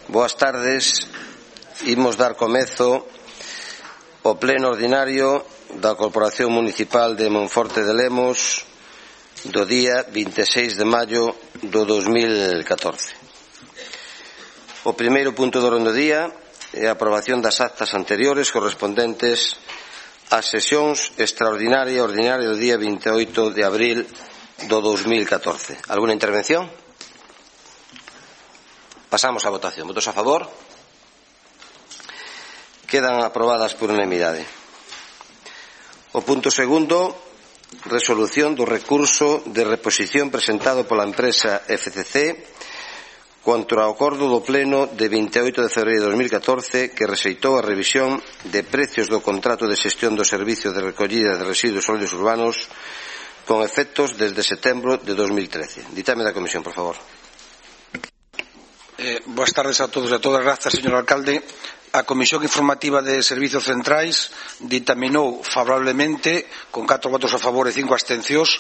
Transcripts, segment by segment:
Boas tardes. Imos dar comezo ao pleno ordinario da Corporación Municipal de Monforte de Lemos do día 26 de maio do 2014. O primeiro punto do orden do día é a aprobación das actas anteriores correspondentes ás sesións extraordinaria e ordinaria do día 28 de abril do 2014. Alguna intervención? Pasamos á votación. Votos a favor? Quedan aprobadas por unanimidade. O punto segundo, resolución do recurso de reposición presentado pola empresa FCC contra o acordo do Pleno de 28 de febreiro de 2014 que rexeitou a revisión de precios do contrato de xestión do servicio de recollida de residuos sólidos urbanos con efectos desde setembro de 2013. Ditame da Comisión, por favor. Boas tardes a todos e a todas. Grazas, señor alcalde. A Comisión Informativa de Servizos Centrais ditaminou favorablemente, con 4 votos a favor e 5 abstencións,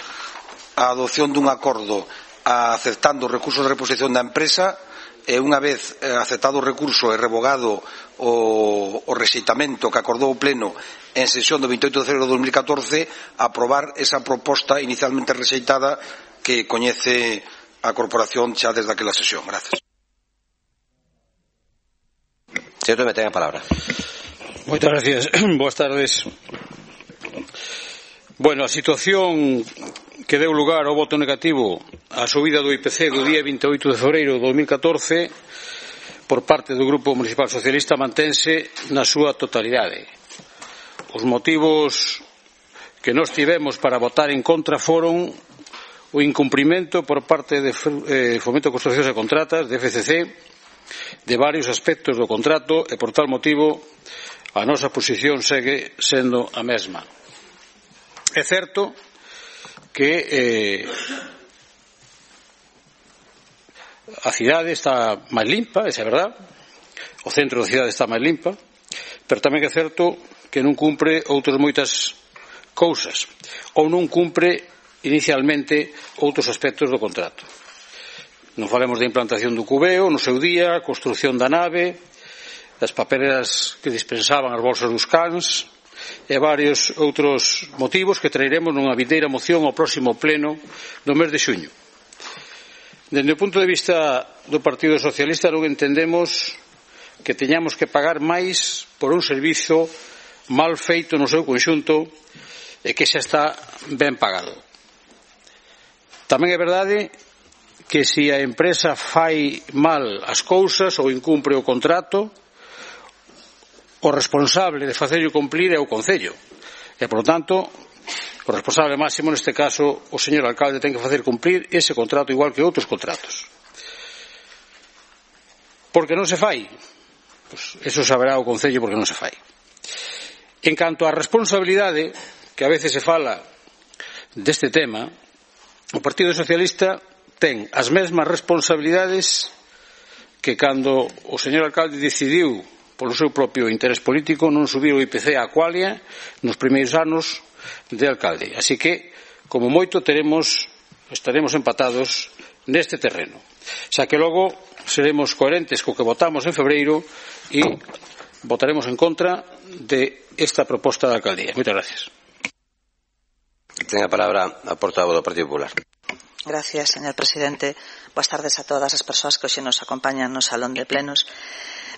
a adopción dun acordo aceptando o recurso de reposición da empresa e unha vez aceptado o recurso e revogado o rexeitamento que acordou o Pleno en sesión do 28 de febreiro de 2014 aprobar esa proposta inicialmente rexeitada que coñece a Corporación xa desde aquela sesión. Gracias. Señor Tome, ten a palabra. Moitas gracias. Boas tardes. Bueno, a situación que deu lugar ao voto negativo á subida do IPC do día 28 de febreiro de 2014 por parte do Grupo Municipal Socialista mantense na súa totalidade. Os motivos que nós tivemos para votar en contra foron o incumprimento por parte de Fomento de Construccións e Contratas, de FCC, de varios aspectos do contrato e, por tal motivo, a nosa posición segue sendo a mesma. É certo que a cidade está máis limpa, esa é verdade, o centro da cidade está máis limpa, pero tamén é certo que non cumpre outras moitas cousas, ou non cumpre inicialmente outros aspectos do contrato. Non falemos da implantación do cubeo no seu día, a construción da nave, das papeleras que dispensaban as bolsas dos cans e varios outros motivos que traeremos nunha vindeira moción ao próximo pleno do mes de xuño. Dende o punto de vista do Partido Socialista non entendemos que teñamos que pagar máis por un servizo mal feito no seu conxunto e que xa está ben pagado. Tamén é verdade que se a empresa fai mal as cousas ou incumpre o contrato, o responsable de facerlo cumplir é o Concello. E, por lo tanto, o responsable máximo, neste caso, o señor alcalde, ten que facer cumplir ese contrato igual que outros contratos. Por que non se fai? Pois eso saberá o Concello porque non se fai. En canto á responsabilidade, que a veces se fala deste tema, o Partido Socialista ten as mesmas responsabilidades que cando o señor alcalde decidiu polo seu propio interés político non subir o IPC á cualia nos primeiros anos de alcalde. Así que, como moito, estaremos empatados neste terreno. Xa que logo seremos coherentes co que votamos en febreiro e votaremos en contra de esta proposta da alcaldía. Moitas gracias. Ten a palabra a portavoz do Partido Popular. Gracias, señor presidente. Boas tardes a todas as persoas que hoxe nos acompañan no Salón de Plenos.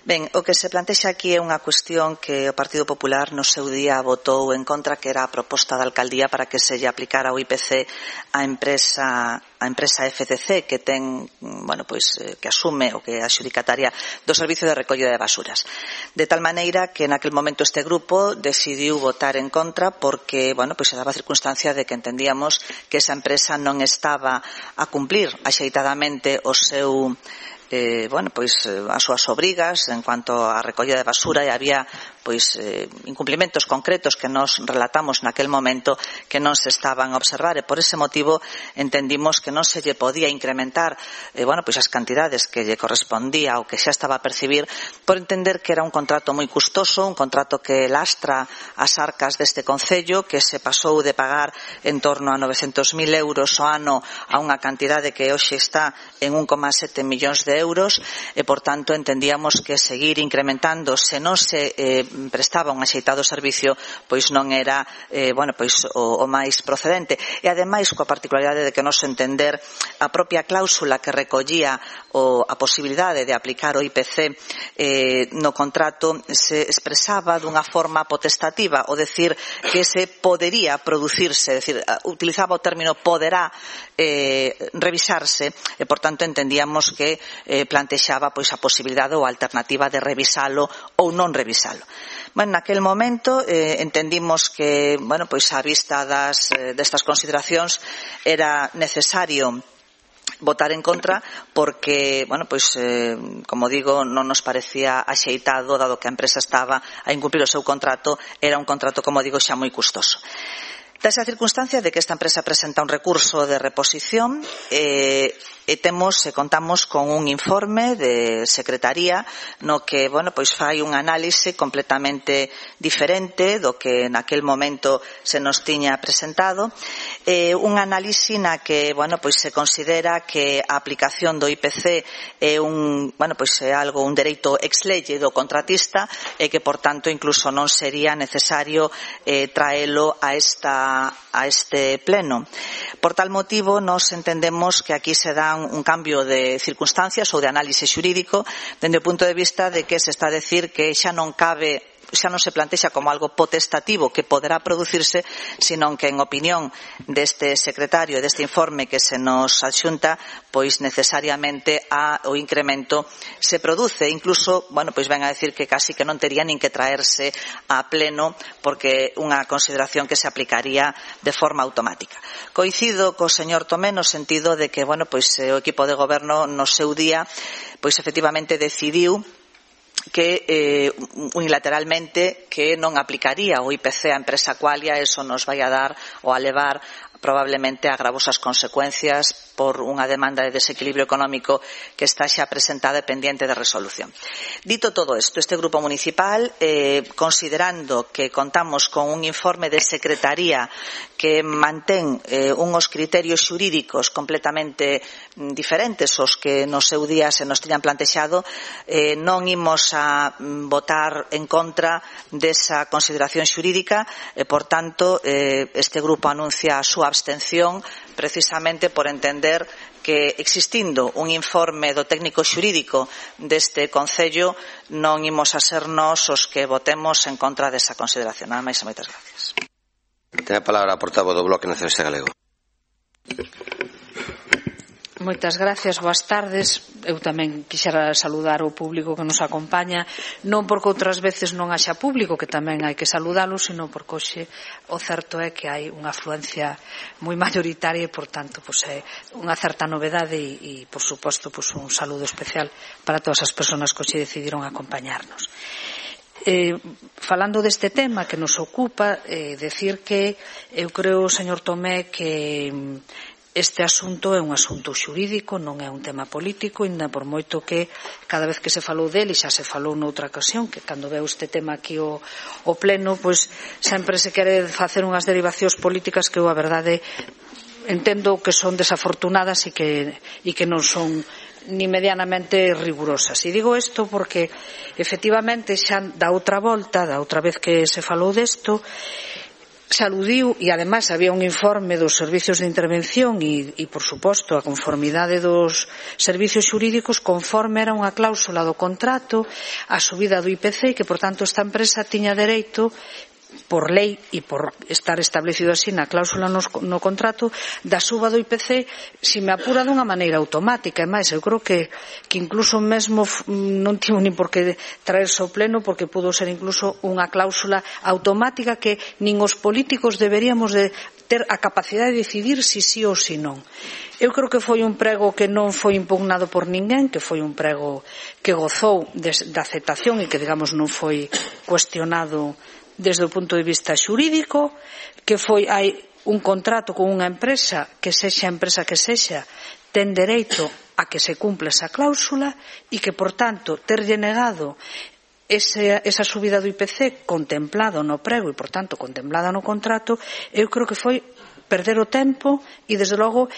Ben, o que se plantexa aquí é unha cuestión que o Partido Popular no seu día votou en contra, que era a proposta da alcaldía para que se lle aplicara o IPC á empresa FCC, que ten, que asume o que é a xudicataria do servicio de recollida de basuras. De tal maneira que naquel momento este grupo decidiu votar en contra porque, se daba a circunstancia de que entendíamos que esa empresa non estaba a cumplir axeitadamente o seu as súas obrigas en cuanto á recollida de basura e había incumplimentos concretos que nos relatamos naquel momento que non se estaban a observar, e por ese motivo entendimos que non se lle podía incrementar as cantidades que lle correspondía ou que xa estaba a percibir, por entender que era un contrato moi custoso, un contrato que lastra as arcas deste concello, que se pasou de pagar en torno a 900.000 euros ao ano a unha cantidade que hoxe está en 1,7 millóns de euros, e por tanto entendíamos que seguir incrementando se non se prestaba un axeitado servicio pois non era o máis procedente. E ademais coa particularidade de que nos entender a propia cláusula que recollía a posibilidade de aplicar o IPC no contrato se expresaba dunha forma potestativa, o decir que se podería producirse, é dicir, utilizaba o término poderá revisarse, e por tanto entendíamos que plantexaba a posibilidade ou a alternativa de revisalo ou non revisalo. Naquel momento entendimos que, a vista destas consideracións era necesario votar en contra porque, como digo, non nos parecía axeitado, dado que a empresa estaba a incumplir o seu contrato, era un contrato, como digo, xa moi custoso. Desa circunstancia de que esta empresa presenta un recurso de reposición e contamos con un informe de Secretaría no que, fai un análise completamente diferente do que naquel momento se nos tiña presentado, un análise na que, se considera que a aplicación do IPC é un dereito ex lege do contratista e que, por tanto, incluso non sería necesario traelo a este pleno. Por tal motivo, nos entendemos que aquí se dan un cambio de circunstancias ou de análise xurídico dende o punto de vista de que se está a decir que xa non se plantexa como algo potestativo que poderá producirse, sino que en opinión deste secretario e deste informe que se nos adxunta, pois necesariamente o incremento se produce, incluso, ven a decir que casi que non tería nin que traerse a pleno porque unha consideración que se aplicaría de forma automática. Coincido co señor Tomé no sentido de que, o equipo de goberno no seu día, efectivamente decidiu que unilateralmente que non aplicaría o IPC á empresa Qualia. Eso nos vai a dar ou a levar probablemente a gravosas consecuencias por unha demanda de desequilibrio económico que está xa presentada e pendiente de resolución. Dito todo isto, este grupo municipal, considerando que contamos con un informe de Secretaría que mantén unhos criterios xurídicos completamente diferentes aos que no seu día se nos tiñan plantexado, non imos a votar en contra desa consideración xurídica e, por tanto, este grupo anuncia a súa abstención precisamente por entender que existindo un informe do técnico xurídico deste Concello non imos a ser nós os que votemos en contra desa consideración. Nada máis e moitas gracias. Ten a palabra a portavoz do Bloque Nacionalista Galego. Moitas gracias, boas tardes. Eu tamén quixera saludar o público que nos acompaña, non porque outras veces non haxa público, que tamén hai que saludalo, sino porque hoxe o certo é que hai unha afluencia moi mayoritaria e, por tanto, é unha certa novedade e por suposto, un saludo especial para todas as persoas que hoxe decidiron acompañarnos. Falando deste tema que nos ocupa, decir que eu creo, señor Tomé, que este asunto é un asunto xurídico, non é un tema político, ainda por moito que cada vez que se falou dele, xa se falou noutra ocasión, que cando veo este tema aquí o pleno, sempre se quere facer unhas derivacións políticas que eu, a verdade, entendo que son desafortunadas e que non son ni medianamente rigurosas. E digo isto porque, efectivamente, xa da outra volta, da outra vez que se falou desto, se aludiu, e ademais había un informe dos servicios de intervención e por suposto, a conformidade dos servicios xurídicos conforme era unha cláusula do contrato a subida do IPC e que, por tanto, esta empresa tiña dereito por lei e por estar establecido así na cláusula no contrato da suba do IPC, se me apura, dunha maneira automática. E máis, eu creo que incluso mesmo non tivo nin por que traerse ao pleno, porque pudo ser incluso unha cláusula automática que nin os políticos deberíamos de ter a capacidade de decidir si sí ou si non. Eu creo que foi un prego que non foi impugnado por ninguén, que foi un prego que gozou da aceptación e que, digamos, non foi cuestionado desde o punto de vista xurídico, que hai un contrato con unha empresa, que sexa a empresa que sexa, ten dereito a que se cumpla esa cláusula e que, por tanto, terlle negado esa subida do IPC contemplado no prego e, por tanto, contemplada no contrato, eu creo que foi perder o tempo e, desde logo,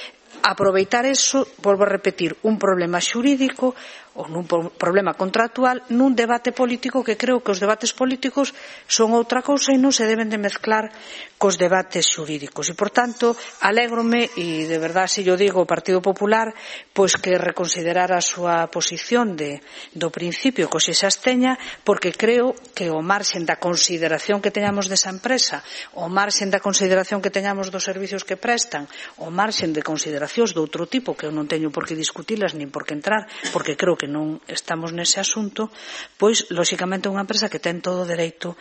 aproveitar eso, volvo a repetir, un problema xurídico ou nun problema contractual nun debate político, que creo que os debates políticos son outra cousa e non se deben de mezclar cos debates xurídicos. E, por tanto, alégrome, e de verdade se yo digo o Partido Popular, pois que reconsiderara a súa posición do principio que se absteña, porque creo que o marxen da consideración que teñamos desa empresa, o marxen da consideración que teñamos dos servicios que prestan, o marxen de consideracións de outro tipo que eu non teño por que discutilas nin por que entrar, porque creo que non estamos nese asunto, pois, lóxicamente, unha empresa que ten todo o dereito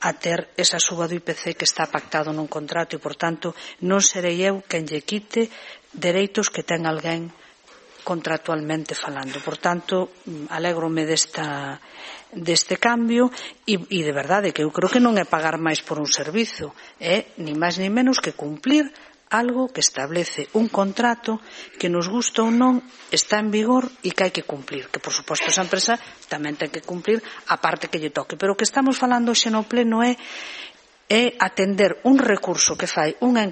a ter esa suba do IPC que está pactado nun contrato e, por tanto, non serei eu quen lle quite dereitos que ten alguén contractualmente falando. Por tanto, alégrome deste cambio e de verdade que eu creo que non é pagar máis por un servizo, é ni máis ni menos que cumplir algo que establece un contrato que, nos gusta ou non, está en vigor e que hai que cumplir, que por suposto esa empresa tamén ten que cumplir a parte que lle toque, pero o que estamos falando xe no pleno é atender un recurso que fai unha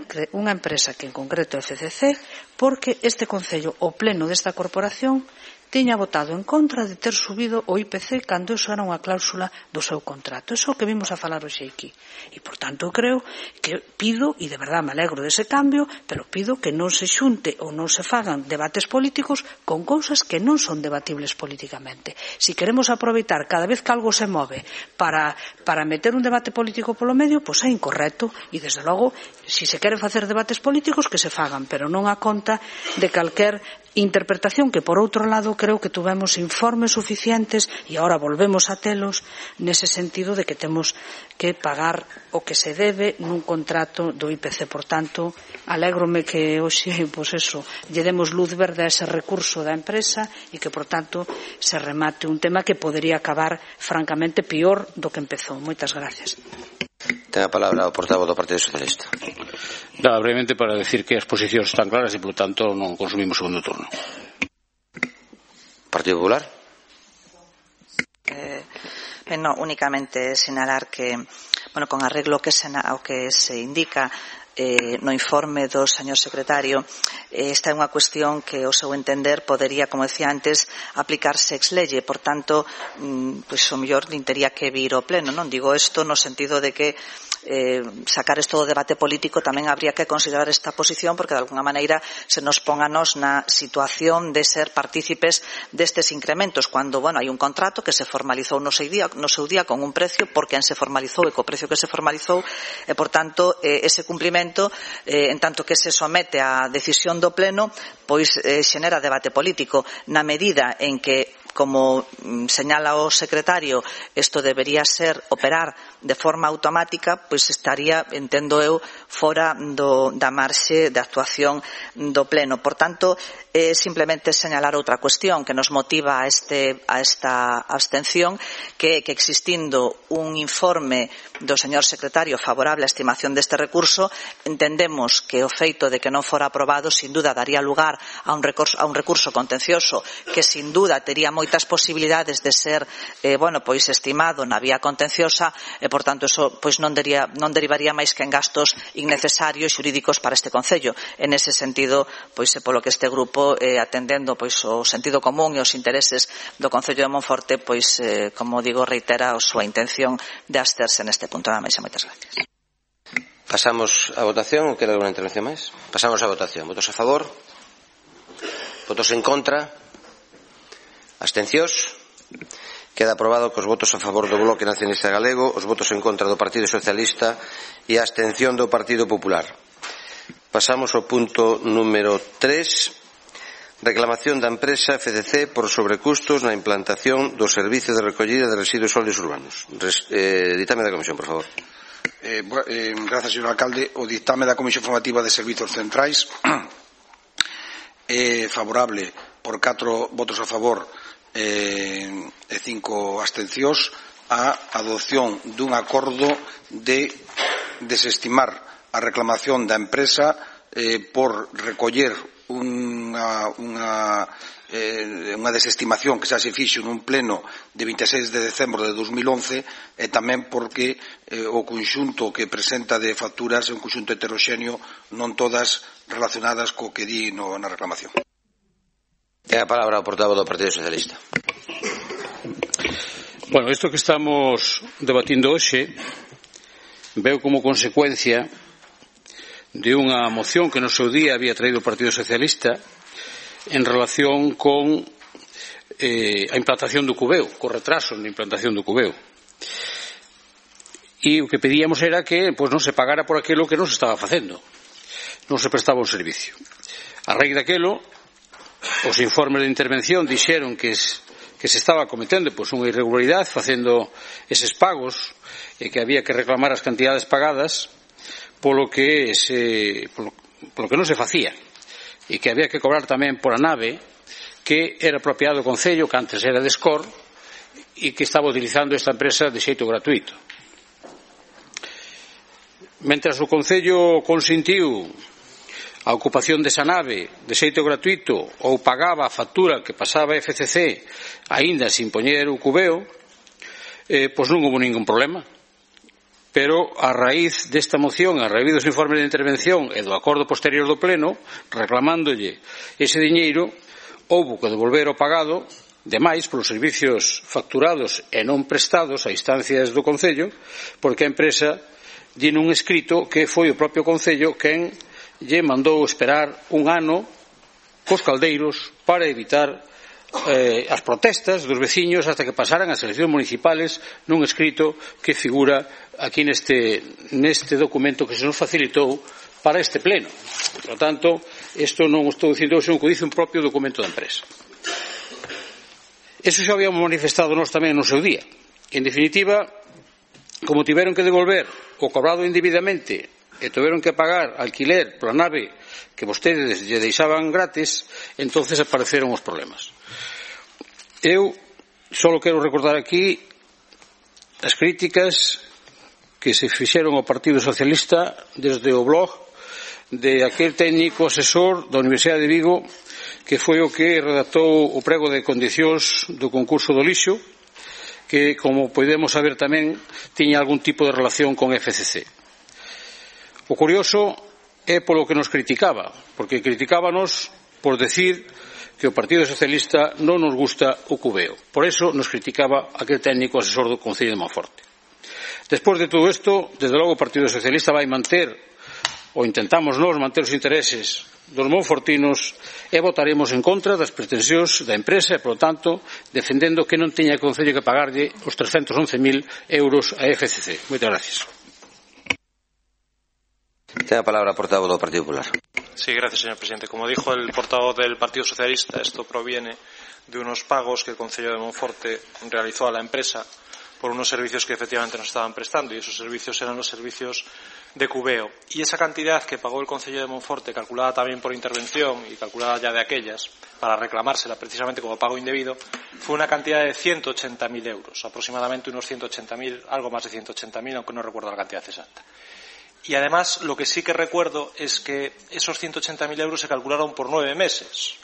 empresa que en concreto é FCC, porque este Concello, o pleno desta corporación, tiña votado en contra de ter subido o IPC cando eso era unha cláusula do seu contrato. Eso é o que vimos a falar hoxe aquí. E, por tanto, eu creo que pido, e de verdade me alegro dese cambio, pero pido que non se xunte ou non se fagan debates políticos con cousas que non son debatibles políticamente. Si queremos aproveitar cada vez que algo se move para meter un debate político polo medio, pois é incorrecto. E, desde logo, si se queren facer debates políticos, que se fagan, pero non a conta de calquer interpretación que, por outro lado, creo que tuvemos informes suficientes e agora volvemos a telos nese sentido de que temos que pagar o que se debe nun contrato do IPC. Por tanto, alégrome que hoxe, pois eso, lle demos luz verde a ese recurso da empresa e que, por tanto, se remate un tema que podería acabar francamente peor do que empezou. Moitas gracias. Ten a palabra o portavoz do Partido Socialista. Brevemente para decir que as posicións están claras e, por tanto, non consumimos segundo turno. Partido Popular. Únicamente sinalar que, con arreglo ao que se indica no informe do señor secretario, esta é unha cuestión que, ao seu entender, podería, como decía antes, aplicarse ex lege. Por tanto, pois o mellor tería que vir ao pleno. Non digo isto no sentido de que sacar isto do debate político tamén habría que considerar esta posición, porque de alguna maneira se nos pon a nos na situación de ser partícipes destes incrementos, cando, hai un contrato que se formalizou no seu día con un precio por quen se formalizou e co precio que se formalizou, e, por tanto, ese cumprimento, en tanto que se somete á decisión do pleno, pois xenera debate político, na medida en que, como señala o secretario, isto debería operar de forma automática, pois estaría, entendo eu, fora da marxe de actuación do pleno. Por tanto, simplemente señalar outra cuestión que nos motiva a esta abstención, que existindo un informe do señor secretario favorable á estimación deste recurso, entendemos que o feito de que non fora aprobado sin duda daría lugar a un recurso contencioso que sin duda tería moitas posibilidades de ser estimado na vía contenciosa, e, por tanto, eso non derivaría máis que en gastos innecesarios xurídicos para este Concello. En ese sentido, polo que este grupo, atendendo o sentido común e os intereses do Concello de Monforte, como digo, reitera a súa intención de absterse neste punto. Nada máis e moitas gracias. Pasamos a votación. Ou quere alguna intervención máis? Pasamos a votación. Votos a favor? Votos en contra? Abstencións? Queda aprobado cos votos a favor do Bloque Nacionalista Galego, os votos en contra do Partido Socialista e a abstención do Partido Popular. Pasamos ao punto número 3, reclamación da empresa FCC por sobrecustos na implantación do servicio de recollida de residuos sólidos urbanos. Ditame da Comisión, por favor. Gracias, señor alcalde. O ditame da Comisión Informativa de Servizos Centrais é favorable por 4 votos a favor e 5 abstencións a adopción dun acordo de desestimar a reclamación da empresa por recoller unha desestimación que xa se fixo nun pleno de 26 de decembro de 2011 e tamén porque o conxunto que presenta de facturas é un conxunto heteroxéneo, non todas relacionadas co que di na reclamación. Ten a palabra o portavoz do Partido Socialista. Bueno, isto que estamos debatindo hoxe veo como consecuencia de unha moción que no seu día había traído o Partido Socialista en relación con a implantación do cubeo, co retraso na implantación do cubeo. E o que pedíamos era que non se pagara por aquilo que non se estaba facendo, non se prestaba un servicio. A raíz daquelo, os informes de intervención dixeron que se estaba cometendo unha irregularidade facendo eses pagos e que había que reclamar as cantidades pagadas polo que non se facía e que había que cobrar tamén por a nave que era propiedade do Concello, que antes era de Escor e que estaba utilizando esta empresa de xeito gratuito. Mentras o Concello consentiu a ocupación desa nave de xeito gratuito ou pagaba a factura que pasaba a FCC aínda sin poñer o cubeo, non houve ningún problema. Pero a raíz desta moción, a raíz dos informes de intervención e do acordo posterior do Pleno, reclamándolle ese diñeiro, houve que devolver o pagado demais polos servicios facturados e non prestados a instancias do Concello, porque a empresa di nun escrito que foi o propio Concello quen lle mandou esperar un ano cos caldeiros para evitar as protestas dos veciños hasta que pasaran as eleccións municipales nun escrito que figura aquí neste documento que se nos facilitou para este pleno. Por lo tanto, isto non o estou dicindo, senón que o dice un propio documento da empresa. Eso xa habíamos manifestado nós tamén no seu día. En definitiva, como tiveron que devolver o cobrado indebidamente e tiveron que pagar alquiler pola nave que vostedes lle deixaban gratis, entonces apareceron os problemas. Eu só quero recordar aquí as críticas que se fixeron ao Partido Socialista desde o blog de aquel técnico asesor da Universidade de Vigo que foi o que redactou o prego de condicións do concurso do lixo, que, como podemos saber tamén, tiña algún tipo de relación con FCC. O curioso é polo que nos criticaba, porque criticábanos por decir que o Partido Socialista non nos gusta o cubeo. Por eso nos criticaba aquel técnico asesor do Concello de Monforte. Despois de todo isto, desde logo o Partido Socialista vai manter, ou intentamos nós manter os intereses dos monfortinos e votaremos en contra das pretensións da empresa e, por lo tanto, defendendo que non teña o Concello que pagarlle os 311.000 euros a FCC. Moitas gracias. Ten a palabra o portavoz do Partido Popular. Sí, gracias, señor presidente. Como dijo el portavoz del Partido Socialista, esto proviene de unos pagos que el Concello de Monforte realizó a la empresa por unos servicios que efectivamente nos estaban prestando, y esos servicios eran los servicios de cubeo. Y esa cantidad que pagó el Concello de Monforte, calculada también por intervención y calculada ya de aquellas, para reclamársela precisamente como pago indebido, fue una cantidad de 180.000 euros, aproximadamente unos 180.000, algo más de 180.000, aunque no recuerdo la cantidad exacta. Y además, lo que sí que recuerdo es que esos 180.000 euros se calcularon por 9 meses.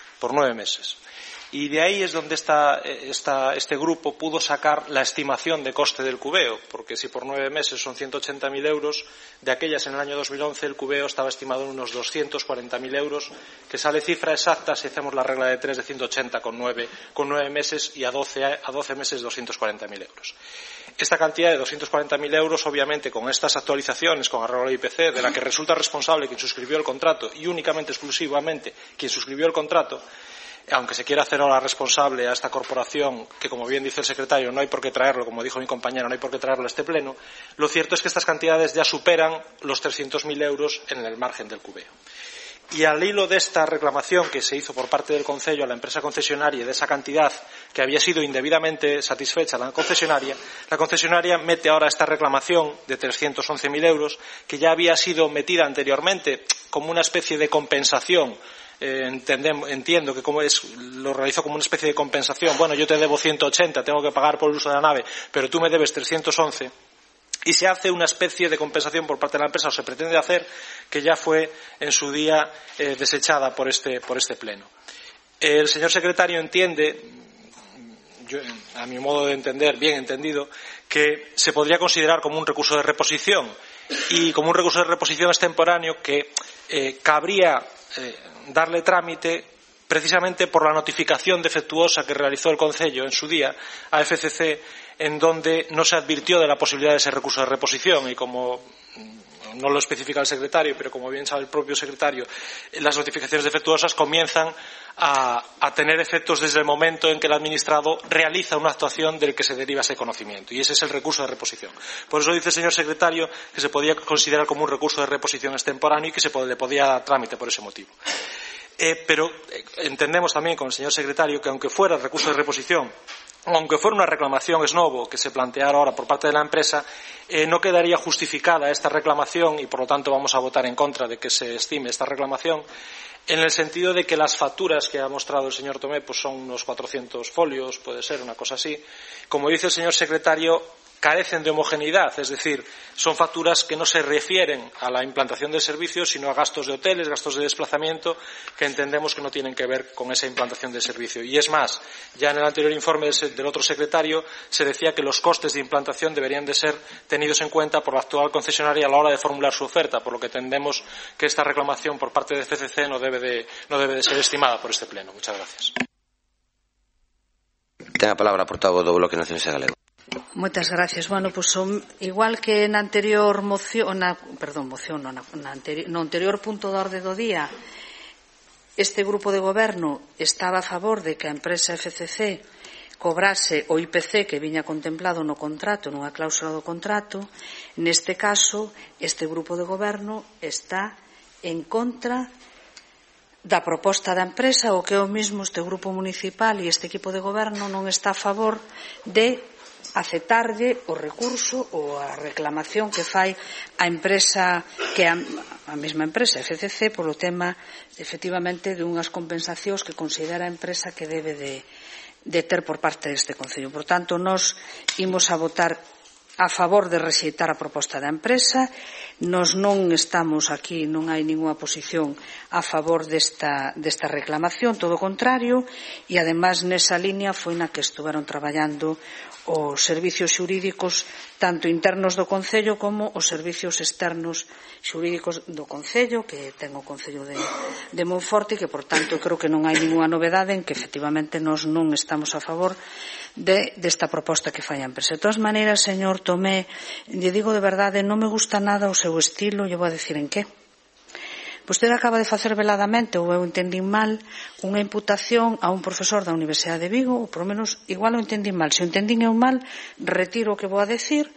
Y de ahí es donde este grupo pudo sacar la estimación de coste del cubeo, porque si por 9 meses son 180.000 euros, de aquellas en el año 2011 el cubeo estaba estimado en unos 240.000 euros, que sale cifra exacta si hacemos la regla de 3 de 180 con 9 meses y a 12 meses 240.000 euros. Esta cantidad de 240.000 euros, obviamente, con estas actualizaciones, con arreglo al IPC, de la que resulta responsable quien suscribió el contrato y únicamente, exclusivamente, quien suscribió el contrato, aunque se quiera hacer ahora responsable a esta corporación, que como bien dice el secretario, no hay por qué traerlo, como dijo mi compañero, no hay por qué traerlo a este pleno, lo cierto es que estas cantidades ya superan los 300.000 euros en el margen del cubeo. Y al hilo de esta reclamación que se hizo por parte del Concello a la empresa concesionaria de esa cantidad que había sido indebidamente satisfecha la concesionaria mete ahora esta reclamación de 311.000 euros que ya había sido metida anteriormente como una especie de compensación. Entiendo que lo realizó como una especie de compensación. Bueno, yo te debo 180, tengo que pagar por el uso de la nave, pero tú me debes 311. Y se hace una especie de compensación por parte de la empresa, o se pretende hacer, que ya fue en su día desechada por este pleno. El señor secretario entiende, a mi modo de entender, bien entendido, que se podría considerar como un recurso de reposición, y como un recurso de reposición extemporáneo que cabría darle trámite precisamente por la notificación defectuosa que realizó el Concello en su día a FCC, en donde no se advirtió de la posibilidad de ese recurso de reposición, y como no lo especifica el secretario, pero como bien sabe el propio secretario, las notificaciones defectuosas comienzan a tener efectos desde el momento en que el administrado realiza una actuación del que se deriva ese conocimiento, y ese es el recurso de reposición. Por eso dice el señor secretario que se podía considerar como un recurso de reposición extemporáneo y que le podía dar trámite por ese motivo. Pero entendemos también con el señor secretario que aunque fuera recurso de reposición, aunque fuera una reclamación ex novo que se planteara ahora por parte de la empresa, no quedaría justificada esta reclamación, y por lo tanto vamos a votar en contra de que se estime esta reclamación, en el sentido de que las facturas que ha mostrado el señor Tomé pues son unos 400 folios, puede ser una cosa así. Como dice el señor secretario, carecen de homogeneidad, es decir, son facturas que no se refieren a la implantación del servicio, sino a gastos de hoteles, gastos de desplazamiento, que entendemos que no tienen que ver con esa implantación del servicio. Y es más, ya en el anterior informe del otro secretario se decía que los costes de implantación deberían de ser tenidos en cuenta por la actual concesionaria a la hora de formular su oferta, por lo que entendemos que esta reclamación por parte de FCC no debe de ser estimada por este pleno. Muchas gracias. Ten a palabra, portavoz do Bloque Nacionalista Galego. Moitas gracias. Bueno, pois igual que na anterior moción, no anterior punto de orde do día, este grupo de goberno estaba a favor de que a empresa FCC cobrase o IPC que viña contemplado no contrato, nunha cláusula do contrato. Neste caso, este grupo de goberno está en contra da proposta da empresa, o que é o mesmo este grupo municipal e este equipo de goberno non está a favor de aceptarlle o recurso ou a reclamación que fai a empresa, que a mesma empresa FCC, polo tema efectivamente de unhas compensacións que considera a empresa que debe de ter por parte deste Concello. Por tanto, nós imos a votar a favor de rexeitar a proposta da empresa. Nós non estamos aquí, non hai ningunha posición a favor desta reclamación, todo o contrario, e ademais nesa línea foi na que estuveron traballando os servicios xurídicos tanto internos do Concello como os servicios externos xurídicos do Concello, que ten o Concello de Monforte, e que, por tanto, creo que non hai ningunha novedade en que efectivamente nós non estamos a favor desta proposta que fai a empresa. De todas maneiras, señor Tomé, lle digo de verdade, non me gusta nada o seu estilo, lle vou a decir en que. Vostede acaba de facer veladamente, ou eu entendín mal, unha imputación a un profesor da Universidade de Vigo, ou por lo menos igual o entendín mal. Se o entendín eu mal, retiro o que vou a decir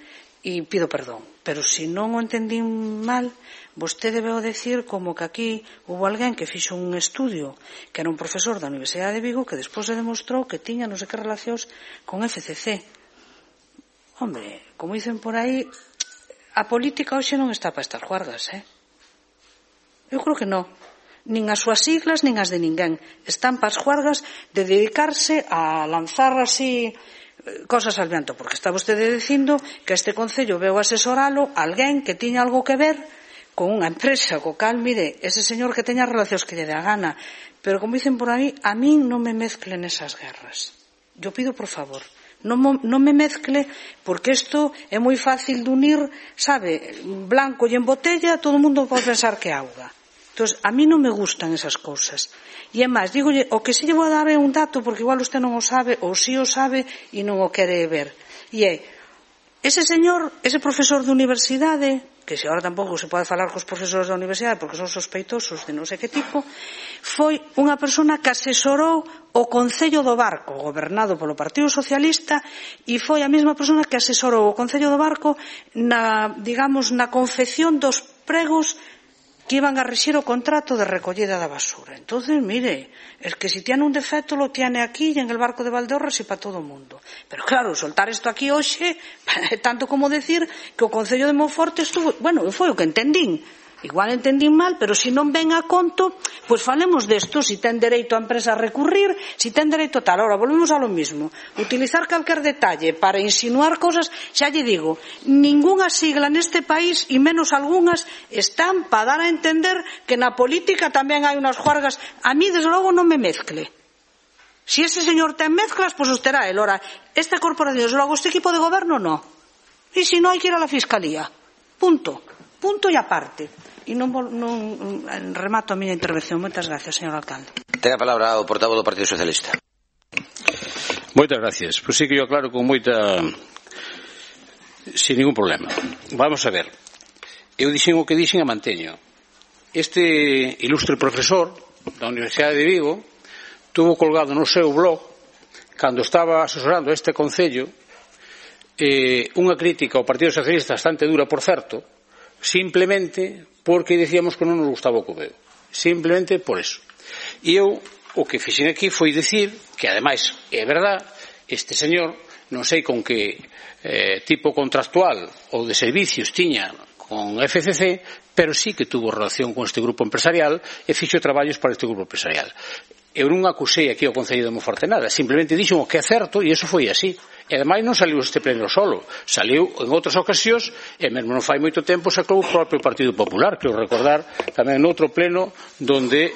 e pido perdón. Pero se non o entendín mal, vostede veo decir como que aquí hubo alguén que fixo un estudio que era un profesor da Universidade de Vigo que despois se demostrou que tiña non sei que relacións con FCC. Hombre, como dicen por aí, a política hoxe non está para estas juargas, Eu creo que non. Nin as súas siglas, nin as de ninguén. Están para as juargas de dedicarse a lanzar así cosas al viento, porque está vostede dicindo que este Concello veu asesoralo a alguén que tiña algo que ver con unha empresa, co cal, mire, ese señor que teña relacións que lle dé a gana. Pero como dicen por aí, a min non me mezclen esas guerras. Yo pido por favor, non me mezcle, porque isto é moi fácil de unir, sabe, blanco e en botella, todo o mundo pode pensar que é auga. Entón, a mí non me gustan esas cousas. E é máis, dígolle, o que se lle vou dar é un dato, porque igual usted non o sabe, ou si o sabe e non o quere ver. E é, ese señor, ese profesor de universidade, que se agora tampouco se pode falar cos profesores da universidade porque son sospeitosos de non sei que tipo, foi unha persona que asesorou o Concello do Barco, gobernado polo Partido Socialista, e foi a mesma persona que asesorou o Concello do Barco na confección dos pregos que iban a rexir o contrato de recollida da basura. Entonces, mire, es que si tiene un defecto lo tiene aquí y en el barco de Valdeorras e para todo o mundo. Pero claro, soltar isto aquí hoxe é tanto como decir que o Concello de Monforte estuvo, bueno, foi o que entendín. Igual entendín mal, pero se non ven a conto, pois falemos desto, si ten dereito a empresa a recurrir, si ten dereito a tal. Ahora, volvemos a lo mismo. Utilizar calquer detalle para insinuar cosas, xa lle digo, ningunha sigla neste país, e menos algunhas, están para dar a entender que na política tamén hai unhas juargas. A mí, desde logo, non me mezcle. Si ese señor ten mezclas, pois os terá el. Ora, esta corporación, desde logo, este equipo de goberno, no. E se non, hai que ir a la Fiscalía. Punto. Punto e aparte. E non remato a miña intervención. Moitas gracias, señor alcalde. Ten a palabra o portavoz do Partido Socialista. Moitas gracias. Pois sí que eu aclaro con moita... sin ningún problema. Vamos a ver. Eu dixen o que dixen e manteño. Este ilustre profesor da Universidade de Vigo tuvo colgado no seu blog, cando estaba asesorando este Concello, unha crítica ao Partido Socialista bastante dura, por certo, simplemente porque dicíamos que non nos gustaba o que veo. Simplemente por eso. E eu o que fixen aquí foi dicir que, ademais, é verdad, este señor, non sei con que tipo contractual ou de servicios tiña con FCC, pero sí que tuvo relación con este grupo empresarial e fixo traballos para este grupo empresarial. Eu non acusei aquí ao Concello de Monforte nada, simplemente dixo o que é certo, e iso foi así. E ademais non saliu este pleno solo, saliu en outras ocasións, e mesmo non fai moito tempo sacou o propio Partido Popular, quero recordar tamén noutro pleno donde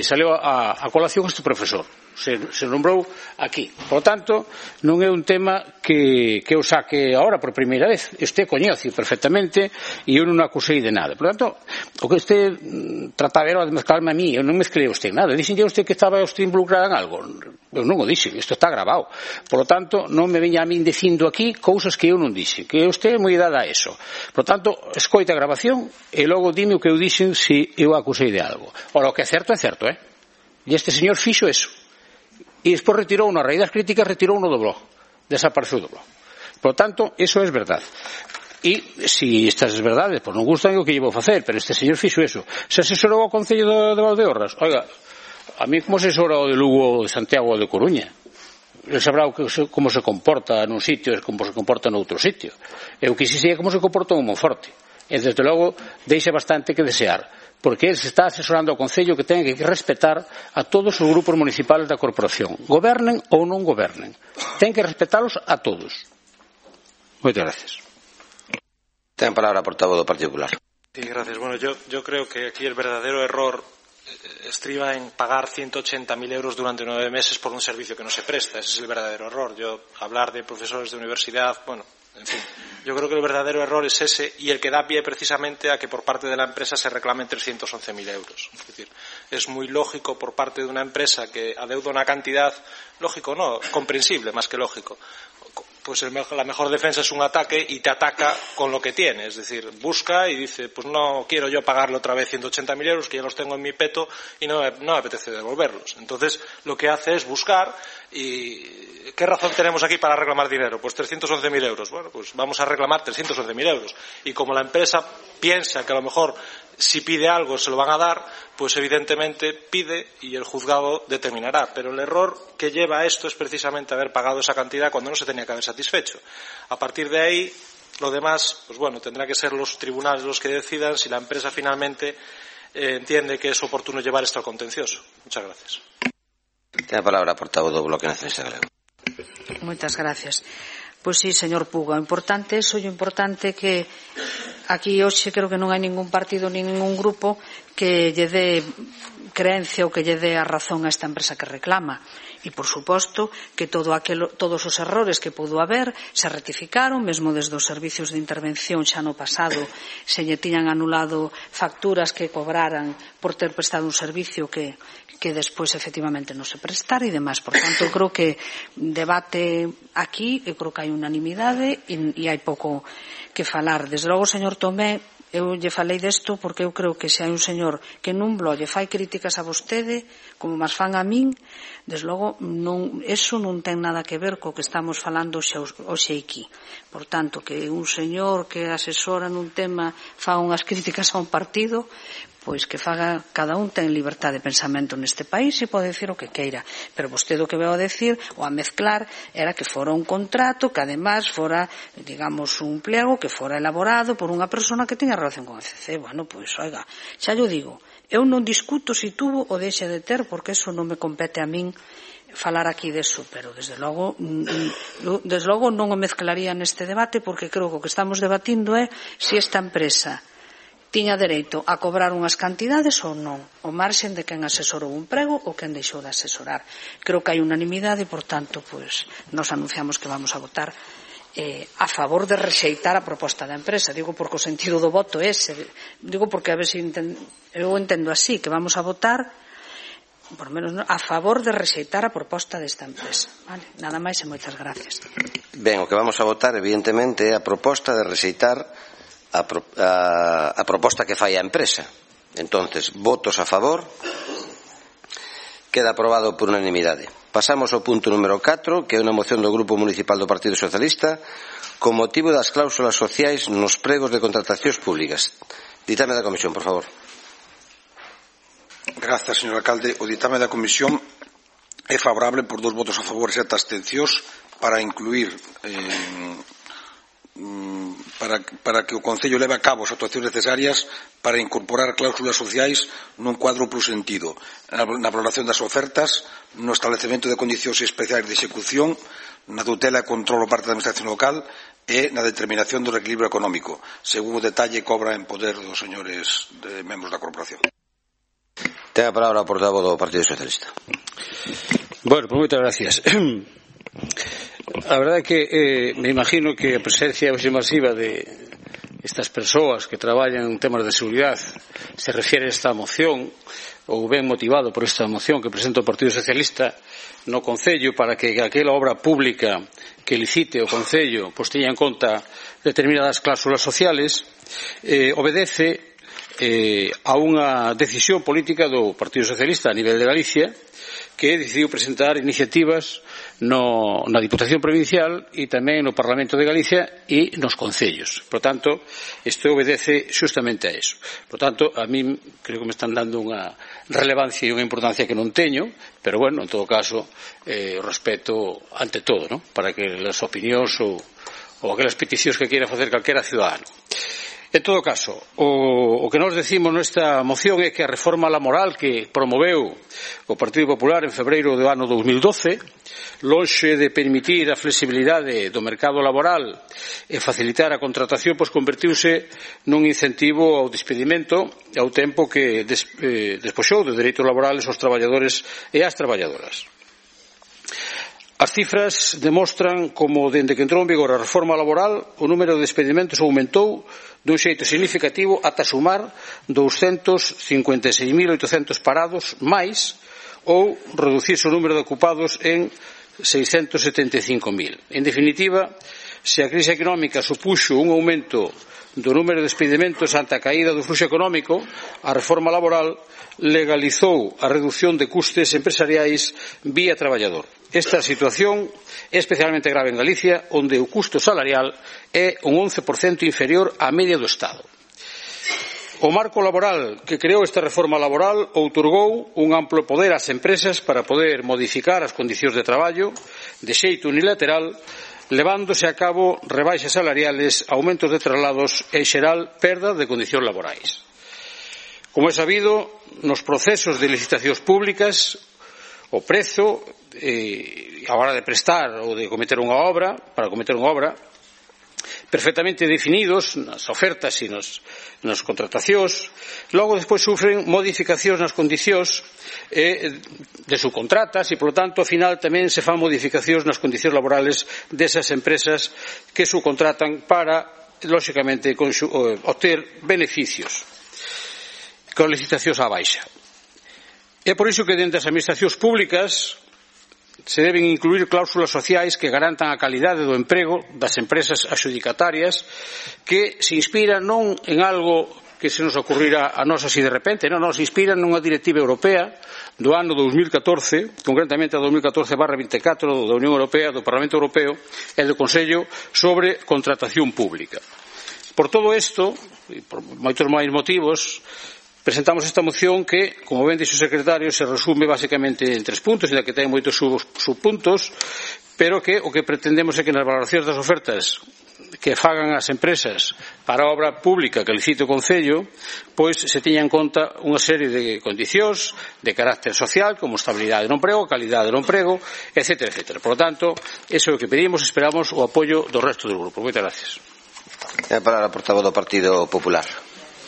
saliu a colación este profesor. Se nombrou aquí. Por tanto, non é un tema que eu saque agora por primeira vez. Este coñece perfectamente e eu non acusei de nada. Por tanto, o que este trataba era de mezclarme a mí. Eu non mezclei a usted nada. Dixenlle a usted que estaba usted involucrada en algo. Eu non o dixen. Isto está grabado. Por lo tanto, non me veña a min dicindo aquí cousas que eu non dixen. Que usted é moi dada a eso. Por tanto, escoita a grabación e logo dime o que eu dixen se eu acusei de algo. Ora, o que é certo, E este señor fixo eso. E despois retirou na raíz das críticas, retirou no do blog, desapareceu do blog. Por tanto, eso é verdad. E se estas verdades pois non gustan, o que lle vou facer, pero este señor fixo eso. Se asesorou ao Concello de Valdeorras, oiga, a mí como asesora o de Lugo, de Santiago ou de Coruña, ele sabrá como se comporta nun sitio e como se comporta noutro sitio. Eu quixese como se comporta un Monforte, e desde logo deixa bastante que desear, porque ele se está asesorando ao Concello que ten que respetar a todos os grupos municipales da corporación, gobernen ou non gobernen, ten que respetalos a todos. Moitas gracias. Ten a palabra a portavoz do Partido Popular. Sí, gracias. Bueno, yo creo que aquí el verdadero error estriba en pagar 180.000 euros durante 9 meses por un servicio que no se presta. Ese es el verdadero error. Hablar de profesores de universidad, bueno, en fin, yo creo que el verdadero error es ese, y el que da pie precisamente a que por parte de la empresa se reclamen 311.000 euros. Es decir, es muy lógico por parte de una empresa que adeuda una cantidad, lógico no, comprensible más que lógico. Pues la mejor defensa es un ataque, y te ataca con lo que tiene, es decir, busca y dice, pues no quiero yo pagarle otra vez 180.000 euros que ya los tengo en mi peto y no me apetece devolverlos. Entonces lo que hace es buscar. ¿Y qué razón tenemos aquí para reclamar dinero? Pues 311.000 euros. Bueno, pues vamos a reclamar 311.000 euros. Y como la empresa piensa que a lo mejor si pide algo se lo van a dar, pues evidentemente pide y el juzgado determinará. Pero el error que lleva a esto es precisamente haber pagado esa cantidad cuando no se tenía que haber satisfecho. A partir de ahí, lo demás, pues bueno, tendrá que ser los tribunales los que decidan si la empresa finalmente entiende que es oportuno llevar esto al contencioso. Muchas gracias. Ten a palabra a portavoz do Bloque Nacionalista Galego. Moitas gracias. Pois sí, señor Puga, o importante é que aquí hoxe creo que non hai ningún partido, ningún grupo que lle dé creencia ou que lle dé a razón a esta empresa que reclama. E, por suposto, que todos os errores que pudo haber se rectificaron, mesmo desde os servicios de intervención xa no pasado se lle tiñan anulado facturas que cobraran por ter prestado un servicio que despois efectivamente non se prestara e demais. Por tanto, eu creo que debate aquí, eu creo que hai unanimidade e hai pouco que falar. Desde logo, señor Tomé, eu lle falei desto porque eu creo que se hai un señor que nun blog lle fai críticas a vostede como mas fan a min, desde logo eso non ten nada que ver co que estamos falando hoxe aquí. Por tanto, que un señor que asesora nun tema fa unhas críticas a un partido, pois que faga, cada un ten libertad de pensamento neste país e pode decir o que queira, pero vostede o que veo a decir ou a mezclar era que fora un contrato que además fora, digamos, un pliego que fora elaborado por unha persona que teña relación con a FCC. Bueno, pois, oiga, xa llo digo, eu non discuto se tuvo ou deixe de ter, porque eso non me compete a min falar aquí deso, pero desde logo non o mezclaría neste debate, porque creo que o que estamos debatindo é se esta empresa tiña dereito a cobrar unhas cantidades ou non, o marxen de quen asesorou un prego ou quen deixou de asesorar. Creo que hai unanimidade e, por tanto, pois, nos anunciamos que vamos a votar a favor de rexeitar a proposta da empresa. Digo porque o sentido do voto é ese. Digo porque a ver se eu entendo así, que vamos a votar por menos a favor de rexeitar a proposta desta empresa. Vale? Nada máis e moitas gracias. Ben, o que vamos a votar evidentemente é a proposta de rexeitar a proposta que fai a empresa. Entonces, votos a favor. Queda aprobado por unanimidade. Pasamos ao punto número 4, que é unha moción do Grupo Municipal do Partido Socialista con motivo das cláusulas sociais nos pregos de contratacións públicas. Ditame da Comisión, por favor. Grazas, señor alcalde. O ditame da Comisión é favorable por 2 votos a favor e 7 abstencións para incluir para que o Concello leve a cabo as actuacións necesarias para incorporar cláusulas sociais nun cuadro plus sentido, na valoración das ofertas, no establecemento de condicións especiais de execución, na tutela e control por parte da Administración local e na determinación do reequilibrio económico, según o detalle que obra en poder dos señores membros da Corporación. Ten a palabra o portavoz do Partido Socialista. Bueno, pues moitas gracias. A verdade é que me imagino que a presencia masiva de estas persoas que traballan en temas de seguridade se refiere a esta moción, ou ben motivado por esta moción que presenta o Partido Socialista no Concello para que aquela obra pública que licite o Concello pois teña en conta determinadas cláusulas sociales, obedece a unha decisión política do Partido Socialista a nivel de Galicia, que decidiu presentar iniciativas na Diputación Provincial e tamén no Parlamento de Galicia e nos concellos. Por tanto, isto obedece xustamente a eso. Por tanto, a mí creo que me están dando unha relevancia e unha importancia que non teño, pero bueno, en todo caso, respeto ante todo, ¿no? Para que as opinións ou aquelas peticións que queira facer calquera ciudadano. En todo caso, o que nos decimos nesta moción é que a reforma laboral que promoveu o Partido Popular en febreiro do ano 2012, lonxe de permitir a flexibilidade do mercado laboral e facilitar a contratación, pois convertiuse nun incentivo ao despedimento ao tempo que despoxou de dereitos laborales aos traballadores e ás traballadoras. As cifras demostran como, dende que entrou en vigor a reforma laboral, o número de despedimentos aumentou dun xeito significativo ata sumar 256.800 parados máis ou reducirse o número de ocupados en 675.000. En definitiva, se a crise económica supuxo un aumento do número de despedimentos ante a caída do fluxo económico, a reforma laboral legalizou a reducción de custes empresariais vía traballador. Esta situación é especialmente grave en Galicia, onde o custo salarial é un 11% inferior á media do Estado. O marco laboral que creou esta reforma laboral outorgou un amplo poder ás empresas para poder modificar as condicións de traballo de xeito unilateral, levándose a cabo rebaixas salariales, aumentos de traslados e, en xeral, perda de condicións laborais. Como é sabido, nos procesos de licitacións públicas, o prezo a hora de prestar ou de cometer unha obra, perfectamente definidos nas ofertas e nas contratacións, logo despois sufren modificacións nas condicións de subcontratas e, polo tanto, ao final tamén se fan modificacións nas condicións laborales desas empresas que subcontratan para, lóxicamente, obter beneficios con licitacións á baixa. É por iso que dentro das administracións públicas se deben incluir cláusulas sociais que garantan a calidade do emprego das empresas adxudicatarias, que se inspiran non en algo que se nos ocurrirá a nós así de repente, non, se inspiran nunha directiva europea do ano 2014, concretamente a 2014/24 da Unión Europea, do Parlamento Europeo e do Consello sobre contratación pública. Por todo isto, e por moitos máis motivos, presentamos esta moción que, como ben dixo o secretario, se resume basicamente en 3 puntos, ainda que ten moitos subpuntos, pero que o que pretendemos é que nas valoracións das ofertas que fagan as empresas para a obra pública que licite o Concello, pois se teña en conta unha serie de condicións de carácter social, como estabilidade do emprego, calidade do emprego, etcétera, etcétera. Por lo tanto, eso é o que pedimos, esperamos o apoio do resto do grupo. Moitas gracias. A palabra portavoz do Partido Popular.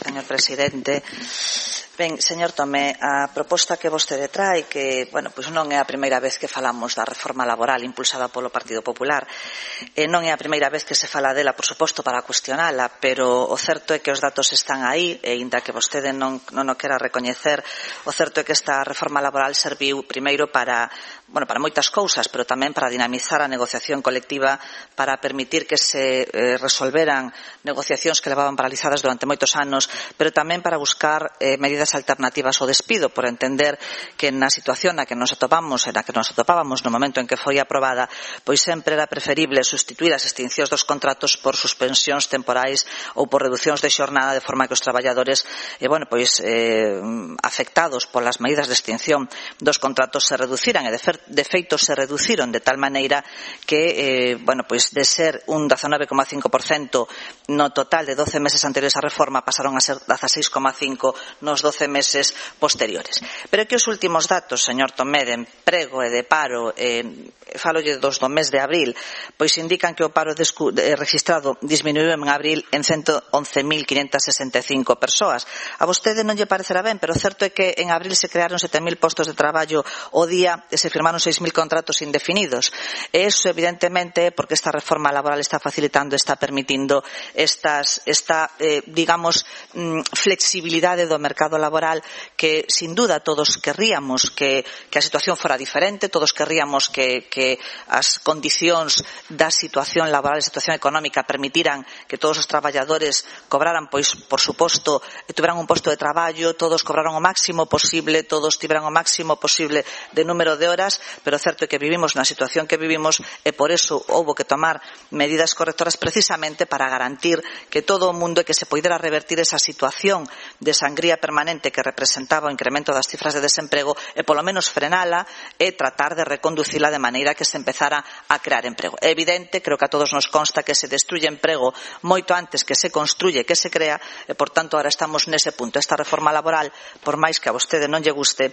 Señor presidente, ben, señor Tomé, a proposta que vostede trae, que, bueno, pois non é a primeira vez que falamos da reforma laboral impulsada polo Partido Popular, non é a primeira vez que se fala dela, por suposto, para cuestionala, pero o certo é que os datos están aí, e inda que vostede non o quera recoñecer, o certo é que esta reforma laboral serviu primeiro para moitas cousas, pero tamén para dinamizar a negociación colectiva, para permitir que se resolveran negociacións que levaban paralizadas durante moitos anos, pero tamén para buscar medidas alternativas ao despido, por entender que na situación na que nos atopábamos no momento en que foi aprobada, pois sempre era preferible sustituir as extincións dos contratos por suspensións temporais ou por reducións de xornada, de forma que os traballadores afectados polas medidas de extinción dos contratos se reduciran, e de feito se reduciron de tal maneira que de ser un 19,5% no total de 12 meses anteriores á reforma pasaron a ser 16,5% nos 12 meses posteriores. Pero que os últimos datos, señor Tomé, de emprego e de paro, falolle dos do mes de abril, pois indican que o paro registrado disminuiu en abril en 111.565 persoas. A vostede non lle parecerá ben, pero o certo é que en abril se crearon 7.000 postos de traballo ao día e se firmaron 6.000 contratos indefinidos. E iso, evidentemente, porque esta reforma laboral está facilitando, está permitindo esta flexibilidade do mercado laboral que, sin duda, todos querríamos que a situación fora diferente, todos querríamos que as condicións da situación laboral e situación económica permitiran que todos os traballadores cobraran, pois, por suposto, tuveran un posto de traballo, todos cobraran o máximo posible, todos tiveran o máximo posible de número de horas, pero o certo é que vivimos na situación que vivimos e por eso houbo que tomar medidas correctoras precisamente para garantir que todo o mundo, que se poidera revertir esa situación de sangría permanente que representaba o incremento das cifras de desemprego e polo menos frenala e tratar de reconducila de maneira que se empezara a crear emprego. É evidente, creo que a todos nos consta que se destruye emprego moito antes que se construye, que se crea, e por tanto ahora estamos nese punto. Esta reforma laboral, por máis que a vostede non lle guste,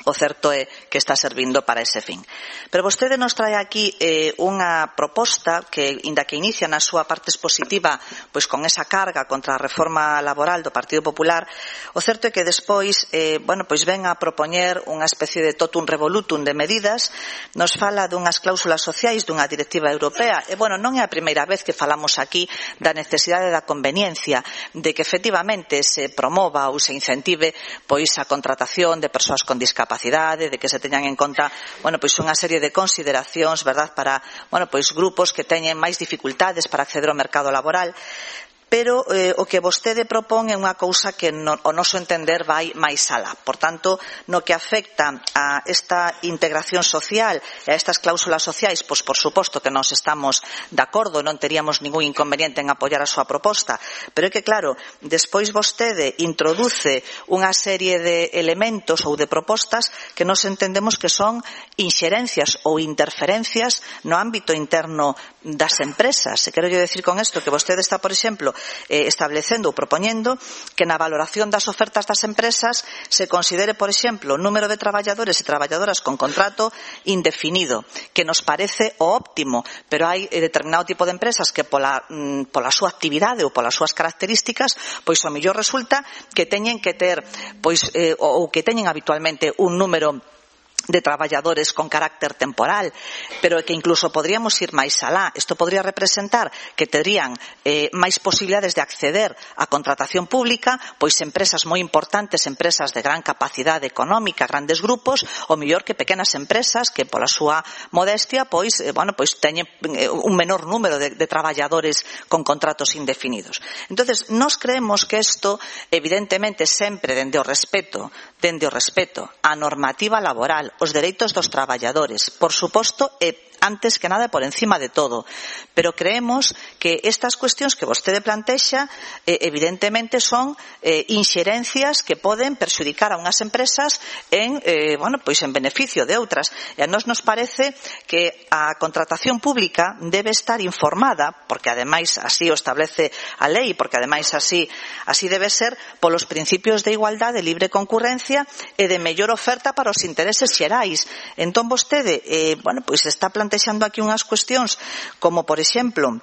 o certo é que está servindo para ese fin. Pero vostede nos trae aquí unha proposta que, inda que inicia na súa parte expositiva pois con esa carga contra a reforma laboral do Partido Popular, o certo é que despois ven a propoñer unha especie de totum revolutum de medidas, nos fala dunhas cláusulas sociais dunha directiva europea, e non é a primeira vez que falamos aquí da necesidade da conveniencia de que efectivamente se promova ou se incentive pois a contratación de persoas con discapacidade, de que se teñan en conta, unha serie de consideracións, verdad, para, grupos que teñen máis dificultades para acceder ao mercado laboral. Pero o que vostede propón é unha cousa que o noso entender vai máis alá. Por tanto, no que afecta a esta integración social e a estas cláusulas sociais, pois por suposto que nós estamos de acordo, non teríamos ningún inconveniente en apoiar a súa proposta, pero é que claro, despois vostede introduce unha serie de elementos ou de propostas que nós entendemos que son inxerencias ou interferencias no ámbito interno das empresas. E quero decir con isto que vostede está, por exemplo, establecendo ou propoñendo que na valoración das ofertas das empresas se considere, por exemplo, o número de traballadores e traballadoras con contrato indefinido, que nos parece o óptimo, pero hai determinado tipo de empresas que pola súa actividade ou polas súas características, pois o mellor resulta que teñen que ter ou que teñen habitualmente un número de traballadores con carácter temporal, pero que incluso podríamos ir máis alá. Isto podría representar que terían máis posibilidades de acceder á contratación pública, pois empresas moi importantes, empresas de gran capacidade económica, grandes grupos, ou mellor que pequenas empresas que pola súa modestia teñen un menor número de traballadores con contratos indefinidos. Entonces, nós creemos que isto, evidentemente, sempre dende o respeto á normativa laboral, os dereitos dos traballadores, por suposto, e antes que nada e por encima de todo. Pero creemos que estas cuestións que vostede plantexa evidentemente son inxerencias que poden perxudicar a unhas empresas en beneficio de outras. E a nós nos parece que a contratación pública debe estar informada, porque ademais así o establece a lei, porque ademais así debe ser, polos principios de igualdade, de libre concurrencia e de mellor oferta para os intereses xerais. Entón vostede está plantexando aquí unhas cuestións como, por exemplo,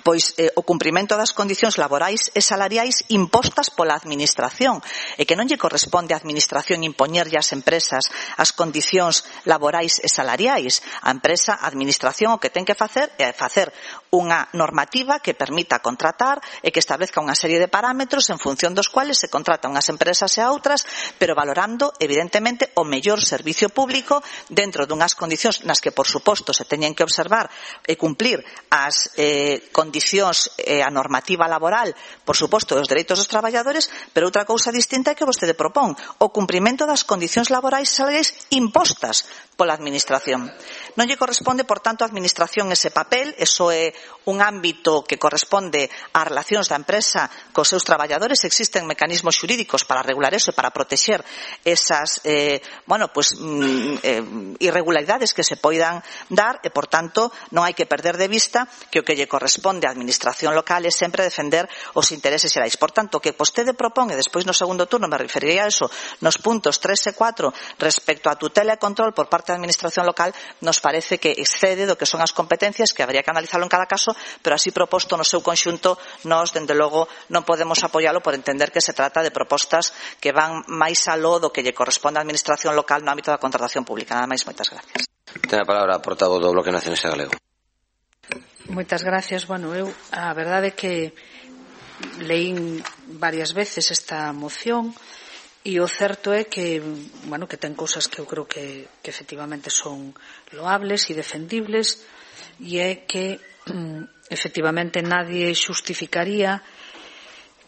o cumprimento das condicións laborais e salariais impostas pola administración, e que non lle corresponde á administración impoñerlle ás empresas as condicións laborais e salariais. A empresa, a administración, o que ten que facer é facer unha normativa que permita contratar e que establezca unha serie de parámetros en función dos cuales se contratan unhas empresas e a outras, pero valorando evidentemente o mellor servicio público dentro dunhas condicións nas que, por suposto, se teñen que observar e cumplir as condicións a normativa laboral, por suposto, os dereitos dos traballadores, pero outra cousa distinta é que vostede propón o cumprimento das condicións laborais e salariais impostas pola administración. Non lle corresponde, por tanto, á administración ese papel, eso é un ámbito que corresponde ás relacións da empresa cos seus traballadores. Existen mecanismos xurídicos para regular eso e para protexer esas irregularidades que se poidan dar e, por tanto, non hai que perder de vista que o que lle corresponde á administración local é sempre defender os intereses xerais. Por tanto, o que vostede propón, e despois no segundo turno me referirei a eso, nos puntos 3 e 4 respecto á tutela e control por parte da administración local, nos parece que excede do que son as competencias, que habría que analizarlo en cada caso, pero así proposto no seu conxunto, nós, dende logo, non podemos apoialo por entender que se trata de propostas que van máis aló do que lle corresponde á administración local no ámbito da contratación pública. Nada máis, moitas gracias. Ten a palabra a portavoz do Bloque Nacionalista Galego. Moitas gracias. Eu, a verdade é que leín varias veces esta moción e o certo é que ten cousas que eu creo que efectivamente son loables e defendibles, e é que efectivamente nadie xustificaría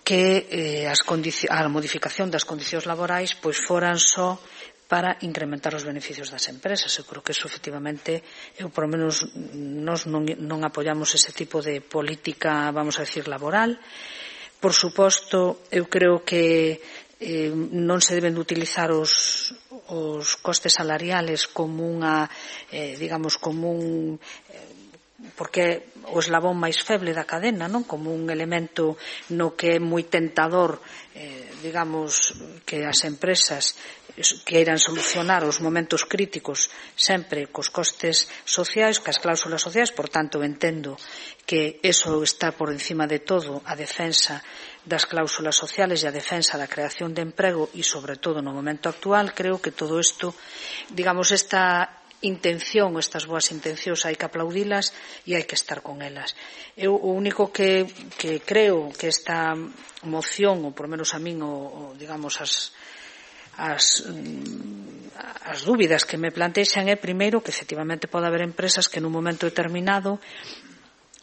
que a modificación das condicións laborais foran só para incrementar os beneficios das empresas. Eu creo que eso efectivamente, por lo menos nós non apoiamos ese tipo de política, vamos a decir, laboral. Por suposto, eu creo que non se deben de utilizar os costes salariales como porque o eslabón máis feble da cadena, non? Como un elemento no que é moi tentador, que as empresas queiran solucionar os momentos críticos sempre cos costes sociais, cas cláusulas sociais. Por tanto, entendo que eso está por encima de todo, a defensa das cláusulas sociales e a defensa da creación de emprego, e sobre todo no momento actual. Creo que todo isto, esta intención, estas boas intencións, hai que aplaudilas e hai que estar con elas. Eu o único que creo que esta moción, ou por menos a min, as dúbidas que me plantexan é, primeiro, que efectivamente pode haber empresas que nun momento determinado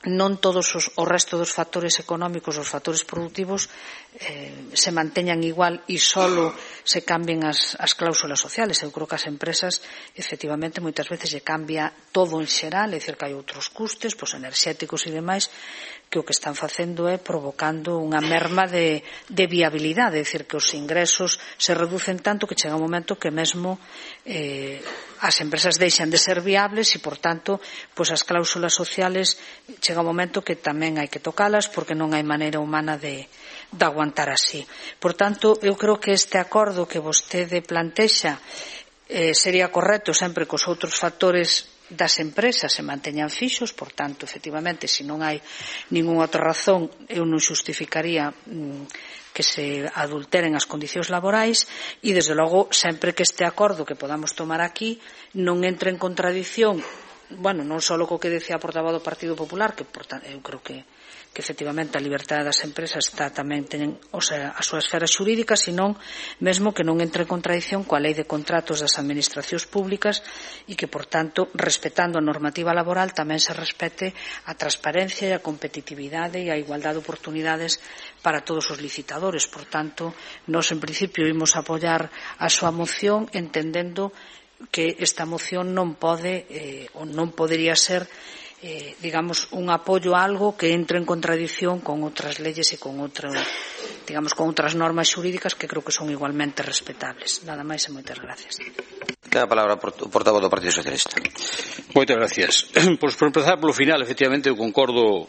non todos o resto dos factores económicos, os factores productivos, se manteñan igual e solo se cambien as cláusulas sociales. Eu creo que as empresas, efectivamente, moitas veces lle cambia todo en xeral, é dicir, que hai outros custes, enerxéticos e demais, que o que están facendo é provocando unha merma de viabilidade, é dicir, que os ingresos se reducen tanto que chega un momento que mesmo as empresas deixan de ser viables e, por tanto, as cláusulas sociales chega un momento que tamén hai que tocalas porque non hai maneira humana de aguantar así. Por tanto, eu creo que este acordo que vostede plantexa sería correcto sempre que os outros factores das empresas se manteñan fixos. Por tanto, efectivamente, se non hai ningunha outra razón, eu non xustificaría que se adulteren as condicións laborais, e, desde logo, sempre que este acordo que podamos tomar aquí non entre en contradición, non só co que decía a portavoz do Partido Popular, que eu creo que efectivamente a liberdade das empresas está tamén ten a súa esfera xurídica, senón mesmo que non entre en contradición coa lei de contratos das administracións públicas, e que, por tanto, respetando a normativa laboral, tamén se respete a transparencia e a competitividade e a igualdade de oportunidades para todos os licitadores. Por tanto, nós en principio imos apoiar a súa moción, entendendo que esta moción non pode ou non podería ser digamos, un apoio a algo que entre en contradición con outras leyes e con outras normas xurídicas que creo que son igualmente respetables. Nada máis e moitas gracias. Ten a palabra o portavoz do Partido Socialista. Moitas gracias. Pois por empezar polo final, efectivamente, eu concordo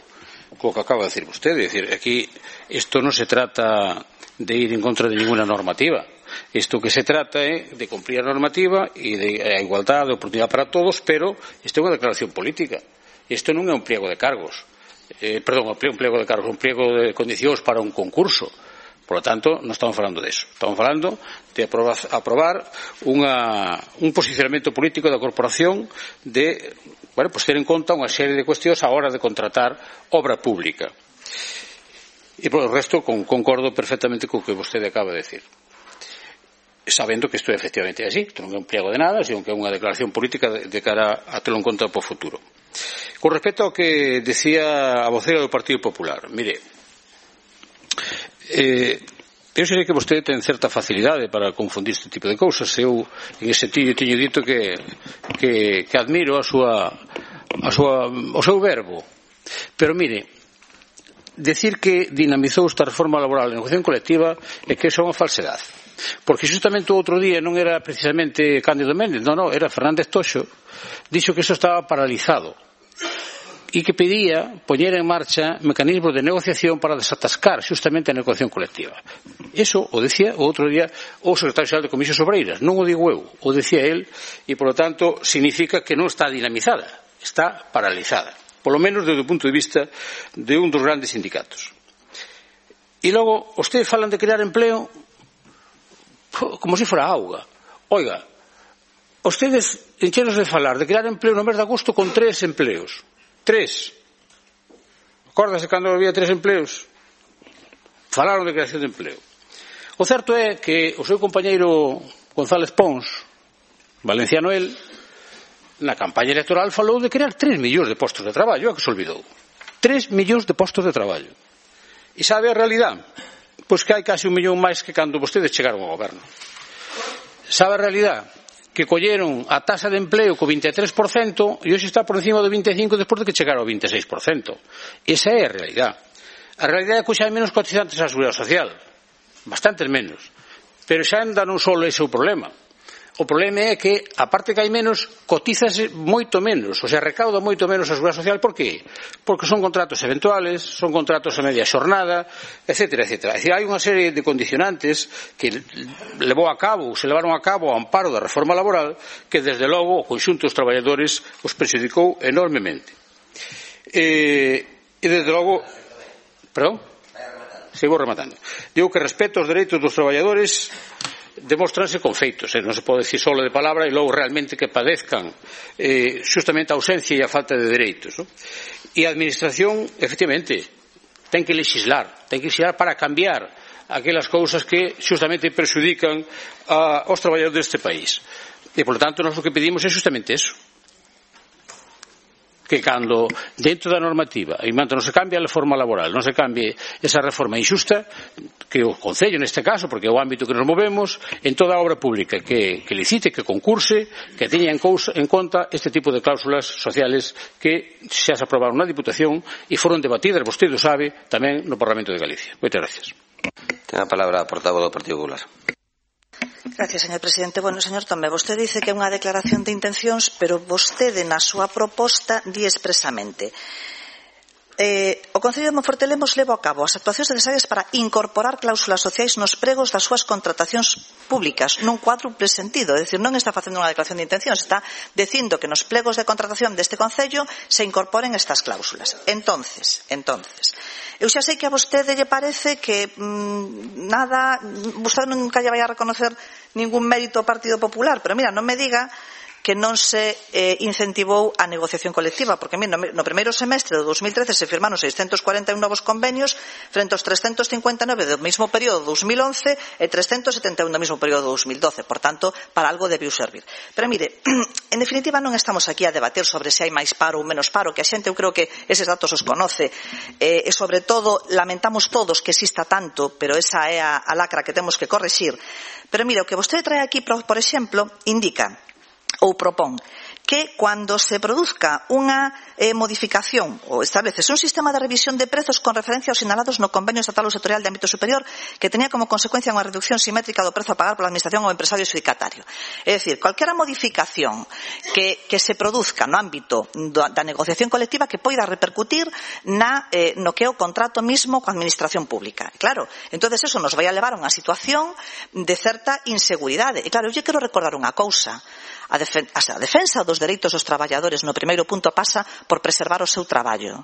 co que acaba de decir vostede. É dicir, aquí isto non se trata de ir en contra de ninguna normativa. Isto que se trata é de cumprir a normativa e de a igualdade de oportunidade para todos, pero isto é unha declaración política. Isto non é un pliego de cargos. Un pliego de cargos, un pliego de condicións para un concurso. Por lo tanto, non estamos falando de eso. Estamos falando de aprobar un posicionamento político da corporación de, ter en conta unha serie de cuestións a hora de contratar obra pública. E por o resto concordo perfectamente co que vostede acaba de decir, sabendo que isto é efectivamente así. Isto non é un pliego de nada, sino que é unha declaración política de cara a telo en conta para o futuro. Con respecto ao que decía a vocera do Partido Popular, mire, eu sei que vostede ten certa facilidade para confundir este tipo de cousas. Eu en ese sentido teño dito que admiro o seu verbo, pero mire, decir que dinamizou esta reforma laboral e negociación colectiva é que é unha falsedade, porque justamente o outro día non era precisamente Cándido Méndez, non, era Fernández Toxo, dixo que iso estaba paralizado e que pedía poñer en marcha mecanismos de negociación para desatascar justamente a negociación colectiva. Eso o decía o outro día o secretario xeral de Comisións Obreiras, non o digo eu, o decía el, e por lo tanto significa que non está dinamizada, está paralizada, polo menos desde o punto de vista de un dos grandes sindicatos. E logo, ustedes falan de crear empleo como se fora auga. Oiga, ustedes enchenos de falar de crear empleo no mes de agosto con 3 empleos. 3. Acórdase cando había 3 empleos? Falaron de creación de empleo. O certo é que o seu compañeiro González Pons, valenciano el, na campaña electoral falou de crear 3 millóns de postos de traballo, que se olvidou. 3 millóns de postos de traballo. E sabe a realidade? Pois que hai casi 1 millón máis que cando vostedes chegaron ao goberno. Sabe a realidade? Que colleron a tasa de empleo co 23% e hoxe está por encima do 25% despois de que chegaron ao 26%. Esa é a realidade. A realidade é que hoxe hai menos cotizantes á Seguridade Social, bastantes menos, pero xa anda non só ese o problema. O problema é que, aparte que hai menos, cotízase moito menos, o sea, recauda moito menos a Seguridade Social. Por qué? Porque son contratos eventuales, son contratos a media xornada, etcétera, etcétera. É dicir, hai unha serie de condicionantes que se levaron a cabo ao amparo da reforma laboral que, desde logo, o conxunto dos traballadores os prexudicou enormemente. E desde logo... Perdón? Sigo rematando. Digo que respeto os dereitos dos traballadores demóstranse con feitos, non se pode decir só de palabra e logo realmente que padezcan justamente a ausencia e a falta de dereitos, non? E a administración, efectivamente, ten que legislar para cambiar aquelas cousas que justamente perxudican aos traballadores deste país. E, por lo tanto, nós o que pedimos é justamente eso, que cando dentro da normativa e manto non se cambie a reforma laboral, non se cambie esa reforma injusta, que o Concello neste caso, porque é o ámbito que nos movemos, en toda a obra pública que licite, que concurse, que teña en conta este tipo de cláusulas sociales que xa se aprobaron na Diputación e foron debatidas, vostede o sabe, tamén no Parlamento de Galicia. Moitas gracias. Ten a palabra a portavoz do Partido Popular. Gracias, señor presidente. Bueno, señor Tomé, vostede dice que é unha declaración de intencións, pero vostede na súa proposta di expresamente: o Concello de Monforte de Lemos leva a cabo as actuacións necesarias para incorporar cláusulas sociais nos pregos das súas contratacións públicas nun cuádruple sentido. É dicir, non está facendo unha declaración de intencións, está dicindo que nos plegos de contratación deste Concello se incorporen estas cláusulas. Entonces, eu xa sei que a vostede lle parece que vostede nunca lle vai a reconocer ningún mérito ao Partido Popular, pero mira, non me diga que non se incentivou a negociación colectiva, porque no primeiro semestre do 2013 se firmaron 641 novos convenios frente aos 359 do mesmo período do 2011 e 371 do mesmo período do 2012. Por tanto, para algo debiu servir. Pero mire, en definitiva non estamos aquí a debater sobre se hai máis paro ou menos paro, que a xente, eu creo que eses datos os conoce, e sobre todo lamentamos todos que exista tanto, pero esa é a lacra que temos que corrixir. Pero mire, o que vostede trae aquí, por exemplo, indica ou propón que cando se produzca unha modificación ou estableces un sistema de revisión de prezos con referencia aos sinalados no convenio estatal ou sectorial de ámbito superior que tenía como consecuencia unha reducción simétrica do prezo a pagar pola administración ou empresario adxudicatario. É dicir, calquera modificación que se produzca no ámbito da negociación colectiva que poida repercutir no que é o contrato mismo coa administración pública. Claro, entonces eso nos vai a levar a unha situación de certa inseguridade. E claro, eu lle quero recordar unha cousa. A defensa dos dereitos dos traballadores no primeiro punto pasa por preservar o seu traballo.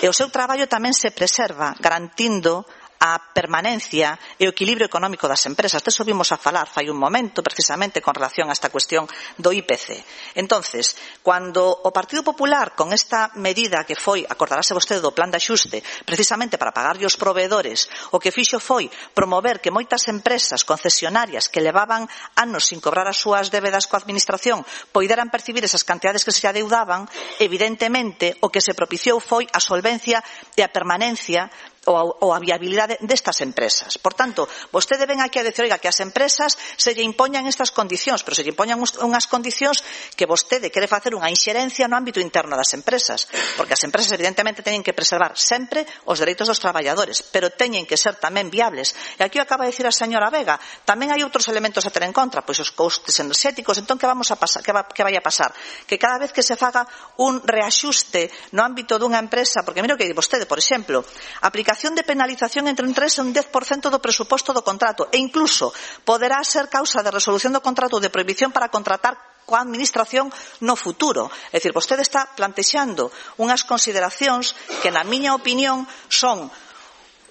E o seu traballo tamén se preserva garantindo a permanencia e o equilibrio económico das empresas. Deso vimos a falar fai un momento precisamente con relación a esta cuestión do IPC. Entonces, cando o Partido Popular con esta medida que foi, acordarase vostede do plan de axuste, precisamente para pagarlle os proveedores, o que fixo foi promover que moitas empresas concesionarias que levaban anos sin cobrar as súas débedas coa administración poideran percibir esas cantidades que se adeudaban, evidentemente o que se propiciou foi a solvencia e a permanencia ou a viabilidade destas empresas. Por tanto, vostede ven aquí a decir, oiga, que as empresas se lle impoñan estas condicións, pero se lle impoñan unhas condicións que vostede quere facer unha inxerencia no ámbito interno das empresas, porque as empresas evidentemente teñen que preservar sempre os dereitos dos traballadores, pero teñen que ser tamén viables. E aquí acaba de decir a señora Vega, tamén hai outros elementos a ter en contra, pois os costes enerxéticos. Entón, que vamos a pasar? Que vai a pasar? Que cada vez que se faga un reaxuste no ámbito dunha empresa, porque mira o que di vostede, por exemplo, aplicación de penalización entre un 3 e un 10% do presuposto do contrato e incluso poderá ser causa de resolución do contrato ou de prohibición para contratar coa administración no futuro. É dicir, vostede está plantexando unhas consideracións que, na miña opinión, son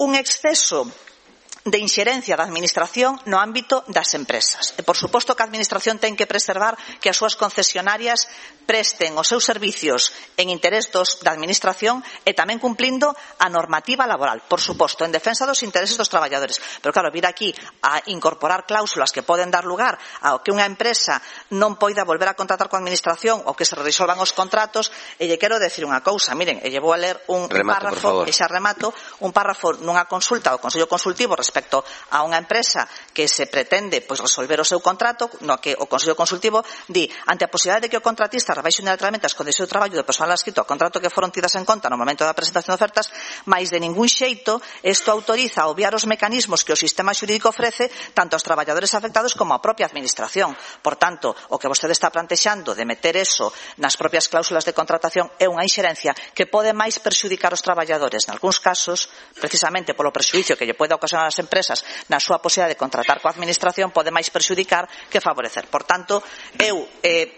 un exceso de inxerencia da administración no ámbito das empresas. E, por suposto, que a administración ten que preservar que as súas concesionarias presten os seus servicios en interés da administración e tamén cumplindo a normativa laboral, por suposto, en defensa dos intereses dos traballadores. Pero, claro, vir aquí a incorporar cláusulas que poden dar lugar a que unha empresa non poida volver a contratar coa administración ou que se resolvan os contratos, e lle quero decir unha cousa, miren, e lle vou a ler un párrafo, e xa remato, un párrafo nunha consulta ao Consello Consultivo respecto a unha empresa que se pretende resolver o seu contrato, no que o Consello Consultivo di, ante a posibilidade de que o contratista rebaixe unilateralmente as condicións de traballo do persoal adscrito ao contrato que foron tidas en conta no momento da presentación de ofertas, mais de ningún xeito isto autoriza a obviar os mecanismos que o sistema xurídico ofrece tanto aos traballadores afectados como á propia administración. Por tanto, o que vostede está plantexando de meter eso nas propias cláusulas de contratación é unha inxerencia que pode máis perxudicar os traballadores, nalgúns casos, precisamente polo prexudicio que lle pode ocasionar ás empresas na súa posibilidade de contratar coa administración, pode máis perxudicar que favorecer. Por tanto, eu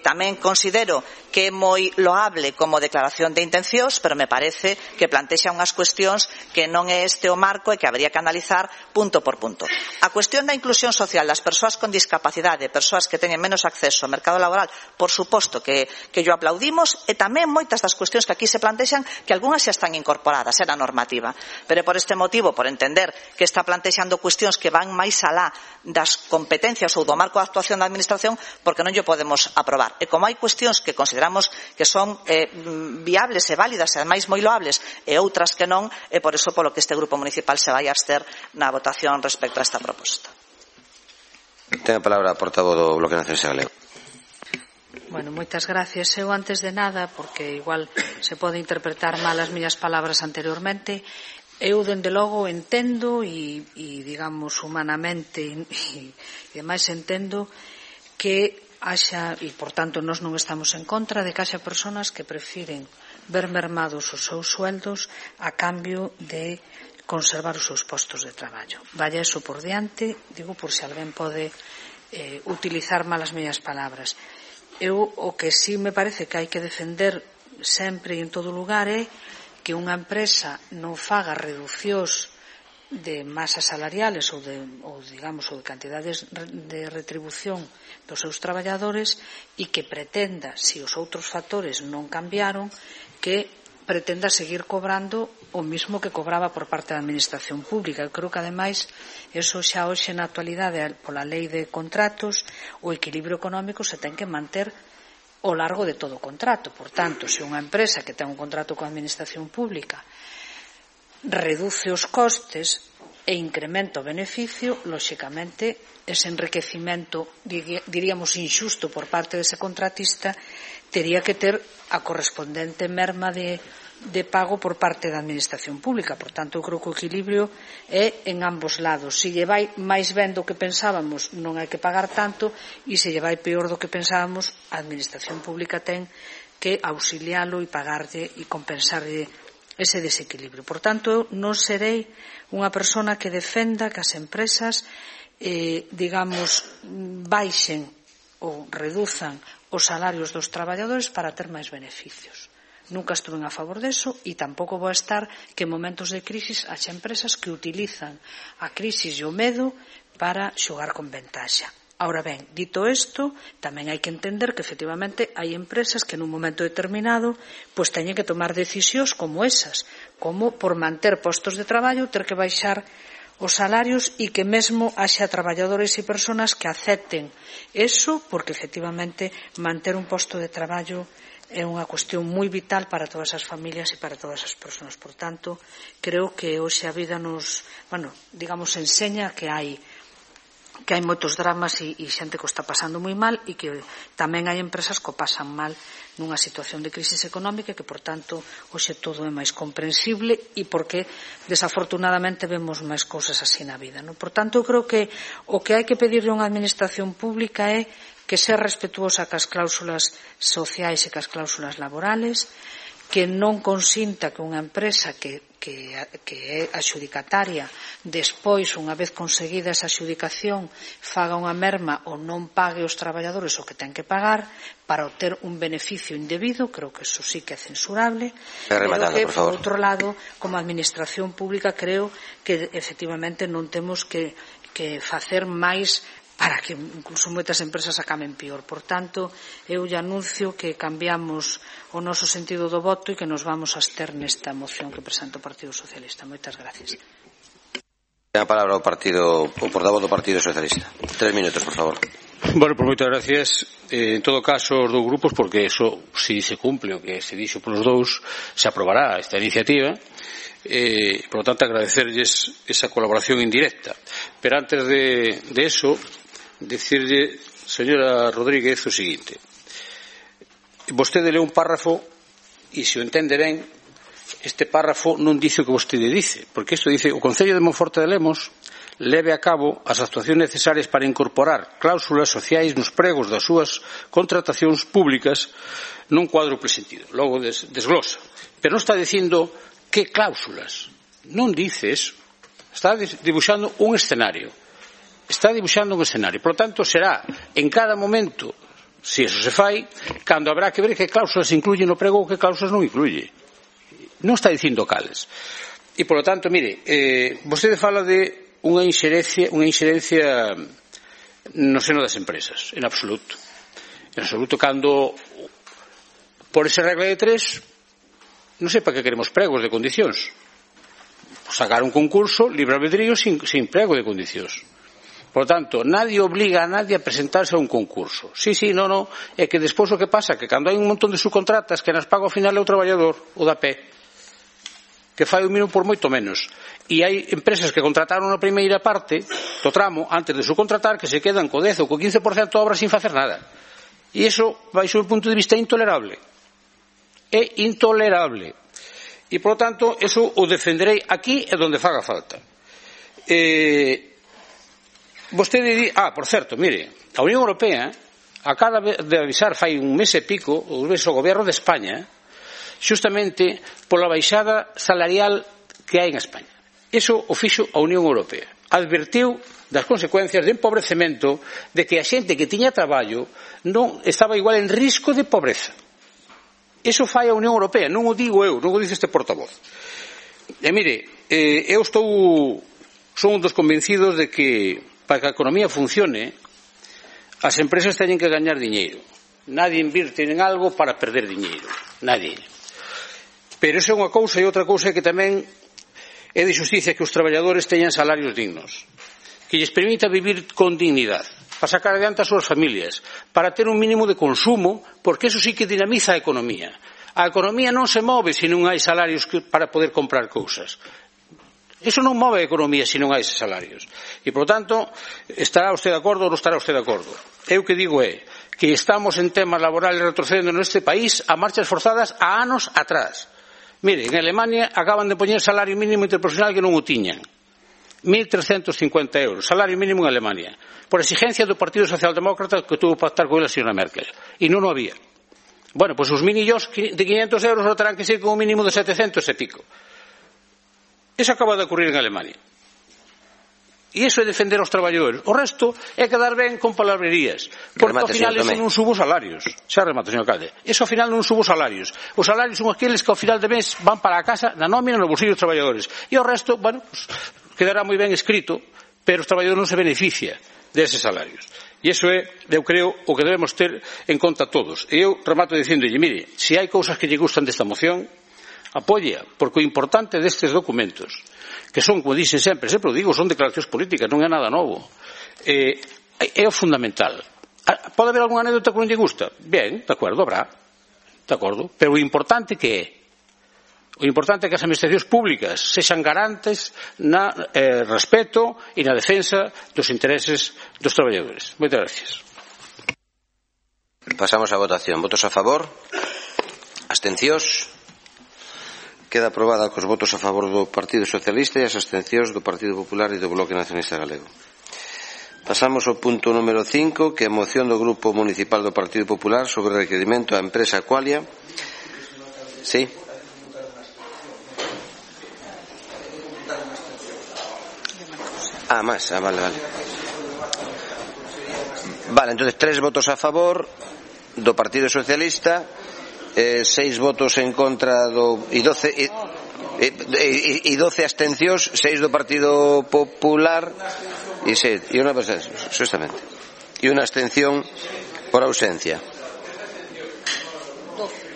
tamén considero que é moi loable como declaración de intencións, pero me parece que plantexa unhas cuestións que non é este o marco e que habería que analizar punto por punto. A cuestión da inclusión social das persoas con discapacidade, persoas que teñen menos acceso ao mercado laboral, por suposto que yo aplaudimos, e tamén moitas das cuestións que aquí se plantexan, que algunhas xa están incorporadas na normativa. Pero por este motivo, por entender que está plantexando cuestións que van máis alá das competencias ou do marco de actuación da administración, porque non lle podemos aprobar. E como hai cuestións que consideramos que son viables e válidas e ademais moi loables e outras que non, e por iso polo que este grupo municipal se vai a abster na votación respecto a esta proposta. Ten a palabra a portavoz do Bloque Nacionalista Galego. Bueno, moitas gracias. Eu, antes de nada, porque igual se pode interpretar mal as miñas palabras anteriormente, eu, dende logo, entendo e digamos, humanamente e demais entendo que haxa, e por tanto nós non estamos en contra de que haxa persoas que prefiren ver mermados os seus sueldos a cambio de conservar os seus postos de traballo. Vaya eso por diante, digo por se alguén pode utilizar mal as miñas palabras. Eu o que sí me parece que hai que defender sempre e en todo lugar é que unha empresa non faga reducións de masas salariales ou de cantidades de retribución dos seus traballadores e que pretenda, se os outros factores non cambiaron, que pretenda seguir cobrando o mismo que cobraba por parte da administración pública. Eu creo que, ademais, eso xa hoxe na actualidade, pola lei de contratos, o equilibrio económico se ten que manter ao largo de todo o contrato. Por tanto, se unha empresa que ten un contrato coa administración pública reduce os costes, e incrementa o beneficio, lóxicamente, ese enriquecimento, diríamos, inxusto por parte dese contratista, tería que ter a correspondente merma de pago por parte da administración pública. Por tanto, eu creo que o equilibrio é en ambos lados. Se lle vai máis ben do que pensábamos, non hai que pagar tanto, e se lle vai peor do que pensábamos, a administración pública ten que auxilialo e pagarlle e compensarlle ese desequilibrio. Por tanto, eu non serei unha persona que defenda que as empresas baixen ou reduzan os salarios dos traballadores para ter máis beneficios. Nunca estuve a favor deso e tampouco vou estar que en momentos de crisis haxa empresas que utilizan a crisis e o medo para xogar con ventaxa. Ahora ben, dito isto, tamén hai que entender que efectivamente hai empresas que nun momento determinado pois teñen que tomar decisións como esas, como por manter postos de traballo ter que baixar os salarios e que mesmo haxa traballadores e persoas que acepten eso porque efectivamente manter un posto de traballo é unha cuestión moi vital para todas as familias e para todas as persoas. Por tanto, creo que hoxe a vida nos, enseña que hai moitos dramas e xente que o está pasando moi mal e que tamén hai empresas que o pasan mal nunha situación de crisis económica e que, por tanto, hoxe todo é máis comprensible e porque, desafortunadamente, vemos máis cousas así na vida. Por tanto, eu creo que o que hai que pedirle a unha administración pública é que sea respetuosa cas cláusulas sociais e cas cláusulas laborales, que non consinta que unha empresa que é adxudicataria despois, unha vez conseguida esa adxudicación, faga unha merma ou non pague aos traballadores o que ten que pagar para obter un beneficio indebido. Creo que eso sí que é censurable. Pero que, por outro lado, como administración pública, creo que efectivamente non temos que facer máis para que incluso moitas empresas acaben peor. Por tanto, eu lle anuncio que cambiamos o noso sentido do voto e que nos vamos a abster nesta moción que presenta o Partido Socialista. Moitas gracias. Ten a palabra o portavoz do Partido Socialista. 3 minutos, por favor. Bueno, pues moitas gracias. En todo caso, os dous grupos, porque eso, si se cumple o que se dixo polos dous, se aprobará esta iniciativa. Por lo tanto, agradecerlles esa colaboración indirecta. Pero antes de eso, decirle, señora Rodríguez, o seguinte. Vostede leu un párrafo e, se o entende ben, este párrafo non dice o que vostede dice, porque isto dice: o Concello de Monforte de Lemos leve a cabo as actuacións necesarias para incorporar cláusulas sociais nos pregos das súas contratacións públicas nun cuádruple sentido. Logo desglosa. Pero non está dicindo que cláusulas. Non dice eso. Está dibuixando un escenario. Por lo tanto, será en cada momento, se eso se fai, cando habrá que ver que cláusulas incluye no prego ou que cláusulas non incluye. Non está dicindo cales. E, por lo tanto, mire, vostede fala de unha inxerencia no seno das empresas. En absoluto. Cando, por esa regla de 3, non sei para que queremos pregos de condicións. Sacar un concurso, libre albedrío, sin prego de condicións. Por lo tanto, nadie obliga a nadie a presentarse a un concurso. Sí, no, é que despois o que pasa que cando hai un montón de subcontratas que nas paga ao final é o traballador, o da pé, que fai o mínimo por moito menos. E hai empresas que contrataron a primeira parte do tramo antes de subcontratar que se quedan co 10 ou co 15% de obra sin facer nada. E iso, baixo o punto de vista, é intolerable. É intolerable. E, por lo tanto, eso o defenderei aquí e donde faga falta. Vostede di, por certo, mire, a Unión Europea acaba de avisar fai un mes e pico o Goberno de España xustamente pola baixada salarial que hai en España. Iso o fixo a Unión Europea. Advertiu das consecuencias de empobrecemento, de que a xente que tiña traballo non estaba igual en risco de pobreza. Iso fai a Unión Europea, non o digo eu, non o dice este portavoz. E mire, eu son un dos convencidos de que para que a economía funcione, as empresas teñen que gañar diñeiro. Nadie invirte en algo para perder diñeiro. Nadie. Pero iso é unha cousa, e outra cousa é que tamén é de xusticia que os traballadores teñan salarios dignos, que lles permita vivir con dignidade, para sacar adiante as súas familias, para ter un mínimo de consumo, porque eso sí que dinamiza a economía. A economía non se move se non hai salarios para poder comprar cousas. Iso non move a economía se non hai eses salarios. E, por tanto, estará usted de acordo ou non estará usted de acordo? Eu que digo é que estamos en temas laborales retrocedendo neste país a marchas forzadas a anos atrás. Mire, en Alemania acaban de poñer salario mínimo interprofesional que non o tiñan. 1.350 euros, salario mínimo en Alemania, por exigencia do Partido Socialdemócrata que tuvo que pactar con a señora Merkel. E non o había. Bueno, pois os minillos de 500 euros non terán que ser con un mínimo de 700 e pico. Eso acaba de ocurrir en Alemania. E iso é defender aos traballadores. O resto é quedar ben con palabrerías. Porque ao final eso non subo salarios. Xa remato, señor alcalde. Eso ao final non subo salarios. Os salarios son aqueles que ao final de mes van para a casa na nómina no bolsillo dos traballadores. E o resto, bueno, pues, quedará moi ben escrito, pero os traballadores non se beneficia deses salarios. E iso é, eu creo, o que debemos ter en conta todos. E eu remato dicíndolle, mire, se hai cousas que lle gustan desta moción, apóllea, porque o importante destes documentos, que son, como dixen sempre o digo, son declaracións políticas, non é nada novo, é o fundamental. Pode haber algunha anécdota que non lle gusta? Ben, de acordo, habrá, de acordo, pero o importante que é? O importante é que as administracións públicas sexan garantes na respeto e na defensa dos intereses dos traballadores. Moitas gracias. Pasamos á votación. Votos a favor? Abstencións? Queda aprobada cos votos a favor do Partido Socialista e as abstencións do Partido Popular e do Bloque Nacionalista Galego. Pasamos ao punto número 5, que é a moción do Grupo Municipal do Partido Popular sobre o requerimento á empresa Aqualia. Sí. Vale. Vale, entonces 3 votos a favor do Partido Socialista, 6 votos en contra e 12 abstencións, 6 do Partido Popular e unha abstención por ausencia.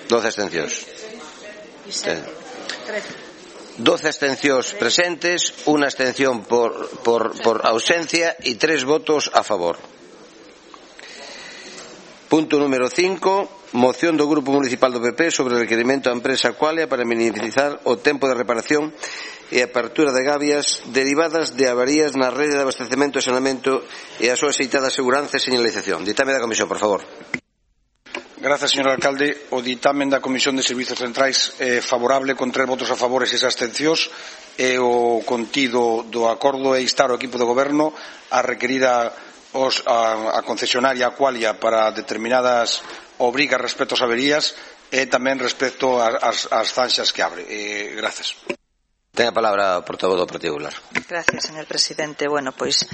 12 abstencións. 12 abstencións presentes, unha abstención por ausencia e 3 votos a favor. Punto número 5, moción do Grupo Municipal do PP sobre o requerimento á empresa Aqualia para minimizar o tempo de reparación e apertura de gabias derivadas de avarías na rede de abastecemento e saneamento e a súa aceitada seguranza e señalización. Ditame da Comisión, por favor. Gracias, señor alcalde. O ditamen da Comisión de Servizos Centrais é favorable con 3 votos a favor e 6 abstencións, e o contido do acordo é instar o equipo de goberno a requerir a concesionaria Aqualia para determinadas obrigas respecto ás averías e tamén respecto ás zanxas que abre. Gracias. Ten a palabra o portavoz do Partido Popular. Gracias, señor presidente. Bueno, pois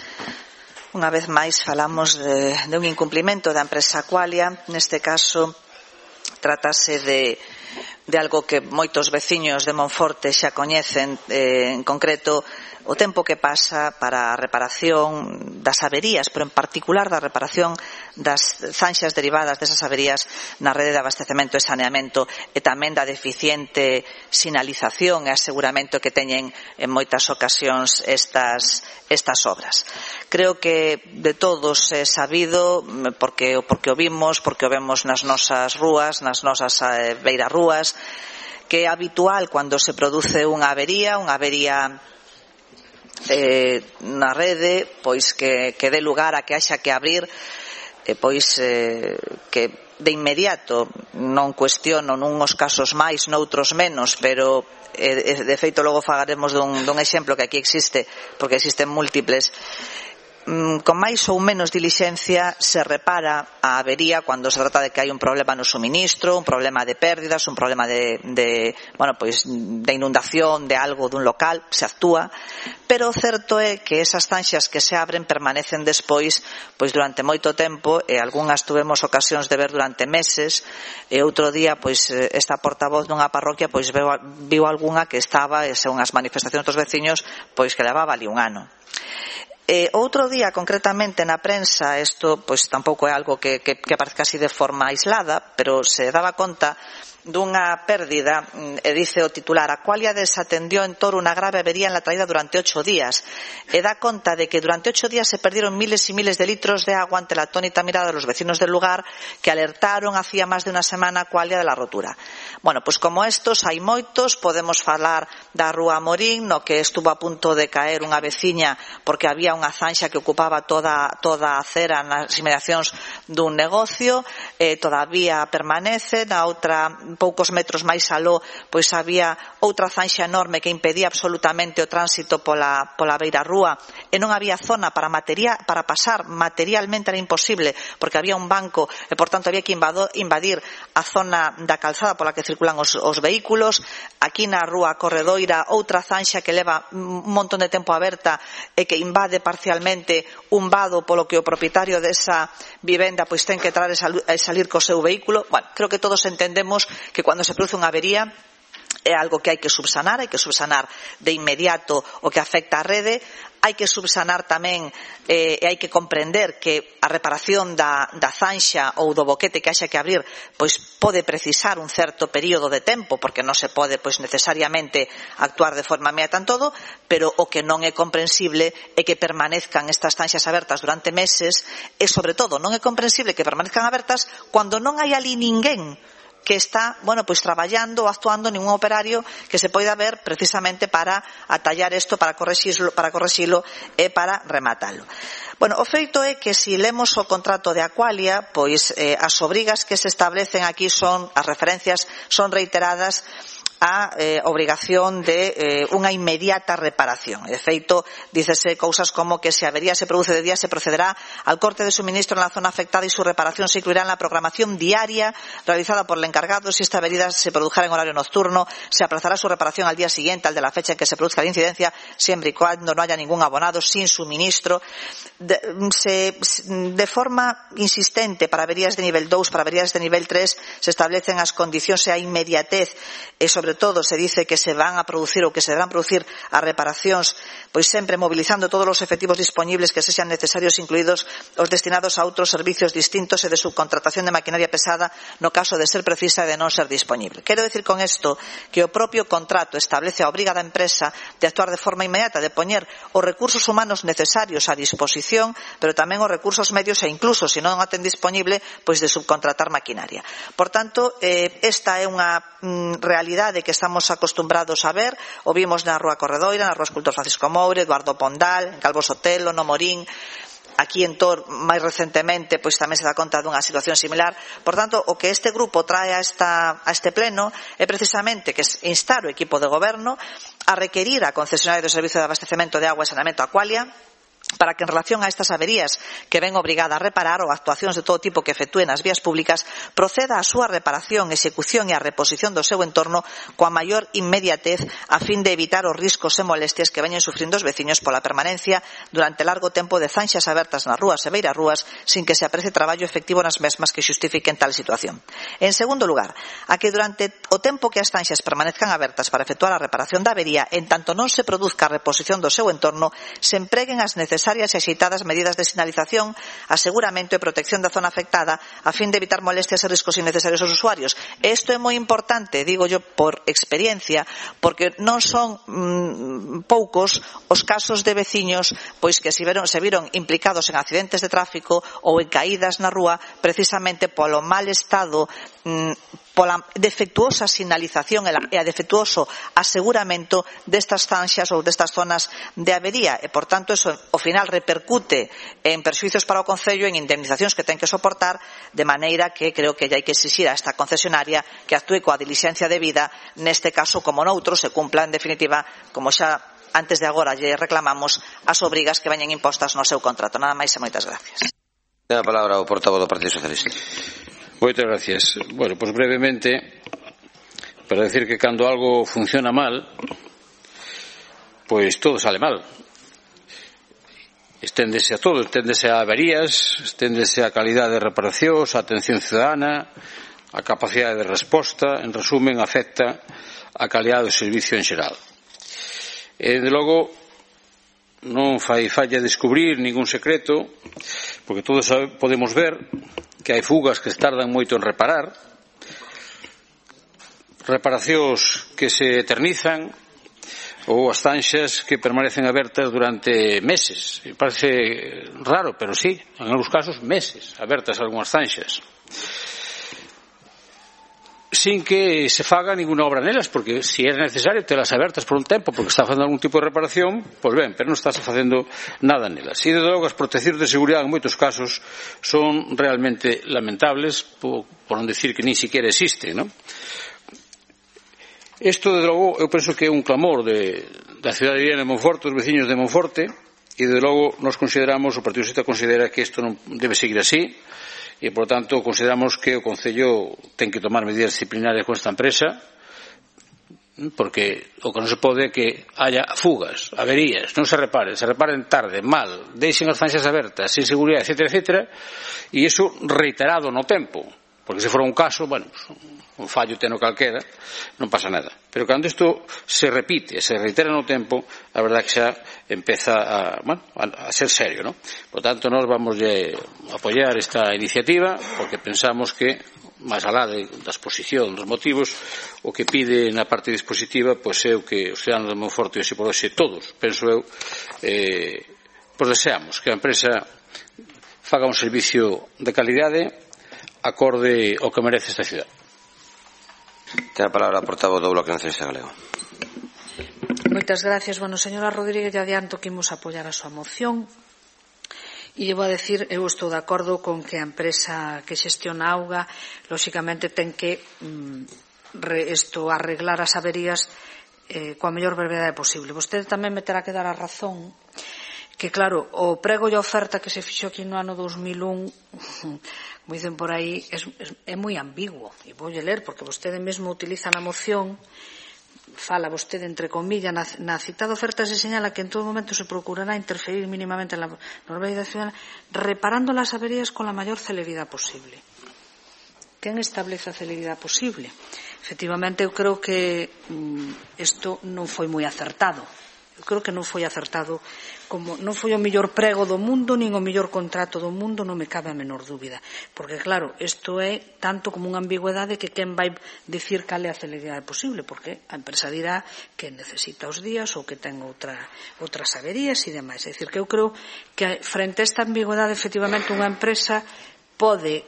unha vez máis falamos de un incumplimento da empresa Aqualia. Neste caso tratase de algo que moitos veciños de Monforte xa coñecen, en concreto o tempo que pasa para a reparación das averías, pero en particular da reparación das zanxas derivadas desas averías na rede de abastecemento e saneamento, e tamén da deficiente sinalización e aseguramento que teñen en moitas ocasións estas obras. Creo que de todos é sabido, porque o vimos, porque o vemos nas nosas rúas, nas nosas beirarrúas, que é habitual cando se produce unha avería na rede, pois que dé lugar a que haxa que abrir, pois que de inmediato, non cuestiono nunhos casos máis, noutros menos, pero de feito logo falaremos dun exemplo que aquí existe, porque existen múltiples. Con máis ou menos dilixencia se repara a avería cando se trata de que hai un problema no suministro, un problema de pérdidas, un problema de inundación de algo dun local, se actúa, pero o certo é que esas zanxas que se abren permanecen despois pois durante moito tempo, e algunhas tuvemos ocasións de ver durante meses, e outro día pois esta portavoz dunha parroquia pois viu algunha que estaba, según as manifestacións dos veciños, pois que levaba ali un ano. Outro día, concretamente na prensa, isto pois tampouco é algo que parezca así de forma aislada, pero se daba conta dunha pérdida, e dice o titular: Aqualia desatendió en Toro unha grave avería en la traída durante 8 días, e dá conta de que durante 8 días se perdieron miles y miles de litros de agua ante la atónita mirada de los vecinos del lugar, que alertaron hacía más de una semana a Aqualia de la rotura. Bueno, pois como estos hai moitos. Podemos falar da Rúa Morín, no que estuvo a punto de caer unha veciña porque había unha zanxa que ocupaba toda a acera nas inmediacións dun negocio, todavía permanece. Na outra, poucos metros máis aló, pois había outra zanxa enorme que impedía absolutamente o tránsito pola beira rúa, e non había zona para pasar. Materialmente era imposible, porque había un banco e, por tanto, había que invadir a zona da calzada pola que circulan os vehículos. Aquí na Rúa Corredoira, outra zanxa que leva un montón de tempo aberta e que invade parcialmente un vado, polo que o propietario desa vivenda pois ten que entrar e salir co seu vehículo. Bueno, creo que todos entendemos que cando se produce unha avería é algo que hai que subsanar de inmediato o que afecta á rede. Hai que subsanar tamén e hai que comprender que a reparación da zanxa ou do boquete que haxa que abrir pois pode precisar un certo período de tempo, porque non se pode pois necesariamente actuar de forma inmediata en todo, pero o que non é comprensible é que permanezcan estas zanxas abertas durante meses, e sobre todo non é comprensible que permanezcan abertas cando non hai ali ninguén que está, pois traballando ou actuando, ningún operario que se poida ver precisamente para atallar isto, para correxilo e para rematalo. O feito é que se lemos o contrato de Aqualia, pois as obrigas que se establecen aquí as referencias son reiteradas a obrigación de unha inmediata reparación. De feito, dícese cousas como que se a avería se produce de día, se procederá al corte de suministro en la zona afectada y su reparación se incluirá en la programación diaria realizada por el encargado. Si esta avería se produjera en horario nocturno, se aplazará su reparación al día siguiente, al de la fecha en que se produzca la incidencia, siempre y cuando no haya ningún abonado sin suministro. De forma insistente, para averías de nivel 2, para averías de nivel 3, se establecen as condicións e a inmediatez, e sobre todo se dice que se van a producir ou que se deberán producir as reparacións pois sempre mobilizando todos os efectivos disponibles que sexan necesarios, incluídos os destinados a outros servicios distintos e de subcontratación de maquinaria pesada no caso de ser precisa e de non ser disponible. Quero decir con isto que o propio contrato establece a obriga da empresa de actuar de forma inmediata, de poñer os recursos humanos necesarios a disposición, pero tamén os recursos medios e incluso, se non a ten disponible, pois de subcontratar maquinaria. Por tanto, esta é unha realidade que estamos acostumbrados a ver. O vimos na Rúa Corredoira, na Rúa Escultor Francisco Moure, Eduardo Pondal, en Calvo Sotelo, no Morín. Aquí en Tor, máis recentemente, pois tamén se dá conta dunha situación similar. Por tanto, o que este grupo trae a este pleno é precisamente que instar o equipo de goberno a requerir a concesionaria do Servicio de Abastecemento de Agua e Saneamento Aqualia para que en relación a estas averías que ven obrigada a reparar ou actuacións de todo tipo que efectúen nas vías públicas proceda a súa reparación, execución e a reposición do seu entorno coa maior inmediatez a fin de evitar os riscos e molestias que veñen sufrindo os veciños pola permanencia durante largo tempo de zanxas abertas nas rúas e beirarrúas sin que se aprecie traballo efectivo nas mesmas que xustifiquen tal situación. En segundo lugar, a que durante o tempo que as zanxas permanezcan abertas para efectuar a reparación da avería, en tanto non se produzca a reposición do seu entorno, se empreguen as necesarias e axeitadas medidas de sinalización, aseguramento e protección da zona afectada a fin de evitar molestias e riscos innecesarios aos usuarios. E isto é moi importante, digo yo por experiencia, porque non son poucos os casos de veciños pois que se viron implicados en accidentes de tráfico ou en caídas na rúa precisamente polo mal estado, pola defectuosa sinalización e a defectuoso aseguramento destas zanxas ou destas zonas de avería, e por tanto eso ao final repercute en perxuízos para o Concello, en indemnizacións que ten que soportar, de maneira que creo que hai que exixir a esta concesionaria que actúe coa dilixencia debida neste caso como noutros, se cumpla en definitiva, como xa antes de agora lle reclamamos, as obrigas que veñen impostas no seu contrato. Nada máis e moitas gracias. Ten a palabra o portavoz do Partido Socialista. Moitas gracias. Bueno, pois brevemente, para decir que cando algo funciona mal, pois todo sale mal. Esténdese a todo, esténdese a averías, esténdese a calidade de reparacións, a atención ciudadana, a capacidade de resposta, en resumen, afecta a calidade do servicio en xeral. E, de logo, non fai falla descubrir ningún secreto, porque todos podemos ver que hai fugas que se tardan moito en reparar, reparacións que se eternizan ou as zanxas que permanecen abertas durante meses. Me parece raro, pero sí, en algúns casos meses abertas algunhas zanxas, sin que se faga ninguna obra nelas, porque se é necesario telas abertas por un tempo porque está facendo algún tipo de reparación, pois ben, pero non está facendo nada nelas. E, de logo, as proteccións de seguridade en moitos casos son realmente lamentables, por non decir que nin siquiera existen, non? Isto, de logo, eu penso que é un clamor da cidadanía de Monforte, dos veciños de Monforte, e, de logo, nos consideramos, o Partido Socialista considera que isto non debe seguir así, e, por tanto, consideramos que o Concello ten que tomar medidas disciplinarias con esta empresa, porque o que non se pode é que haya fugas, averías, non se reparen tarde, mal, deixen as zanxas abertas, sin seguridade, etcétera, e iso reiterado no tempo. Porque se fora un caso, bueno, un fallo teno calquera, non pasa nada. Pero cando isto se repite, se reitera no tempo, a verdade que xa empeza a ser serio, non? Por tanto, nós vamos a apoiar esta iniciativa, porque pensamos que, máis alá da exposición dos motivos, o que pide na parte dispositiva, pois é o que os ciudadanos de Monforte, e por hoxe todos, penso eu, pois deseamos que a empresa faga un servicio de calidade acorde ao que merece esta cidade. Ten a palabra a portavoz do Bloque Nacionalista Galego. Moitas gracias. Bueno, señora Rodríguez, ya adianto que imos apoiar a súa moción. E vou a decir, eu estou de acordo con que a empresa que xestiona a auga, lóxicamente, ten que arreglar as averías coa mellor brevedade posible. Vostede tamén me terá que dar a razón que, claro, o prego e a oferta que se fixo aquí no ano 2001, como dicen por aí, é moi ambiguo. E voulle ler, porque vostede mesmo utiliza na moción, fala vostede entre comillas, na citada oferta se señala que en todo momento se procurará interferir mínimamente en la normalidade ciudadana, reparando las averías con la mayor celeridade posible. Quen establece a celeridade posible? Efectivamente, eu creo que isto non foi moi acertado. Eu creo que non foi acertado, como non foi o mellor prego do mundo nin o mellor contrato do mundo, non me cabe a menor dúbida, porque claro, isto é tanto como unha ambigüedade que quen vai dicir cal é a celeridade posible, porque a empresa dirá que necesita os días ou que ten outras averías e demais. É dicir, que eu creo que frente a esta ambigüedade, efectivamente, unha empresa pode,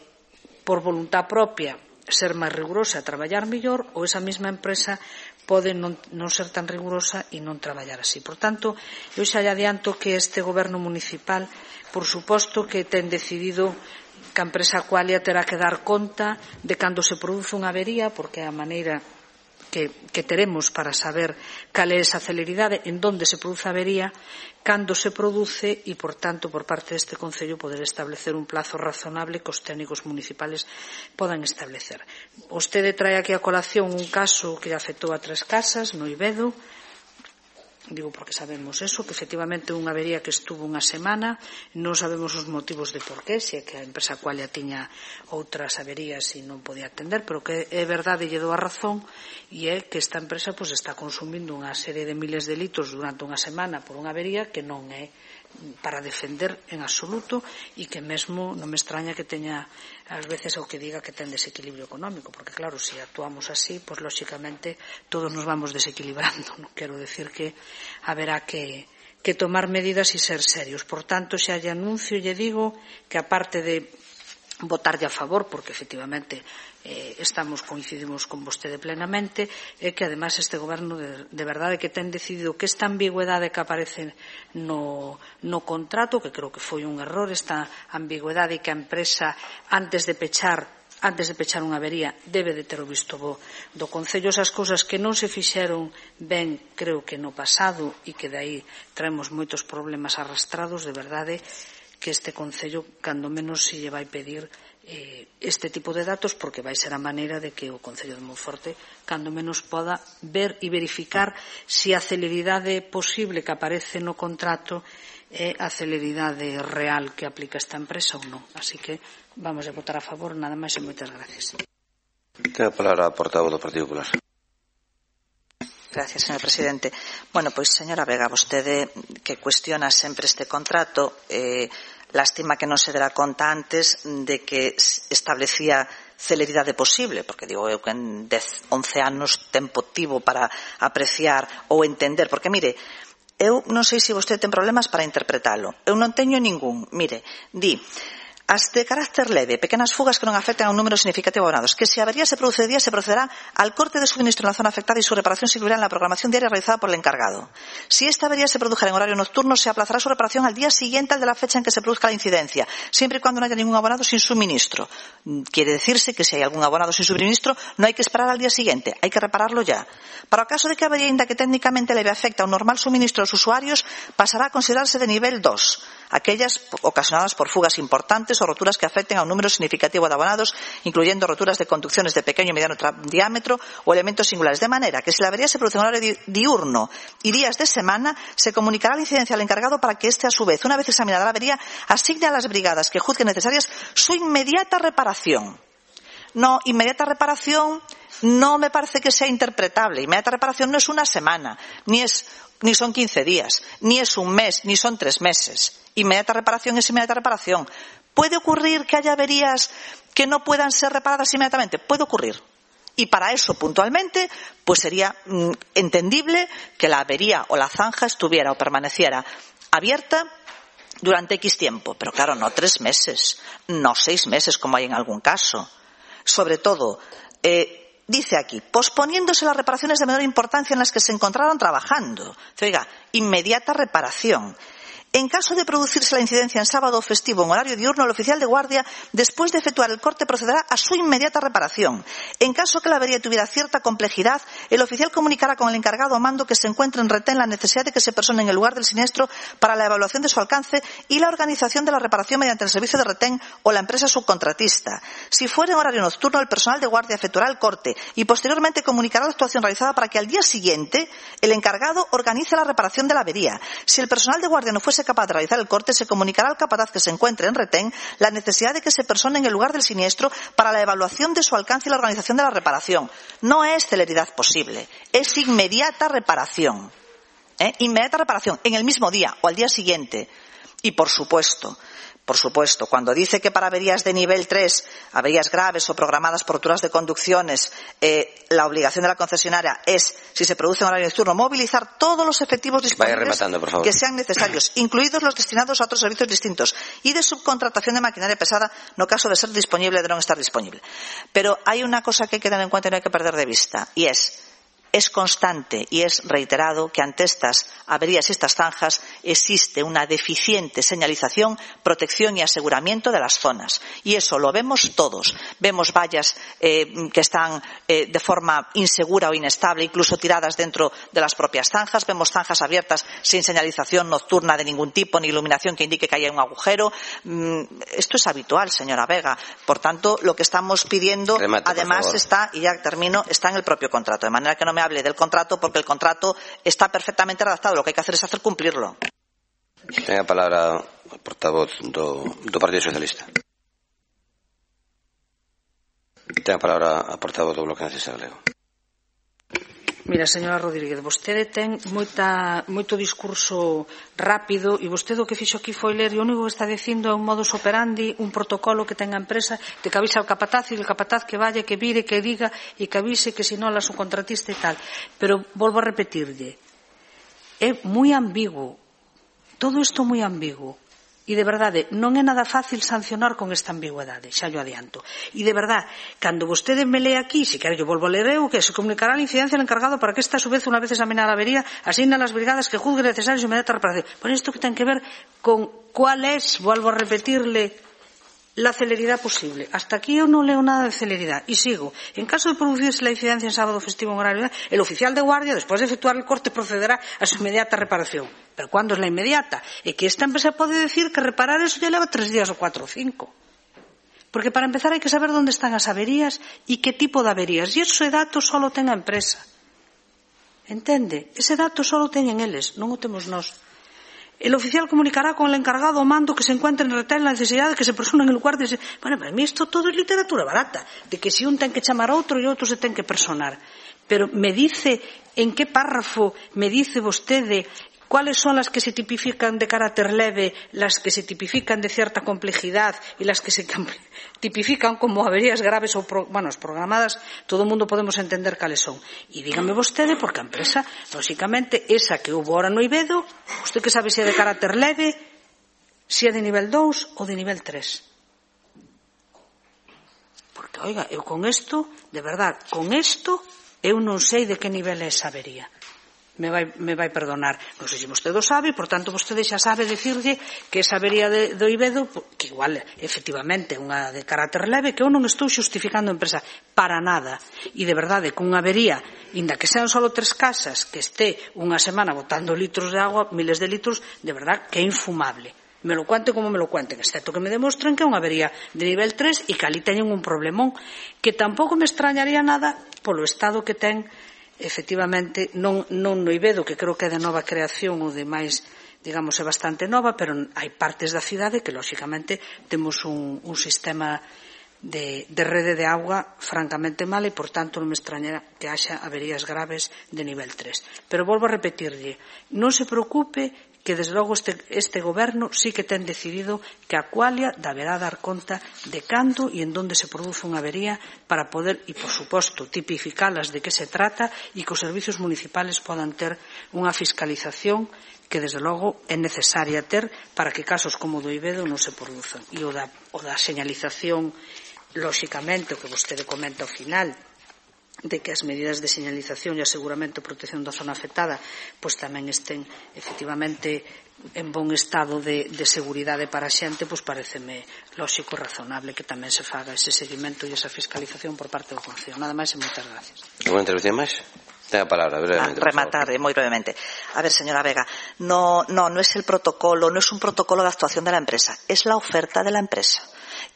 por voluntad propia, ser máis rigurosa e traballar mellor, ou esa mesma empresa pode non ser tan rigurosa e non traballar así. Por tanto, eu xa lle adianto que este goberno municipal, por suposto que ten decidido que a empresa Aqualia terá que dar conta de cando se produce unha avería, porque é a maneira que teremos para saber cal é esa celeridade, en donde se produce a avería, cando se produce e, por tanto, por parte deste Concello poder establecer un plazo razonable que os técnicos municipales podan establecer. Vostede trae aquí a colación un caso que afectou a 3 casas no Ibedo, digo porque sabemos eso, que efectivamente unha avería que estuvo unha semana, non sabemos os motivos de por qué, se é que a empresa Aqualia tiña outras averías e non podía atender, pero que é verdade, lle dou a razón, e é que esta empresa pois está consumindo unha serie de miles de litros durante unha semana por unha avería que non é para defender en absoluto, e que mesmo non me extraña que teña ás veces o que diga que ten desequilibrio económico, porque claro, se actuamos así, pois lóxicamente todos nos vamos desequilibrando. Non quero decir que haberá que tomar medidas e ser serios. Por tanto, xa lle anuncio e lle digo que aparte de votarlle a favor, porque efectivamente coincidimos con vostede plenamente, é que ademais este goberno de verdade que ten decidido que esta ambigüedade que aparece no contrato, que creo que foi un error, esta ambigüedade que a empresa antes de pechar unha avería debe de ter o visto bo do Concello, esas cousas que non se fixeron ben, creo que no pasado, e que de aí traemos moitos problemas arrastrados, de verdade que este Concello cando menos se lle vai pedir este tipo de datos, porque vai ser a maneira de que o Concello de Monforte cando menos poda ver e verificar se a celeridade posible que aparece no contrato é a celeridade real que aplica esta empresa ou non. Así que vamos a votar a favor, nada máis e moitas gracias. Ten a palabra a portavoz do Partido Popular. Gracias, señor presidente. Bueno, pois, señora Vega, vostede que cuestiona sempre este contrato, Lástima que non se dera conta antes de que establecía celeridade posible, porque digo eu que en 10, 11 anos tempo tivo para apreciar ou entender, porque mire, eu non sei se vostede ten problemas para interpretalo, eu non teño ningún. Mire, di as de carácter leve, pequenas fugas que non afecten a un número significativo de abonados, que si a avería se produce de día se procederá al corte de suministro en la zona afectada y su reparación se incluirá en la programación diaria realizada por el encargado. Si esta avería se produjera en horario nocturno, se aplazará su reparación al día siguiente al de la fecha en que se produzca la incidencia, siempre y cuando no haya ningún abonado sin suministro. Quiere decirse que si hay algún abonado sin suministro, no hay que esperar al día siguiente, hay que repararlo ya. Para o caso de que a avería, inda que técnicamente leve, afecta a un normal suministro de los usuarios, pasará a considerarse de nivel 2, aquellas ocasionadas por fugas importantes o roturas que afecten a un número significativo de abonados, incluyendo roturas de conducciones de pequeño y mediano diámetro o elementos singulares, de manera que si la avería se produce en horario diurno y días de semana, se comunicará la incidencia al encargado para que éste, a su vez, una vez examinada la avería, asigne a las brigadas que juzguen necesarias su inmediata reparación. No, inmediata reparación no me parece que sea interpretable. Inmediata reparación no es una semana, ni son 15 días, ni es un mes, ni son 3 meses. Inmediata reparación es inmediata reparación. ¿Puede ocurrir que haya averías que no puedan ser reparadas inmediatamente? Puede ocurrir. Y para eso, puntualmente, pues sería entendible que la avería o la zanja estuviera o permaneciera abierta durante X tiempo. Pero claro, no 3 meses, no 6 meses, como hay en algún caso. Sobre todo, dice aquí, posponiéndose las reparaciones de menor importancia en las que se encontraron trabajando. Oiga, inmediata reparación. En caso de producirse la incidencia en sábado o festivo en horario diurno, el oficial de guardia, después de efectuar el corte, procederá a su inmediata reparación. En caso que la avería tuviera cierta complejidad, el oficial comunicará con el encargado o mando que se encuentre en retén la necesidad de que se persone en el lugar del siniestro para la evaluación de su alcance y la organización de la reparación mediante el servicio de retén o la empresa subcontratista. Si fuera en horario nocturno, el personal de guardia efectuará el corte y posteriormente comunicará la actuación realizada para que al día siguiente el encargado organice la reparación de la avería. Si el personal de guardia no fuese capaz de realizar el corte, se comunicará al capataz que se encuentre en retén la necesidad de que se persone en el lugar del siniestro para la evaluación de su alcance y la organización de la reparación. No es celeridad posible, es inmediata reparación. Inmediata reparación, en el mismo día o al día siguiente. Y por supuesto, cuando dice que para averías de nivel 3, averías graves o programadas por roturas de conducciones, la obligación de la concesionaria es, si se produce en horario nocturno, movilizar todos los efectivos disponibles que sean necesarios, incluidos los destinados a otros servicios distintos, y de subcontratación de maquinaria pesada, no caso de ser disponible o de no estar disponible. Pero hay una cosa que hay que tener en cuenta y no hay que perder de vista, y es constante y es reiterado que ante estas averías y estas zanjas existe una deficiente señalización, protección y aseguramiento de las zonas. Y eso lo vemos todos. Vemos vallas que están de forma insegura o inestable, incluso tiradas dentro de las propias zanjas. Vemos zanjas abiertas sin señalización nocturna de ningún tipo, ni iluminación que indique que haya un agujero. Esto es habitual, señora Vega. Por tanto, lo que estamos pidiendo, además, está, y ya termino, está en el propio contrato. De manera que no me hable del contrato, porque el contrato está perfectamente redactado. Lo que hay que hacer es hacer cumplirlo. Ten a palabra o portavoz do Partido Socialista. Ten a palabra a portavoz do Bloque Nacionalista Galego. Mira, señora Rodríguez, vostede ten moito discurso rápido e vostede o que fixo aquí foi ler e o único que está dicindo é un modus operandi, un protocolo que ten a empresa de que avisa ao capataz e o capataz que vaya, que vire, que diga e que avise que se non la subcontratista e tal. Pero volvo a repetirlle, é moi ambiguo, todo isto moi ambiguo. E de verdade, non é nada fácil sancionar con esta ambigüedade, xa yo adianto. E de verdade, cando vostede me lee aquí, se quero yo volvo a ler eu, que se comunicará a la incidencia al encargado para que esta a su vez, una vez examinada la avería, asigna a las brigadas que juzgue necesario su inmediata reparación. Por isto que ten que ver con cuál es, vuelvo a repetirle, la celeridad posible. Hasta aquí yo no leo nada de celeridad. Y sigo. En caso de producirse la incidencia en sábado festivo en horario, el oficial de guardia, después de efectuar el corte, procederá a su inmediata reparación. Pero ¿cuándo es la inmediata? Es que esta empresa puede decir que reparar eso ya lleva 3 días o 4 o 5. Porque para empezar hay que saber dónde están las averías y qué tipo de averías. Y ese dato solo ten a empresa. Entende? Ese dato solo teñen eles, non o temos nós. El oficial comunicará con el encargado o mando que se encuentre en retén la necesidad de que se persone en el lugar de... Bueno, para mí esto todo es literatura barata, de que si un ten que chamar a outro e outro se ten que personar. Pero me dice, en qué párrafo me dice vostede ¿Cuáles son las que se tipifican de carácter leve, las que se tipifican de cierta complejidad y las que se tipifican como averías graves ou programadas? Todo o mundo podemos entender cales son. E dígame vostede, porque a empresa, lóxicamente, esa que houve ahora no Ibedo, usted que sabe se é de carácter leve, se é de nivel 2 ou de nivel 3. Porque, oiga, eu con isto, de verdad, con isto, eu non sei de que nivel é esa avería. Me vai perdonar. Non sei se vostede o sabe, por tanto, vostede xa sabe decirlle que esa avería do Ibedo, que igual, efectivamente, é unha de carácter leve, que eu non estou xustificando a empresa para nada. E, de verdade, cunha avería, inda que sean só 3 casas, que este unha semana botando litros de agua, miles de litros, de verdad, que é infumable. Me lo cuente como me lo cuenten, excepto que me demostren que é unha avería de nivel 3 e que ali teñen un problemón, que tampouco me extrañaría nada polo estado que ten, efectivamente, non no Ibedo, que creo que é de nova creación ou de máis, digamos, é bastante nova, pero hai partes da cidade que, lóxicamente, temos un sistema de rede de auga francamente mal e, por tanto, non me extrañará que haxa averías graves de nivel 3. Pero volvo a repetirlle, non se preocupe que, desde logo, este goberno sí que ten decidido que a Aqualia deberá dar conta de cando e en donde se produce unha avería para poder, e, por suposto, tipificalas de que se trata e que os servicios municipales podan ter unha fiscalización que, desde logo, é necesaria ter para que casos como o do Ibedo non se produzan. E o da señalización, lóxicamente, o que vostede comenta ao final, de que as medidas de señalización e aseguramento e protección da zona afectada pois tamén estén efectivamente en bon estado de seguridade para a xente, pois pareceme lóxico e razonable que tamén se faga ese seguimento e esa fiscalización por parte do Concello. Nada máis e moitas gracias. Alguna intervención máis? Ten a palabra, brevemente. Rematar, moi brevemente. A ver, señora Vega, no es el protocolo, no es un protocolo de actuación de la empresa, es la oferta de la empresa.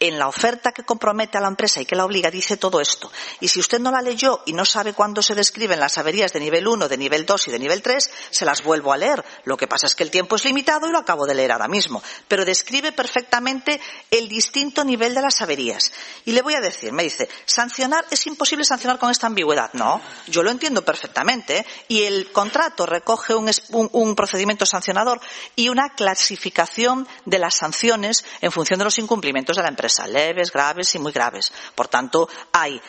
En la oferta que compromete a la empresa y que la obliga dice todo esto. Y si usted no la leyó y no sabe cuándo se describen las averías de nivel 1, de nivel 2 y de nivel 3, se las vuelvo a leer. Lo que pasa es que el tiempo es limitado y lo acabo de leer ahora mismo. Pero describe perfectamente el distinto nivel de las averías. Y le voy a decir, me dice, sancionar, es imposible sancionar con esta ambigüedad. No, yo lo entiendo perfectamente, ¿eh? Y el contrato recoge un procedimiento sancionador y una clasificación de las sanciones en función de los incumplimientos de la empresa. Leves, graves y muy graves. Por tanto, hay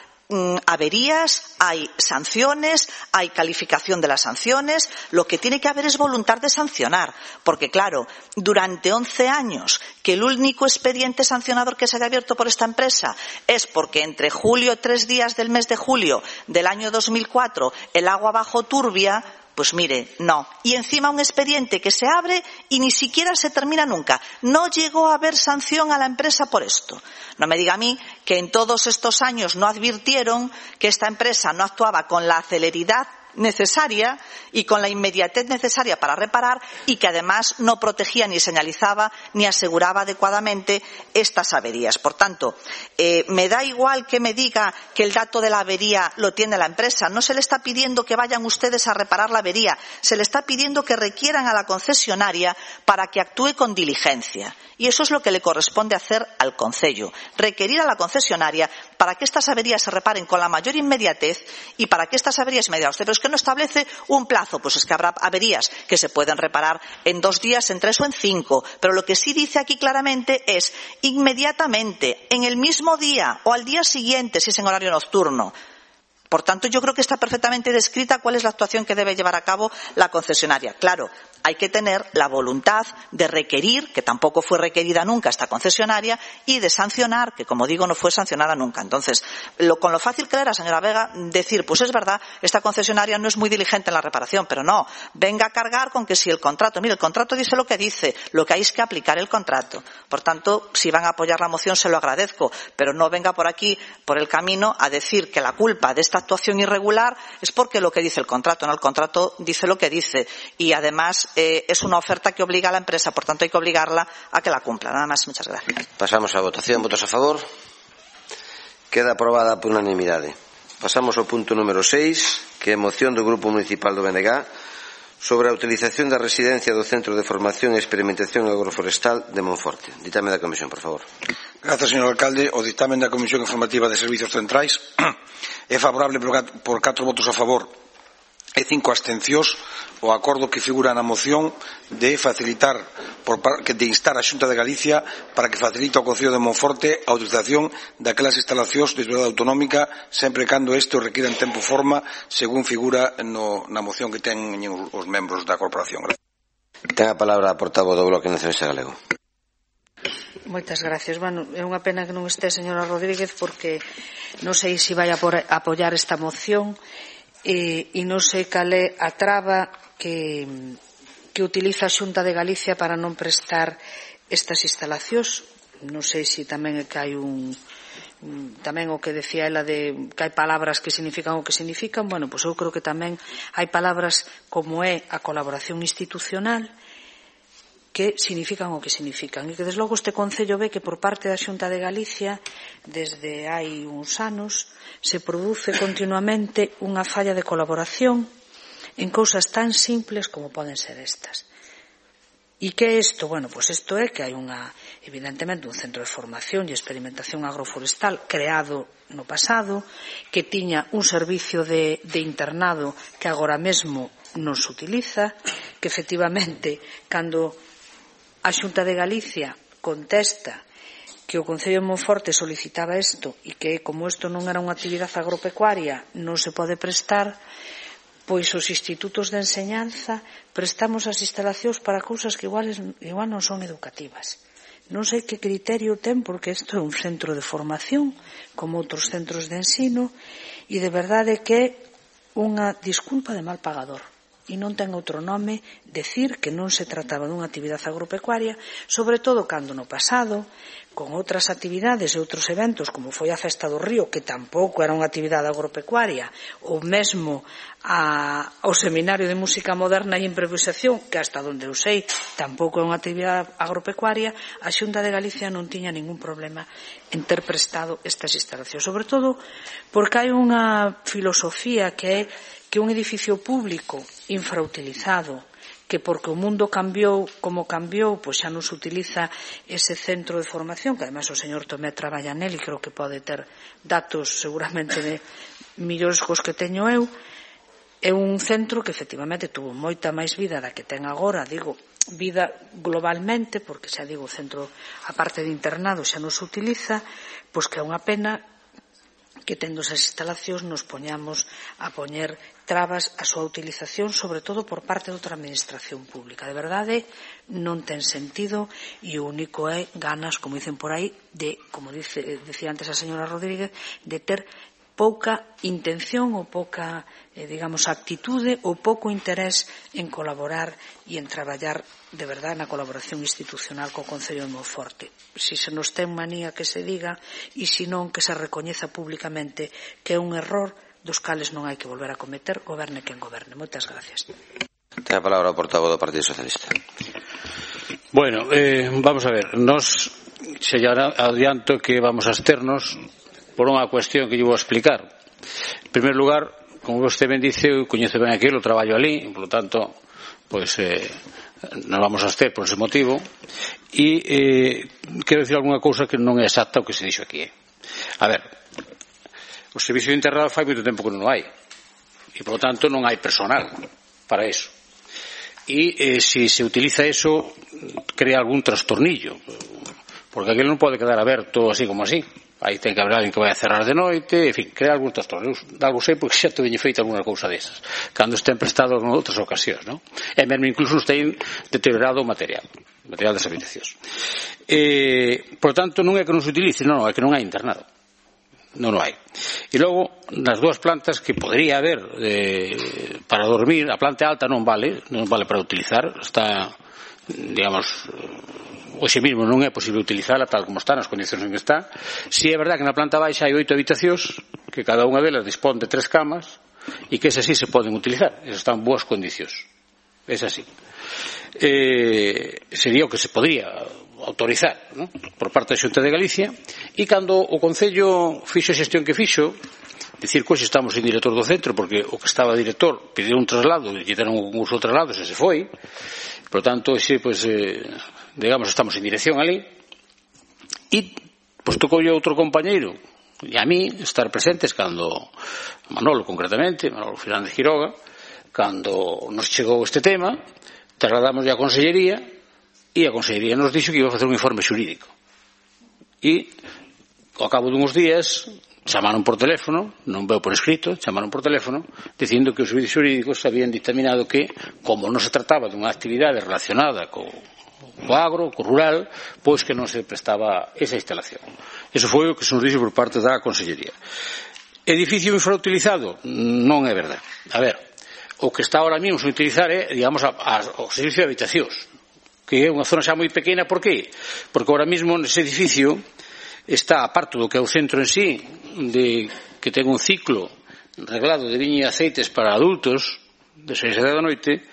averías, hay sanciones, hay calificación de las sanciones. Lo que tiene que haber es voluntad de sancionar, porque claro, durante 11 años que el único expediente sancionador que se haya abierto por esta empresa es porque entre julio, 3 días del mes de julio del año 2004 el agua bajó turbia. Pues mire, no. Y encima un expediente que se abre y ni siquiera se termina nunca. No llegó a haber sanción a la empresa por esto. No me diga a mí que en todos estos años no advirtieron que esta empresa no actuaba con la celeridad necesaria y con la inmediatez necesaria para reparar y que además no protegía ni señalizaba ni aseguraba adecuadamente estas averías. Por tanto, me da igual que me diga que el dato de la avería lo tiene la empresa. No se le está pidiendo que vayan ustedes a reparar la avería, se le está pidiendo que requieran a la concesionaria para que actúe con diligencia. Y eso es lo que le corresponde hacer al Concello, requerir a la concesionaria para que estas averías se reparen con la mayor inmediatez y para que estas averías inmediatas. Pero es que no establece un plazo, pues es que habrá averías que se pueden reparar en 2 días, en 3 o en 5. Pero lo que sí dice aquí claramente es inmediatamente, en el mismo día o al día siguiente, si es en horario nocturno. Por tanto, yo creo que está perfectamente descrita cuál es la actuación que debe llevar a cabo la concesionaria. Claro, hay que tener la voluntad de requerir, que tampoco fue requerida nunca esta concesionaria, y de sancionar, que como digo no fue sancionada nunca. Entonces, con lo fácil que era, señora Vega, decir, pues es verdad, esta concesionaria no es muy diligente en la reparación, pero no, venga a cargar con que si el contrato, mire, el contrato dice lo que dice, lo que hay es que aplicar el contrato. Por tanto, si van a apoyar la moción se lo agradezco, pero no venga por aquí, por el camino, a decir que la culpa de esta actuación irregular es porque lo que dice el contrato, no, el contrato dice lo que dice y además es una oferta que obliga a la empresa, por tanto hay que obligarla a que la cumpla. Nada más, muchas gracias. Pasamos a votación. Votos a favor. Queda aprobada por unanimidade. Pasamos ao punto número 6, que é moción do Grupo Municipal do BNG sobre a utilización da residencia do Centro de Formación e Experimentación Agroforestal de Monforte. Ditame da Comisión, por favor. Grazas, señor alcalde. O dictamen da Comisión Informativa de Servizos Centrais é favorable por 4 votos a favor e 5 abstencións o acordo que figura na moción de facilitar, de instar a Xunta de Galicia para que facilite ao Concello de Monforte a utilización daquelas instalacións de titularidade autonómica sempre cando isto requira en tempo e forma según figura na moción que teñen os membros da corporación. Ten a palabra a portavoz do Bloque Nacionalista Galego. Moitas gracias. Bueno, é unha pena que non este a señora Rodríguez porque non sei se vai a apoiar esta moción e non sei cal é a traba que utiliza a Xunta de Galicia para non prestar estas instalacións. Non sei se tamén é que hai tamén o que decía ela de que hai palabras que significan o que significan. Bueno, pois eu creo que tamén hai palabras como é a colaboración institucional que significan o que significan e que desde logo este Concello ve que por parte da Xunta de Galicia desde hai uns anos se produce continuamente unha falla de colaboración en cousas tan simples como poden ser estas. E que é isto? Bueno, pois isto é que hai evidentemente un centro de formación e experimentación agroforestal creado no pasado que tiña un servicio de internado que agora mesmo non se utiliza, que efectivamente cando a Xunta de Galicia contesta que o Concello de Monforte solicitaba isto e que como isto non era unha actividade agropecuaria non se pode prestar, pois os institutos de enseñanza prestamos as instalacións para cousas que igual non son educativas. Non sei que criterio ten porque isto é un centro de formación como outros centros de ensino e de verdade que é unha disculpa de mal pagador. E non ten outro nome decir que non se trataba dunha actividade agropecuaria, sobre todo cando no pasado, con outras actividades e outros eventos, como foi a Festa do Río, que tampouco era unha actividade agropecuaria, ou mesmo o Seminario de Música Moderna e Improvisación, que hasta onde eu sei tampouco é unha actividade agropecuaria, a Xunta de Galicia non tiña ningún problema en ter prestado estas instalacións, sobre todo porque hai unha filosofía que é que un edificio público infrautilizado, que porque o mundo cambiou como cambiou, pois xa non se utiliza ese centro de formación, que ademais o señor Tomé traballa nel e creo que pode ter datos seguramente de millóns cos que teño eu, é un centro que efectivamente tuvo moita máis vida da que ten agora, digo, vida globalmente, porque xa digo, o centro, a parte de internado xa non se utiliza, pois que é unha pena que tendo esas instalacións nos poñamos a poñer trabas a súa utilización, sobre todo por parte de outra administración pública. De verdade, non ten sentido e o único é ganas, como dicen por aí, de, como decía antes a señora Rodríguez, de ter pouca intención ou pouca, digamos, actitude ou pouco interés en colaborar e en traballar de verdade na colaboración institucional co Concello de Monforte. Si se nos ten manía que se diga e se non que se recoñeza públicamente que é un error dos cales non hai que volver a cometer, goberne quen goberne. Moitas gracias. Ten a palabra o portavoz do Partido Socialista. Bueno, vamos a ver, nos se adianto que vamos a absternos por unha cuestión que lle vou explicar. En primer lugar, como vostede ben dice, eu coñezo ben aquilo, traballo ali, por lo tanto, pois nos vamos a abster por ese motivo e quero dicir algunha cousa que non é exacta o que se dixo aquí. A ver, o servicio de internado fai moito tempo que non o hai e, por lo tanto, non hai personal para eso. E se se utiliza eso, crea algún trastornillo, porque aquilo non pode quedar aberto así como así. Aí ten que haber alguén que vai a cerrar de noite, en fin, crea algún trastorno. Algo sei porque xa teño feito alguna cousa desas, cando estén prestados en outras ocasións, non? E mesmo incluso nos ten deteriorado o material das habitacións. Por tanto, non é que non se utilice, non, é que non hai internado. Non o hai. E logo, nas dúas plantas que podría haber para dormir, a planta alta non vale para utilizar, está, digamos, hoxe mesmo non é posible utilizala tal como está, nas condicións en que está. Si é verdad que na planta baixa hai 8 habitacións, que cada unha delas dispón de 3 camas, e que esas sí se poden utilizar, esas están en boas condicións. É así. Sería o que se podría autorizar, ¿no?, por parte da Xunta de Galicia, e cando o Concello fixo a xestión que fixo, dicir que hoxe estamos sin director do centro, porque o que estaba director pediu un traslado, e lle deron un curso de traslado, e se foi. Por tanto, hoxe, pues, digamos, estamos en dirección ali, e pues tocoulle outro compañeiro e a mí estar presentes cando Manolo, concretamente, Manolo Fernández Quiroga, Cando nos chegou este tema, trasladamos a Consellería e a Consellería nos dixo que iba a facer un informe xurídico. E, ao cabo dunhos días, chamaron por teléfono, non veu por escrito, chamaron por teléfono, dicindo que os servicios xurídicos habían dictaminado que, como non se trataba dunha actividade relacionada co agro, co rural, pois que non se prestaba esa instalación. Eso foi o que se nos dixo por parte da Consellería. Edificio infrautilizado? Non é verdade. A ver, o que está ahora mesmo sen utilizar é, digamos, o servicio de habitacións, que é unha zona xa moi pequena. Por qué? Porque ahora mesmo nese edificio está, aparte do que é o centro en sí, que ten un ciclo reglado de viña e aceites para adultos, de 6 a 10 da noite,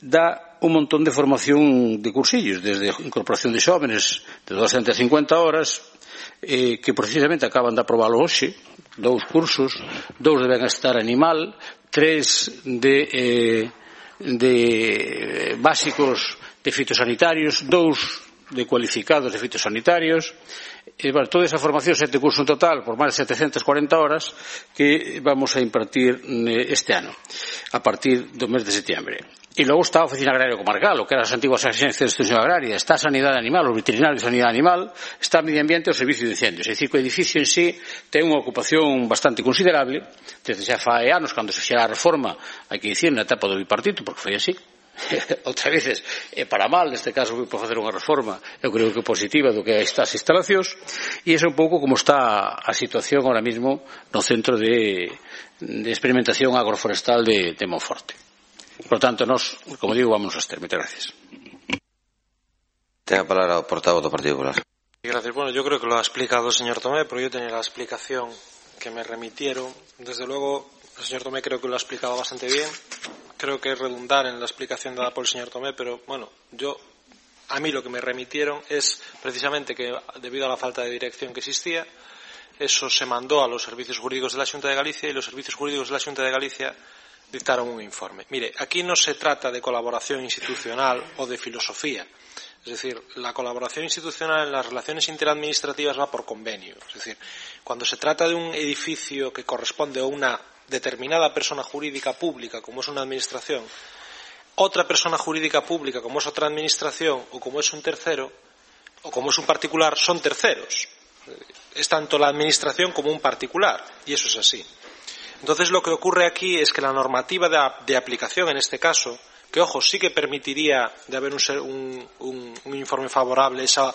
dá un montón de formación de cursillos, desde incorporación de xóvenes de 250 horas, que precisamente acaban de aprobalo hoxe, 2 cursos, 2 de benestar animal, 3 de básicos de fitosanitarios, 2 de cualificados de fitosanitarios, toda esa formación, 7 cursos en total, por máis de 740 horas, que vamos a impartir este ano, a partir do mes de setiembre. E logo está a Oficina Agraria Comarcal, o que eran as antiguas agencias de extensión agraria, está a Sanidade Animal, os veterinarios de Sanidade Animal, está a Medio Ambiente e o Servicio de Incendios. É dicir, que o edificio en sí ten unha ocupación bastante considerable, desde xa fai anos, cando se fixera a reforma, hai que dicir, na etapa do bipartito, porque foi así. Outras veces é para mal, neste caso foi por facer unha reforma, eu creo que positiva do que estas instalacións, e é un pouco como está a situación ahora mismo no Centro de Experimentación Agroforestal de Monforte. Por lo tanto, nos, como digo, vamos a estar. Muchas gracias. Tenga palabra o portavoz do Partido Popular. Gracias. Bueno, yo creo que lo ha explicado el señor Tomé, pero yo tenía la explicación que me remitieron. Desde luego, el señor Tomé creo que lo ha explicado bastante bien. Creo que es redundar en la explicación dada por el señor Tomé, pero bueno, a mí lo que me remitieron es precisamente que debido a la falta de dirección que existía, eso se mandó a los servicios jurídicos de la Xunta de Galicia y los servicios jurídicos de la Xunta de Galicia dictaron un informe. Mire, aquí no se trata de colaboración institucional o de filosofía. Es decir, la colaboración institucional en las relaciones interadministrativas va por convenio. Es decir, cuando se trata de un edificio que corresponde a una determinada persona jurídica pública, como es una administración, otra persona jurídica pública, como es otra administración, o como es un tercero, o como es un particular, son terceros. Es tanto la administración como un particular, y eso es así. Entonces, lo que ocurre aquí es que la normativa de aplicación, en este caso, que, ojo, sí que permitiría de haber un informe favorable esa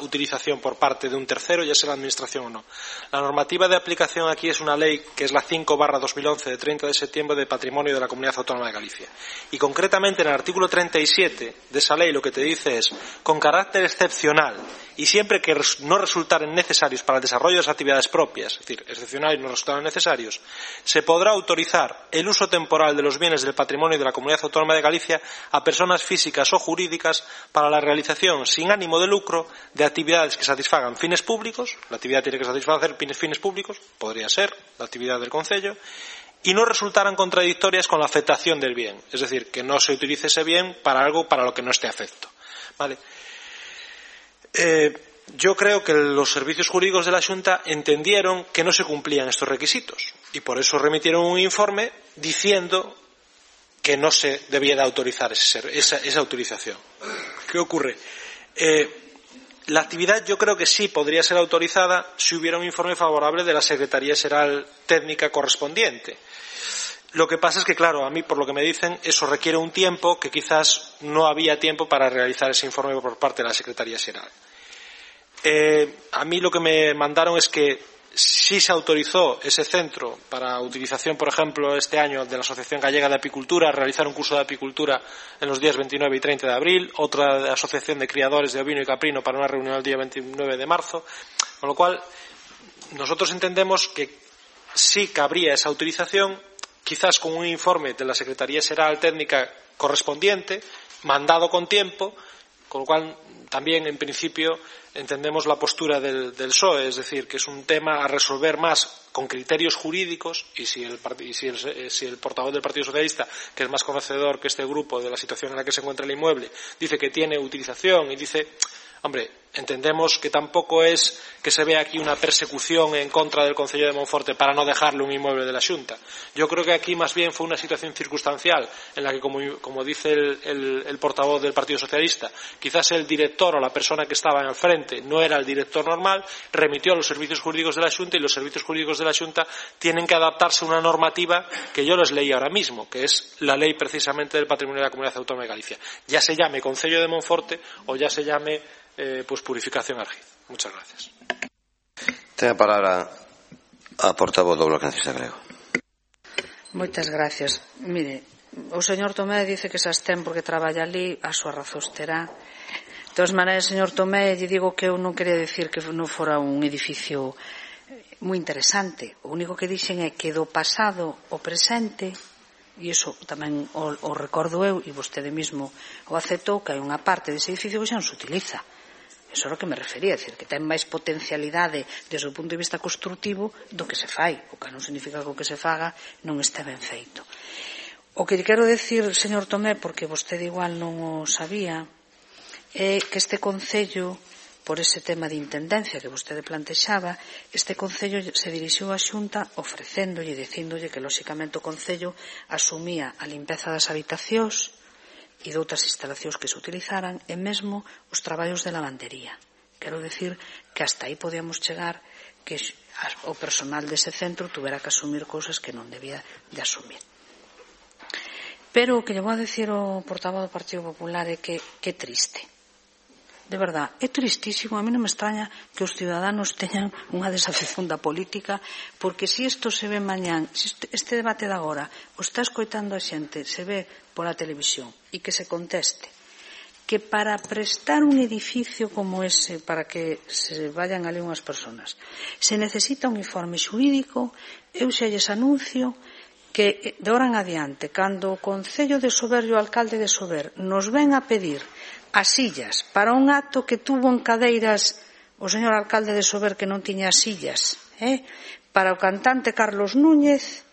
utilización por parte de un tercero, ya sea la administración o no. La normativa de aplicación aquí es una ley que es la 5/2011 de 30 de septiembre de Patrimonio de la Comunidad Autónoma de Galicia. Y concretamente en el artículo 37 de esa ley lo que te dice es, con carácter excepcional y siempre que no resultaren necesarios para el desarrollo de las actividades propias, es decir, excepcionales y no resultaren necesarios, se podrá autorizar el uso temporal de los bienes del patrimonio de la Comunidad Autónoma de Galicia a personas físicas o jurídicas para la realización sin ánimo de lucro de actividades que satisfagan fines públicos. La actividad tiene que satisfacer fines públicos, podría ser la actividad del concello, y no resultaran contradictorias con la afectación del bien, es decir, que no se utilice ese bien para algo para lo que no esté afecto. ¿Vale? Yo creo que los servicios jurídicos de la Xunta entendieron que no se cumplían estos requisitos y por eso remitieron un informe diciendo que no se debía de autorizar esa utilización. ¿Qué ocurre? La actividad yo creo que sí podría ser autorizada si hubiera un informe favorable de la Secretaría Xeral Técnica correspondiente. Lo que pasa es que, claro, a mí, por lo que me dicen, eso requiere un tiempo que quizás no había tiempo para realizar ese informe por parte de la Secretaría Xeral. A mí lo que me mandaron es que sí se autorizó ese centro para utilización, por ejemplo, este año de la Asociación Gallega de Apicultura, realizar un curso de apicultura en los días 29 y 30 de abril, otra Asociación de Criadores de Ovino y Caprino para una reunión el día 29 de marzo, con lo cual nosotros entendemos que sí cabría esa utilización, quizás con un informe de la Secretaría Xeral Técnica correspondiente, mandado con tiempo, con lo cual también en principio entendemos la postura del PSOE, es decir, que es un tema a resolver más con criterios jurídicos y si el portavoz del Partido Socialista, que es más conocedor que este grupo de la situación en la que se encuentra el inmueble, dice que tiene utilización y dice, hombre, Entendemos que tampouco es que se vea aquí una persecución en contra del Concello de Monforte para no dejarle un inmueble de la Xunta. Yo creo que aquí más bien fue una situación circunstancial en la que, como dice el portavoz del Partido Socialista, quizás el director o la persona que estaba al frente no era el director normal, remitió a los servicios jurídicos de la Xunta y los servicios jurídicos de la Xunta tienen que adaptarse a una normativa que yo les leí ahora mismo, que es la ley precisamente del patrimonio de la Comunidad Autónoma de Galicia. Ya se llame Concello de Monforte o ya se llame Purificación Argiz. Muchas gracias. Ten a palabra a portavoz do Bloque Nacionalista Galego. Moitas gracias. Mire, o señor Tomé dice que se abstén porque traballa ali, a súa razón terá. De todas maneiras, señor Tomé, lle digo que eu non quería decir que non fora un edificio moi interesante. O único que dixen é que do pasado ao presente, e iso tamén o recordo eu, e vostede mesmo o aceptou, que hai unha parte dese edificio que xa non se utiliza. Eso é o que me refería, decir, que ten máis potencialidade desde o punto de vista construtivo do que se fai, o que non significa que o que se faga non este ben feito. O que quero decir, señor Tomé, porque vostede igual non o sabía, é que este Concello, por ese tema de intendencia que vostede plantexaba, este Concello se dirixiu á Xunta ofrecéndolle e dicíndolle que, lóxicamente, o Concello asumía a limpeza das habitacións e de outras instalacións que se utilizaran e mesmo os traballos de lavandería. Quero decir que hasta aí podíamos chegar que o personal dese centro tuvera que asumir cousas que non debía de asumir. Pero o que lle vou a decir ao portavoz do Partido Popular é que é triste. De verdad, é tristísimo. A mí non me extraña que os ciudadanos teñan unha desafección da política, porque se isto se ve mañán, se este debate de agora o está escoitando a xente, se ve pola televisión, e que se conteste que para prestar un edificio como ese, para que se vayan ali unhas personas, se necesita un informe xurídico, eu xa lles anuncio que de ahora en adiante, cando o Concello de Sober e o alcalde de Sober nos ven a pedir as sillas para un acto que tuvo en cadeiras o señor alcalde de Sober que non tiña sillas, para o cantante Carlos Núñez,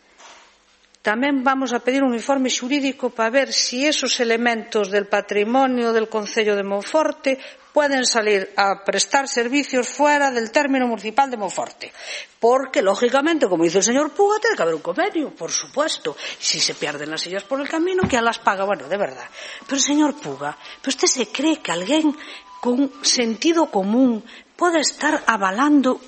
tamén vamos a pedir un informe xurídico para ver si esos elementos del patrimonio del Concello de Monforte pueden salir a prestar servicios fuera del término municipal de Monforte. Porque, lógicamente, como dice el señor Puga, tiene que haber un convenio, por supuesto. Si se pierden las sillas por el camino, ¿quién las paga? Bueno, de verdad. Pero, señor Puga, ¿usted se cree que alguén con sentido común pode estar avalando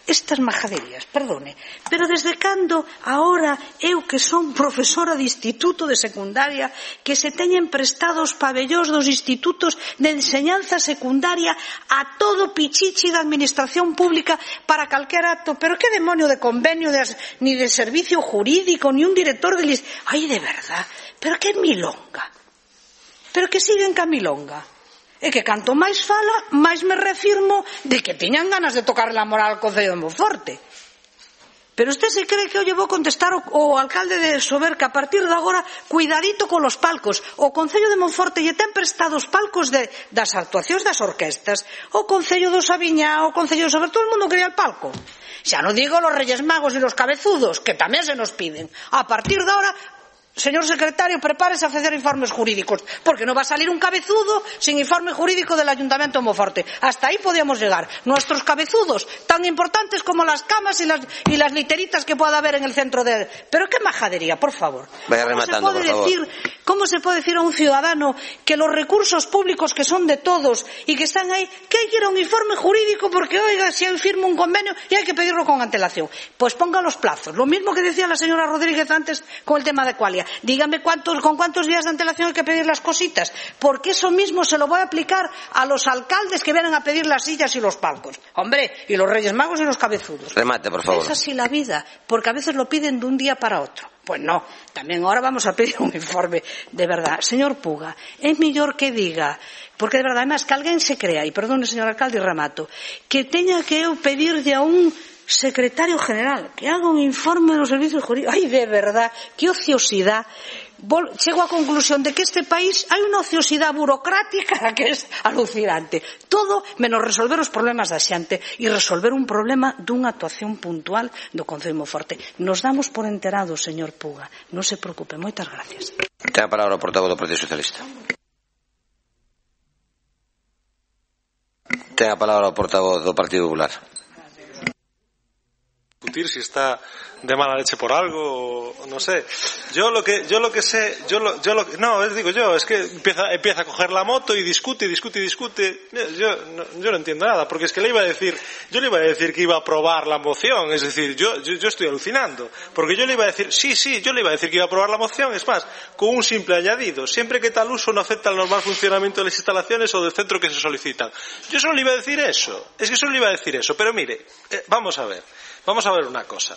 estas majaderías? Perdone, pero desde cando ahora eu que son profesora de instituto de secundaria que se teñen prestados pabellóns dos institutos de enseñanza secundaria a todo pichichi da administración pública para calquer acto? Pero que demonio de convenio ni de servicio jurídico ni un director de Ai, de verdad, pero que milonga, pero que siguen ca milonga. É que canto máis fala, máis me refirmo de que tiñan ganas de tocar la moral ao Concello de Monforte. Pero usted se cree que eu lle vou contestar o alcalde de Sober que a partir de agora, cuidadito con los palcos. O Concello de Monforte lle ten prestados palcos das actuacións das orquestas. O Concello do Sabiñá, o Concello de Sober, todo o mundo quería el palco. Xa non digo los Reyes Magos e los cabezudos, que tamén se nos piden. A partir de ahora, señor secretario, prepárese a facer informes jurídicos, porque non va a salir un cabezudo sin informe jurídico del Ayuntamiento de Monforte. Hasta ahí podíamos llegar. Nuestros cabezudos, tan importantes como las camas y las literitas que pueda haber en el centro de... Pero qué majadería, por favor. Vaya rematando, por favor. ¿Cómo se puede decir a un ciudadano que los recursos públicos que son de todos y que están ahí, que hay que ir a un informe jurídico porque, oiga, si hay firma un convenio y hay que pedirlo con antelación? Pues ponga los plazos. Lo mismo que decía la señora Rodríguez antes con el tema de Qualia. Dígame con cuántos días de antelación hay que pedir las cositas, porque eso mismo se lo voy a aplicar a los alcaldes que vienen a pedir las sillas y los palcos. Hombre, y los Reyes Magos y los cabezudos. Remate, por favor. Es así la vida, porque a veces lo piden de un día para otro. Pues no, tamén ahora vamos a pedir un informe de verdad. Señor Puga, é mellor que diga, porque de verdad, además, que alguén se crea, e perdone, señor alcalde, e remato, que teña que eu pedirlle a un secretario general que haga un informe de los servicios jurídicos. Ay, de verdad, qué ociosidad. Chego á conclusión de que este país hai unha ociosidade burocrática que es alucinante. Todo menos resolver os problemas da xente e resolver un problema dunha actuación puntual do Concello de Monforte. Nos damos por enterados, señor Puga. Non se preocupe. Moitas gracias. Ten a palabra o portavoz do Partido Socialista. Ten a palabra o portavoz do Partido Popular. Discutir si está de mala leche por algo o no sé. Yo lo que sé, es que empieza a coger la moto y discute. Yo no entiendo nada, porque es que yo le iba a decir que iba a aprobar la moción, es decir, yo estoy alucinando, porque yo le iba a decir, yo le iba a decir que iba a aprobar la moción, es más, con un simple añadido, siempre que tal uso no afecta al normal funcionamiento de las instalaciones o del centro que se solicitan. Yo solo le iba a decir eso, pero mire, vamos a ver una cosa.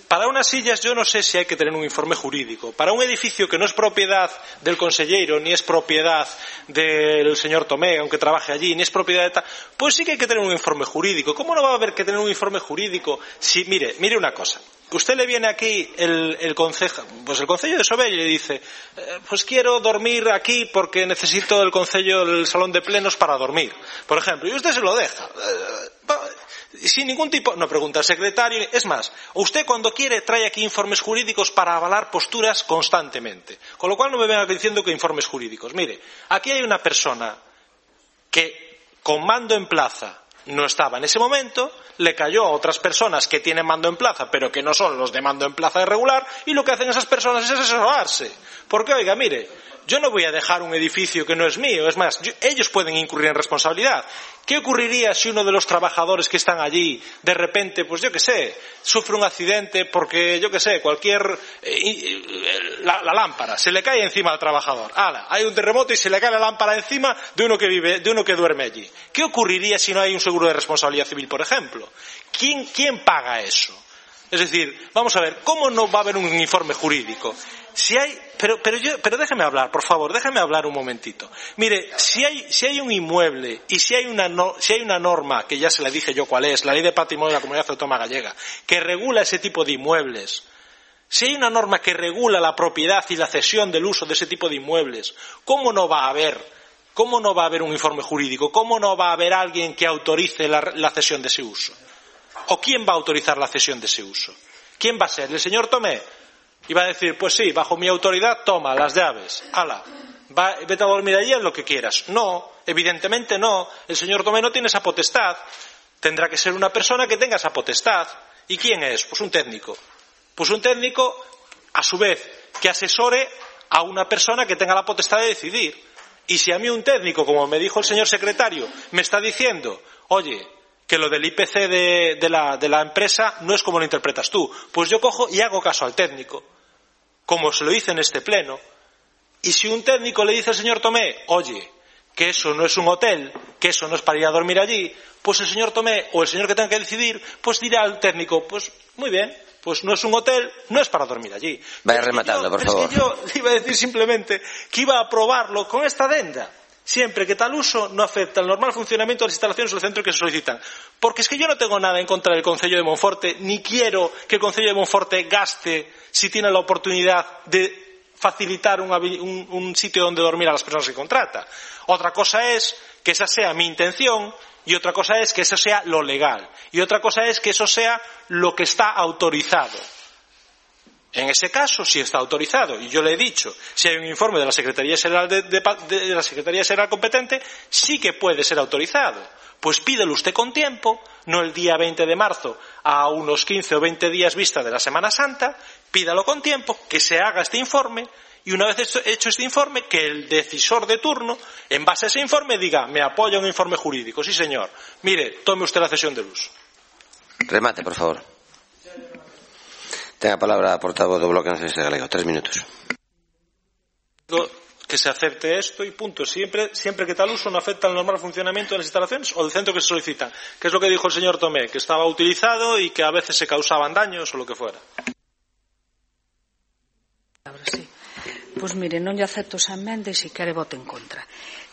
Para unas sillas yo no sé si hay que tener un informe jurídico. Para un edificio que no es propiedad del conselleiro, ni es propiedad del señor Tomé, aunque trabaje allí, ni es propiedad de tal, pues sí que hay que tener un informe jurídico. ¿Cómo no va a haber que tener un informe jurídico? Si, mire una cosa. Usted le viene aquí el concejo de Sobell y le dice, pues quiero dormir aquí porque necesito el salón de plenos para dormir, por ejemplo, y usted se lo deja. Sin ningún tipo, no pregunta al secretario, es más, usted cuando quiere trae aquí informes jurídicos para avalar posturas constantemente, con lo cual no me venga diciendo que informes jurídicos. Mire, aquí hay una persona que con mando en plaza no estaba en ese momento, le cayó a otras personas que tienen mando en plaza pero que no son los de mando en plaza irregular, y lo que hacen esas personas es asesorarse, porque oiga, mire, yo no voy a dejar un edificio que no es mío, es más, ellos pueden incurrir en responsabilidad. ¿Qué ocurriría si uno de los trabajadores que están allí, de repente, pues yo qué sé, sufre un accidente porque, yo qué sé, la lámpara, se le cae encima al trabajador? ¡Hala! Hay un terremoto y se le cae la lámpara encima de uno que duerme allí. ¿Qué ocurriría si no hay un seguro de responsabilidad civil, por ejemplo? ¿Quién paga eso? Es decir, vamos a ver, ¿cómo no va a haber un informe jurídico? Pero déjeme hablar, por favor, déjeme hablar un momentito. Mire, si hay un inmueble y si hay una norma, que ya se la dije yo cuál es, la Ley de Patrimonio de la Comunidad Autónoma Gallega, que regula ese tipo de inmuebles, si hay una norma que regula la propiedad y la cesión del uso de ese tipo de inmuebles, ¿cómo no va a haber un informe jurídico? ¿Cómo no va a haber alguien que autorice la cesión de ese uso? ¿O quién va a autorizar la cesión de ese uso? ¿Quién va a ser? ¿El señor Tomé? Y va a decir, pues sí, bajo mi autoridad, toma las llaves, hala, vete a dormir allí en lo que quieras. No, evidentemente no, el señor Tomé no tiene esa potestad, tendrá que ser una persona que tenga esa potestad. ¿Y quién es? Pues un técnico. Pues un técnico, a su vez, que asesore a una persona que tenga la potestad de decidir. Y si a mí un técnico, como me dijo el señor secretario, me está diciendo, oye, que lo del IPC de la empresa no es como lo interpretas tú, pues yo cojo y hago caso al técnico, como se lo dice en este pleno. Y si un técnico le dice al señor Tomé, oye, que eso no es un hotel, que eso no es para ir a dormir allí, pues el señor Tomé o el señor que tenga que decidir, pues dirá al técnico, pues muy bien, pues no es un hotel, no es para dormir allí. Vaya rematando, por favor. Es que yo le iba a decir simplemente que iba a aprobarlo con esta adenda, siempre que tal uso no afecta al normal funcionamiento de las instalaciones o del centro que se solicitan. Porque es que yo no tengo nada en contra del Concello de Monforte, ni quiero que el Concello de Monforte gaste, si tiene la oportunidad de facilitar un sitio donde dormir a las personas que contrata. Otra cosa es que esa sea mi intención, y otra cosa es que eso sea lo legal, y otra cosa es que eso sea lo que está autorizado. En ese caso sí está autorizado, y yo le he dicho, si hay un informe de la Secretaría General de la Secretaría General competente, sí que puede ser autorizado. Pues pídelo usted con tiempo, no el día 20 de marzo, a unos 15 o 20 días vista de la Semana Santa, pídalo con tiempo, que se haga este informe, y una vez hecho este informe, que el decisor de turno, en base a ese informe, diga, me apoya un informe jurídico. Sí, señor. Mire, tome usted la cesión del uso. Remate, por favor. Tenga palabra a portavoz do Bloque Nacionalista Galego. 3 minutos. Que se acepte esto y punto. Siempre que tal uso no afecta al normal funcionamiento de las instalaciones o del centro que se solicitan. Que es lo que dijo el señor Tomé, que estaba utilizado y que a veces se causaban daños o lo que fuera. Sí. Pois mire, non lle acepto esa emenda e se quere vote en contra.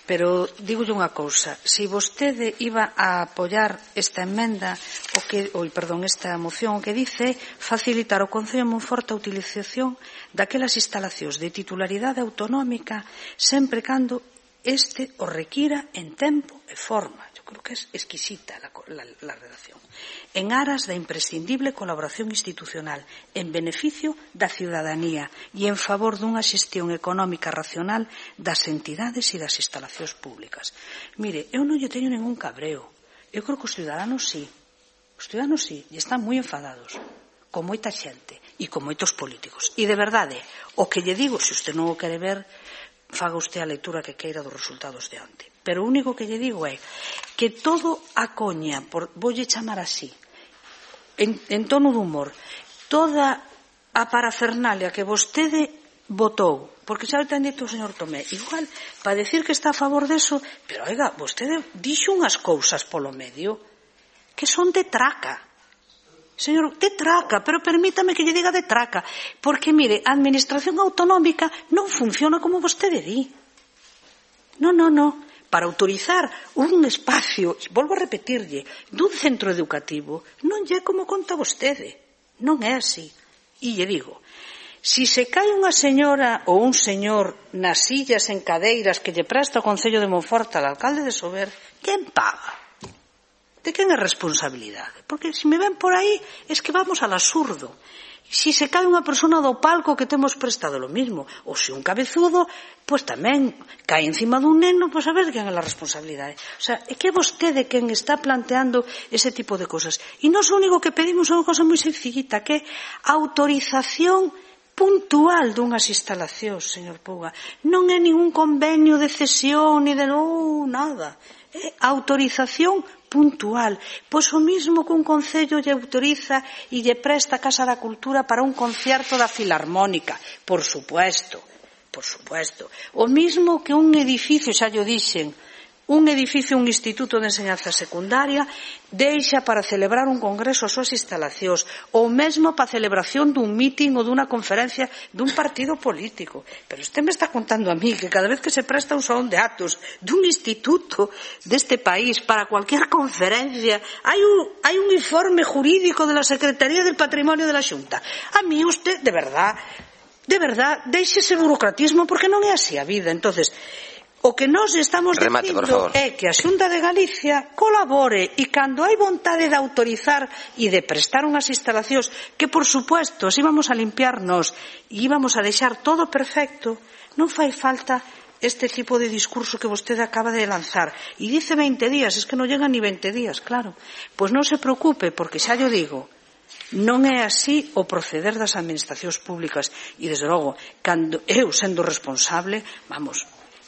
Pero digolle unha cousa, se vostede iba a apoiar esta emenda, esta moción, o que dice facilitar ao Concello de Monforte a utilización daquelas instalacións de titularidade autonómica sempre cando este o requira en tempo e forma. Eu creo que é exquisita la redacción. En aras da imprescindible colaboración institucional, en beneficio da ciudadanía e en favor dunha xestión económica racional das entidades e das instalacións públicas. Mire, eu non lle teño ningún cabreo. Eu creo que os ciudadanos sí. Os ciudadanos sí, e están moi enfadados, con moita xente e con moitos políticos. E de verdade, o que lle digo, se usted non o quere ver, faga usted a lectura que queira dos resultados de onte. Pero o único que lle digo é que todo a coña, voulle chamar así, en tono de humor, toda a parafernalia que vostede votou, porque xa o ten dito o señor Tomé, igual, para decir que está a favor deso, pero oiga, vostede dixo unhas cousas polo medio que son de traca. Señor, de traca, pero permítame que lle diga de traca, porque, mire, a administración autonómica non funciona como vostede di. Non. Para autorizar un espacio, volvo a repetirlle, dun centro educativo, non é como conta vostede. Non é así. E lle digo, si se cae unha señora ou un señor nas sillas en cadeiras que lle presta o Concello de Monforte al alcalde de Sober, quen paga? De quen é responsabilidade? Porque se me ven por aí es que vamos al absurdo. Si se cae unha persona do palco que temos prestado lo mismo, ou se un cabezudo, pois tamén cae encima dun neno, pois a ver quen é a responsabilidade. O sea, é que vostede quen está planteando ese tipo de cosas. E nós o único que pedimos é unha cosa moi sencillita, que é autorización puntual dunhas instalacións, señor Puga. Non é ningún convenio de cesión, ni de nada. É autorización puntual. Pois o mismo que un concello lle autoriza e lle presta a Casa da Cultura para un concierto da Filarmónica. Por supuesto. O mismo que un edificio, xa llo dixen, un edificio, un instituto de enseñanza secundaria deixa para celebrar un congreso as súas instalacións, ou mesmo para a celebración dun mitin ou dunha conferencia dun partido político. Pero usted me está contando a mí que cada vez que se presta un salón de actos dun instituto deste país para cualquier conferencia hai un informe jurídico de la Secretaría del Patrimonio de la Xunta. A mí usted, de verdad, deixe ese burocratismo, porque non é así a vida. Entonces, o que nós estamos dicindo é que a Xunta de Galicia colabore, e cando hai vontade de autorizar e de prestar unhas instalacións que, por supuesto, se íbamos a limpiarnos e íbamos a deixar todo perfecto, non fai falta este tipo de discurso que vostede acaba de lanzar. E dice 20 días, es que non llegan ni 20 días, claro. Pois non se preocupe, porque xa llo digo, non é así o proceder das administracións públicas. E, desde logo, cando eu, sendo responsable,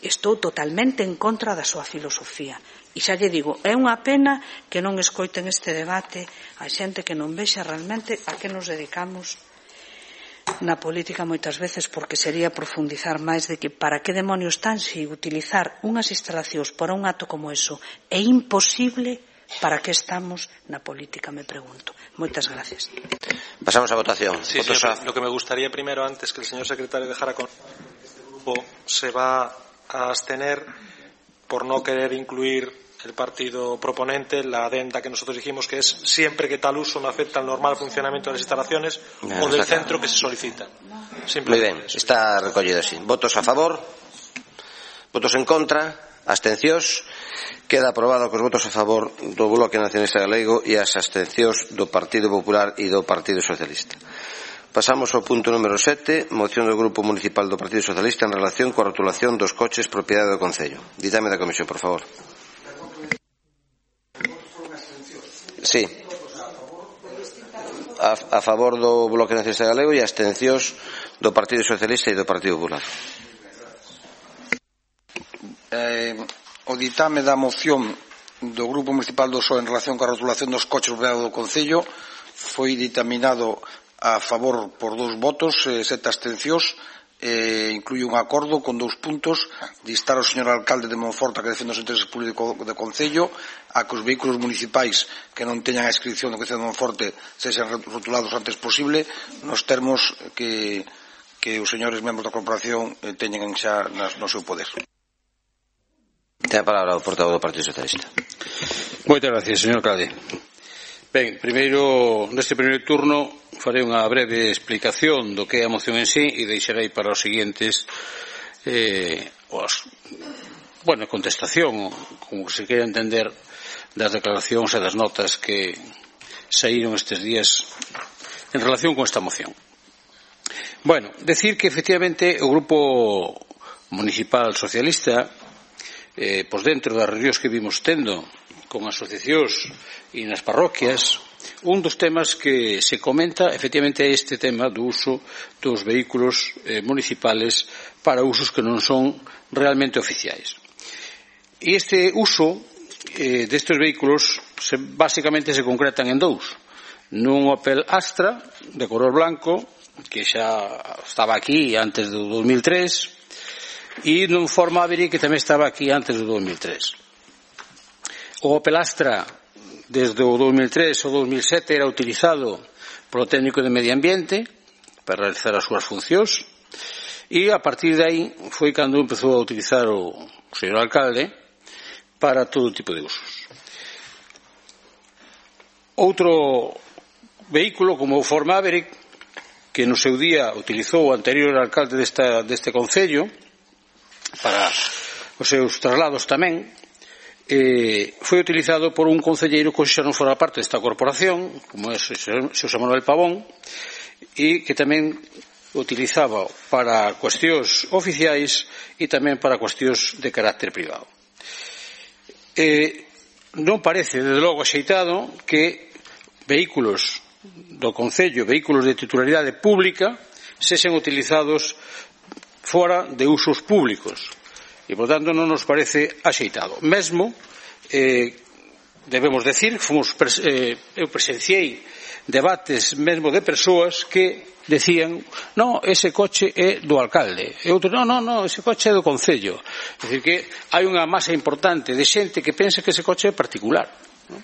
estou totalmente en contra da súa filosofía. E xa lle digo, é unha pena que non escoiten este debate a xente que non vexa realmente a que nos dedicamos na política moitas veces, porque sería profundizar máis de que para que demonios están se utilizar unhas instalacións para un acto como eso é imposible. ¿Para que estamos na política, me pregunto? Moitas gracias. Pasamos a votación. Sí, lo que me gustaría primero, antes que el señor secretario dejara con este grupo, se va a abstener por no querer incluir el partido proponente la adenda que nosotros dijimos, que es siempre que tal uso no afecta al normal funcionamiento de las instalaciones o del centro que se solicita. Muy bien, está recollido así. Votos a favor, votos en contra, abstencións. Queda aprobado cos votos a favor do Bloque Nacionalista Galego e as abstencións do Partido Popular e do Partido Socialista. Pasamos ao punto número 7, moción do Grupo Municipal do Partido Socialista en relación coa rotulación dos coches propiedade do Concello. Ditame da Comisión, por favor. Sí. A favor do Bloque Nacionalista Galego e abstencións do Partido Socialista e do Partido Popular. O ditame da moción do Grupo Municipal do PSOE en relación coa rotulación dos coches propiedade do Concello foi ditaminado a favor por 2 votos, 7 abstencións. Incluye un acordo con 2 puntos de instar ao señor alcalde de Monforte a que defenda os intereses públicos do Concello, a que os vehículos municipais que non teñan a inscripción do Concello de Monforte sexan rotulados o antes posible, nos termos que os señores membros da corporación teñen xa no seu poder. Ten a palabra o portavoz do Partido Socialista. Moitas gracias, señor alcalde. Ben, primeiro, neste primeiro turno farei unha breve explicación do que é a moción en sí e deixarei para os seguintes contestación, como se queira entender, das declaracións e das notas que saíron estes días en relación con esta moción. Bueno, decir que efectivamente o Grupo Municipal Socialista, pois dentro das reunións que vimos tendo con asociacións e nas parroquias, un dos temas que se comenta efectivamente é este tema do uso dos vehículos municipales para usos que non son realmente oficiais. E este uso destes vehículos basicamente se concretan en dous. Nun Opel Astra de color blanco, que xa estaba aquí antes do 2003, e nun Ford Maverick que tamén estaba aquí antes do 2003. O Opel Astra desde o 2003 ao 2007 era utilizado polo técnico de medio ambiente para realizar as súas funcións, e a partir de aí foi cando empezou a utilizar o señor alcalde para todo tipo de usos. Outro vehículo como o Ford Maverick, que no seu día utilizou o anterior alcalde deste concello para os seus traslados tamén, foi utilizado por un concelleiro que xa non fora parte desta corporación, como é Xosé Manuel Pavón, e que tamén utilizaba para cuestións oficiais e tamén para cuestións de carácter privado. Non parece, desde logo, axeitado que vehículos do concello, vehículos de titularidade pública, sexen utilizados fora de usos públicos, e, por tanto, non nos parece axeitado. Mesmo, debemos decir, eu presenciei debates mesmo de persoas que decían, no, ese coche é do alcalde, e outros, no, ese coche é do concello. É dicir, que hai unha masa importante de xente que pensa que ese coche é particular, non?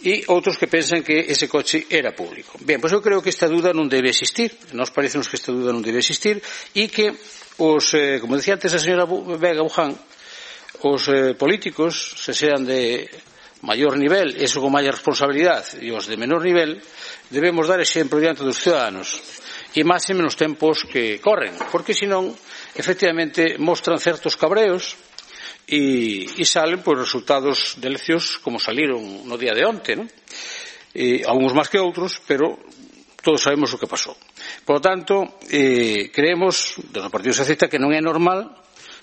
E outros que pensan que ese coche era público. Ben, pois eu creo que esta duda non debe existir, nos parece que esta duda non debe existir, e que como decía antes a señora Vega Buján, os políticos, se sean de maior nivel, eso con maior responsabilidade, e os de menor nivel, debemos dar exemplo diante dos ciudadanos, e máxime nos tempos que corren, porque senón, efectivamente, mostran certos cabreos e salen por resultados de eleccións como saliron no día de onte, non? Alguns máis que outros, pero todos sabemos o que pasou. Por lo tanto, creemos, do Partido Socialista, que non é normal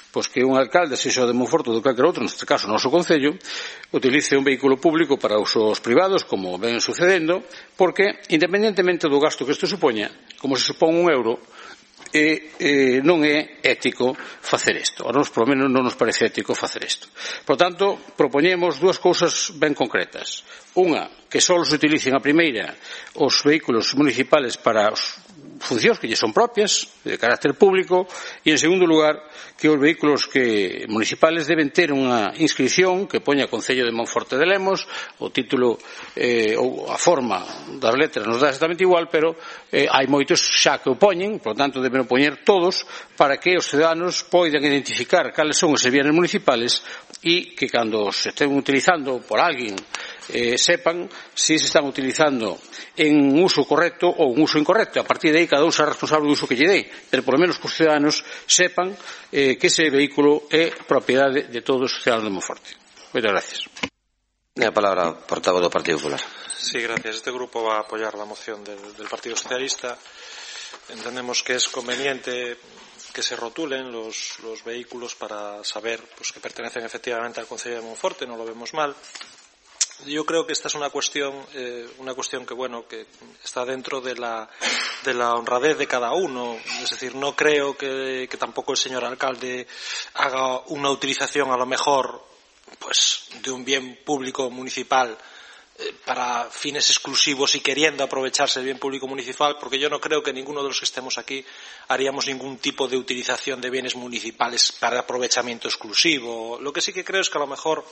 pois que un alcalde, sexa de Monforte ou de calquer outro, neste caso o noso concello, utilice un vehículo público para usos privados, como ven sucedendo, porque, independentemente do gasto que isto supoña, como se supón €1, non é ético facer isto. A nós, polo menos, non nos parece ético facer isto. Por tanto, propoñemos dúas cousas ben concretas. Unha, que só se utilicen a primeira os vehículos municipales para as funcións que lle son propias, de carácter público, e, en segundo lugar, que os vehículos municipales deben ter unha inscripción que poña Concello de Monforte de Lemos, o título ou a forma das letras nos dá exactamente igual, pero hai moitos xa que o poñen, por lo tanto deben o poñer todos, para que os ciudadanos poidan identificar cales son os bienes municipales e que cando se estén utilizando por alguén sepan se están utilizando en uso correcto ou un uso incorrecto. A partir de aí cada un será responsable do uso que lle dé, pero por lo menos que os ciudadanos sepan que ese vehículo é propiedade de todos os ciudadanos de Monforte. Moitas gracias. A palabra, portavoz do Partido Popular. Sí, gracias. Este grupo va a apoyar la moción del Partido Socialista. Entendemos que es conveniente que se rotulen los vehículos para saber pues, que pertenecen efectivamente al Concello de Monforte, no lo vemos mal. Yo creo que esta es una cuestión que bueno, que está dentro de la honradez de cada uno. Es decir, no creo que tampoco el señor alcalde haga una utilización a lo mejor pues de un bien público municipal para fines exclusivos y queriendo aprovecharse del bien público municipal, porque yo no creo que ninguno de los que estemos aquí haríamos ningún tipo de utilización de bienes municipales para aprovechamiento exclusivo. Lo que sí que creo es que a lo mejor,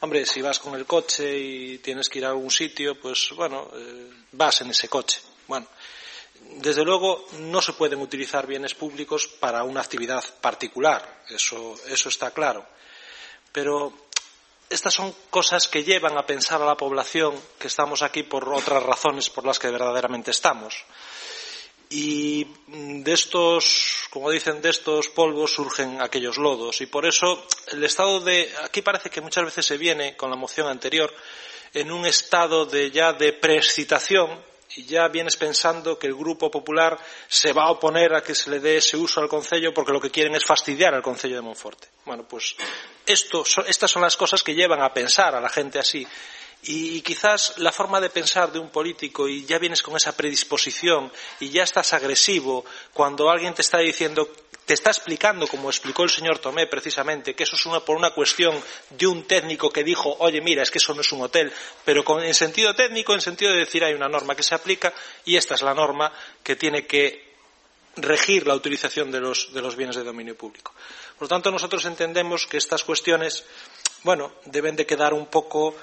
hombre, si vas con el coche y tienes que ir a algún sitio, pues bueno, vas en ese coche. Bueno, desde luego no se pueden utilizar bienes públicos para una actividad particular, eso está claro. Pero estas son cosas que llevan a pensar a la población que estamos aquí por otras razones por las que verdaderamente estamos. Y de estos, como dicen, de estos polvos surgen aquellos lodos. Y por eso el estado de... Aquí parece que muchas veces se viene, con la moción anterior, en un estado de preexcitación y ya vienes pensando que el Grupo Popular se va a oponer a que se le dé ese uso al concello porque lo que quieren es fastidiar al concello de Monforte. Bueno, pues estas son las cosas que llevan a pensar a la gente así. Y quizás la forma de pensar de un político, y ya vienes con esa predisposición y ya estás agresivo cuando alguien te está diciendo, te está explicando, como explicó el señor Tomé precisamente, que eso es por una cuestión de un técnico que dijo, oye, mira, es que eso no es un hotel, pero en sentido técnico, en sentido de decir hay una norma que se aplica y esta es la norma que tiene que regir la utilización de los bienes de dominio público. Por lo tanto, nosotros entendemos que estas cuestiones, deben de quedar un poco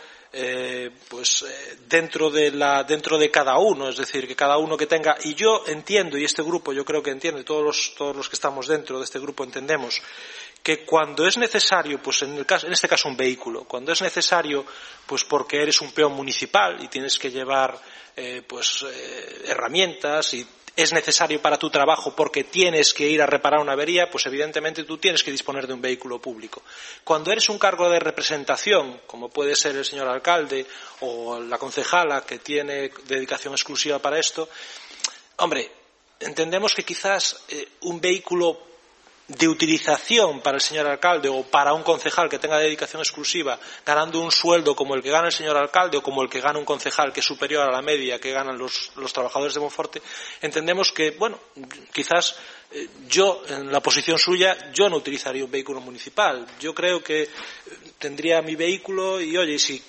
dentro de cada uno, es decir, que cada uno que tenga, y yo entiendo, y este grupo yo creo que entiende, todos los que estamos dentro de este grupo entendemos que cuando es necesario, pues en este caso un vehículo, cuando es necesario, pues porque eres un peón municipal y tienes que llevar herramientas y es necesario para tu trabajo porque tienes que ir a reparar una avería, pues evidentemente tú tienes que disponer de un vehículo público. Cuando eres un cargo de representación, como puede ser el señor alcalde o la concejala que tiene dedicación exclusiva para esto, entendemos que quizás un vehículo de utilización para el señor alcalde o para un concejal que tenga dedicación exclusiva, ganando un sueldo como el que gana el señor alcalde o como el que gana un concejal que es superior a la media que ganan los trabajadores de Monforte, entendemos que, quizás yo, en la posición suya, yo no utilizaría un vehículo municipal. Yo creo que tendría mi vehículo y, oye, si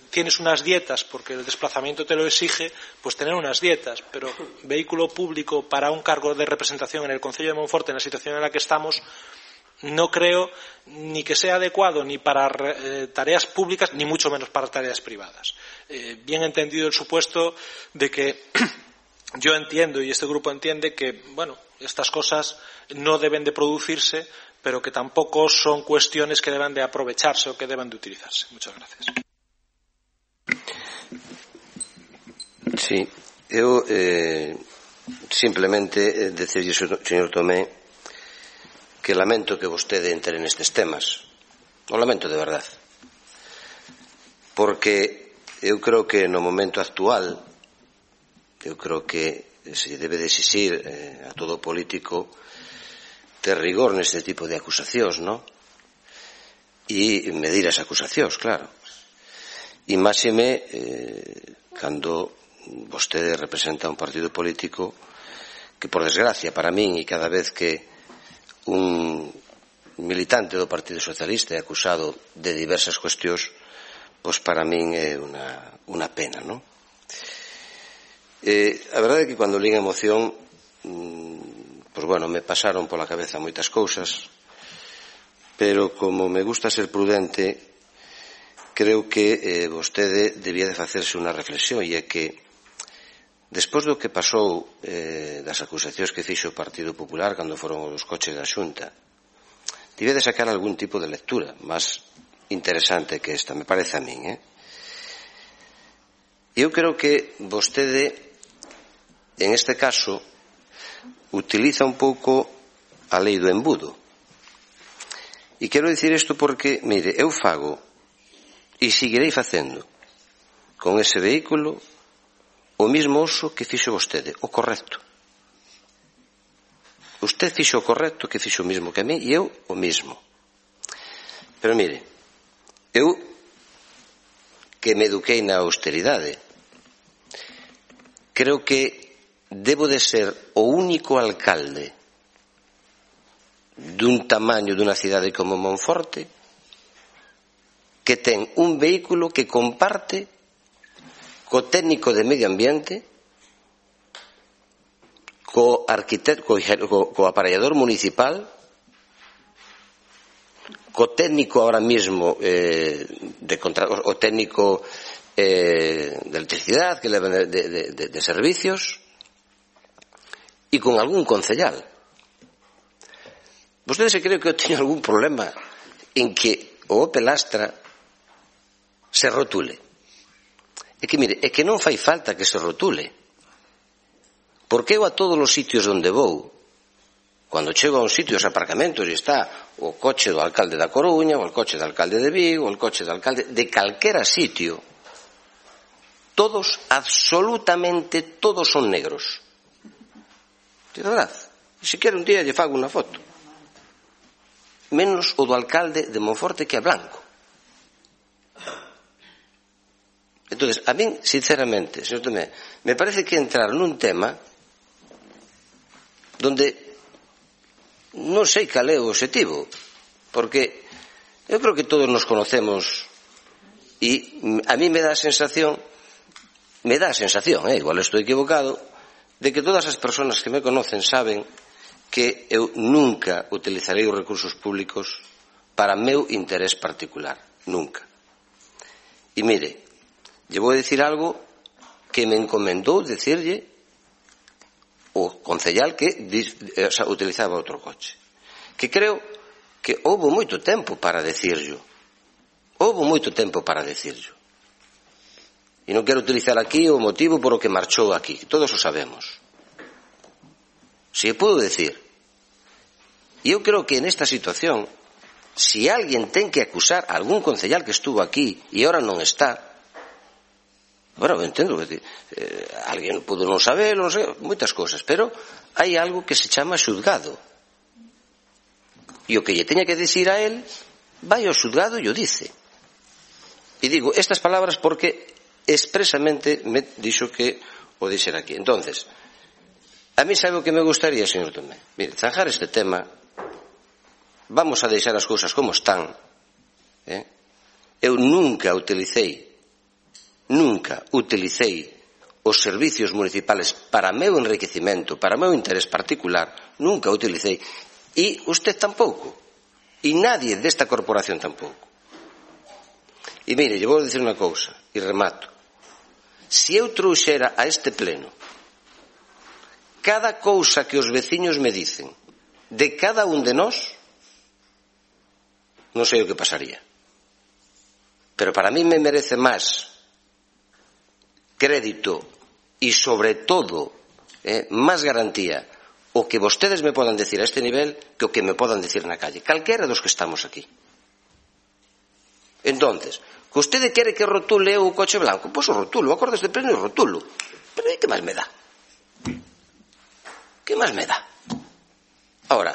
tienes unas dietas porque el desplazamiento te lo exige, pues tener unas dietas, pero vehículo público para un cargo de representación en el concello de Monforte en la situación en la que estamos, no creo ni que sea adecuado ni para tareas públicas ni mucho menos para tareas privadas. Bien entendido el supuesto de que yo entiendo y este grupo entiende que, estas cosas no deben de producirse, pero que tampoco son cuestiones que deban de aprovecharse o que deban de utilizarse. Muchas gracias. Sí, eu simplemente decirlle, señor Tomé, que lamento que vostede entre nestes temas. O lamento de verdade. Porque eu creo que no momento actual, eu creo que se debe de exixir a todo político ter rigor neste tipo de acusacións, non? E medir as acusacións, claro. E máxime cando vostede representa un partido político que, por desgracia, para min, e cada vez que un militante do Partido Socialista é acusado de diversas cuestións, pois para min é unha pena, non? A verdade é que cando lín a moción me pasaron pola cabeza moitas cousas, pero como me gusta ser prudente, creo que vostede debía de facerse unha reflexión, e é que despois do que pasou das acusacións que fixo o Partido Popular cando foron os coches da Xunta, debía de sacar algún tipo de lectura máis interesante que esta, me parece a min. Eu creo que vostede en este caso utiliza un pouco a lei do embudo. E quero dicir isto porque, mire, eu fago e seguirei facendo con ese vehículo o mismo uso que fixo vostede, o correcto. Usted fixo o correcto que fixo o mismo que a mí e eu o mismo. Pero mire, eu que me eduquei na austeridade, creo que debo de ser o único alcalde dun tamaño dunha cidade como Monforte que ten un vehículo que comparte co técnico de medio ambiente, co arquitecto, co aparellador municipal, co técnico ahora mismo o técnico de electricidade que leva de servicios, e con algún concellal. Vostede se cree que eu teño algún problema en que o Opel Astra se rotule? É que, mire, é que non fai falta que se rotule. Porque eu a todos os sitios onde vou, cando chego a un sitio, os aparcamentos, e está o coche do alcalde da Coruña, ou o coche do alcalde de Vigo, ou o coche do alcalde de calquera sitio, todos, absolutamente todos son negros. De verdad. Se quere un día lle fago unha foto. Menos o do alcalde de Monforte, que é blanco. Entonces, a min, sinceramente, señor Tomé, me parece que entrar nun tema donde non sei cal é o objetivo, porque eu creo que todos nos conocemos e a mí me dá a sensación, igual estou equivocado, de que todas as persoas que me conocen saben que eu nunca utilizarei os recursos públicos para meu interés particular, nunca. E mire, lle vou dicir algo que me encomendou dicirlle o concellal que utilizaba outro coche, que creo que houve moito tempo para dicirlo. E non quero utilizar aquí o motivo por o que marchou aquí, todos o sabemos. Se puedo decir, e eu creo que nesta situación, se alguén ten que acusar a algún concellal que estuvo aquí e ahora non está, bueno, eu entendo que alguén pudo non saber, non sei, moitas cosas, pero hai algo que se chama xulgado. E o que lle teña que dicir a él, vai ao xulgado e o dice. E digo estas palabras porque expresamente me dixo que o dixera aquí. Entonces, a mí sabe o que me gustaría, señor Tomé. Mire, zanjar este tema, vamos a deixar as cousas como están. Eu nunca utilicei os servicios municipales para meu enriquecimento, para meu interés particular, nunca utilicei, e usted tampouco, e nadie desta corporación tampouco. E mire, lle vou dicir unha cousa, e remato. Se eu trouxera a este pleno cada cousa que os veciños me dicen de cada un de nós, non sei o que pasaría. Pero para mí me merece máis crédito e, sobre todo, máis garantía o que vostedes me podan decir a este nivel que o que me podan decir na calle. Calquera dos que estamos aquí. Entonces, que vostede quere que rotule o coche blanco, pois o rotulo, acordes de pleno e rotulo. Pero que máis me dá? Que máis me dá? Ahora,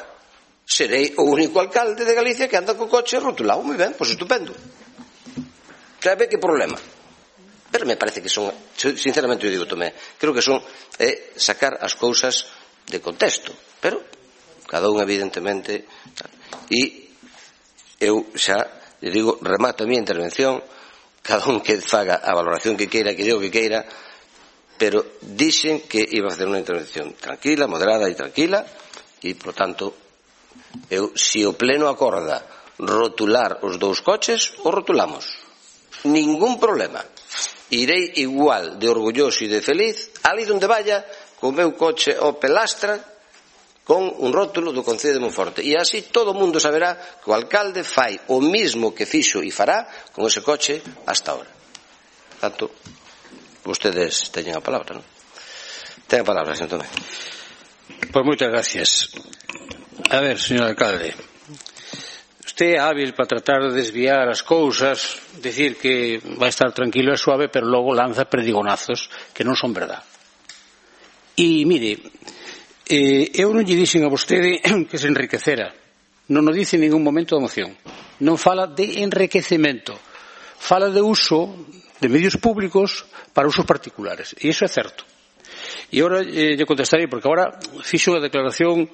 serei o único alcalde de Galicia que anda co coche rotulado. Moi ben, pois estupendo. Sabe que problema? Pero me parece que son, sinceramente eu digo, Tomé, creo que son sacar as cousas de contexto, pero cada un evidentemente, e eu xa lle digo, remato a miña intervención, cada un que faga a valoración que queira, que digo que queira, pero dixen que iba a facer unha intervención tranquila, moderada e tranquila, e, por tanto, eu, se o pleno acorda rotular os dous coches, o rotulamos. Ningún problema. Irei igual de orgulloso e de feliz ali onde vaya co meu coche Opel Astra con un rótulo do Concello de Monforte, e así todo o mundo saberá que o alcalde fai o mismo que fixo e fará con ese coche hasta ahora. Tanto, vostedes teñen a palabra, non? Ten a palabra, señor Tomé. Pois moitas gracias. A ver, señor alcalde, usted é hábil para tratar de desviar as cousas, decir que vai estar tranquilo e suave, pero logo lanza perdigonazos que non son verdad. E mire, eu non lle dixen a vostede que se enriquecera, non o dice en ningún momento da moción, non fala de enriquecemento, fala de uso de medios públicos para usos particulares, e iso é certo. E agora lle contestarei, porque agora fixo unha declaración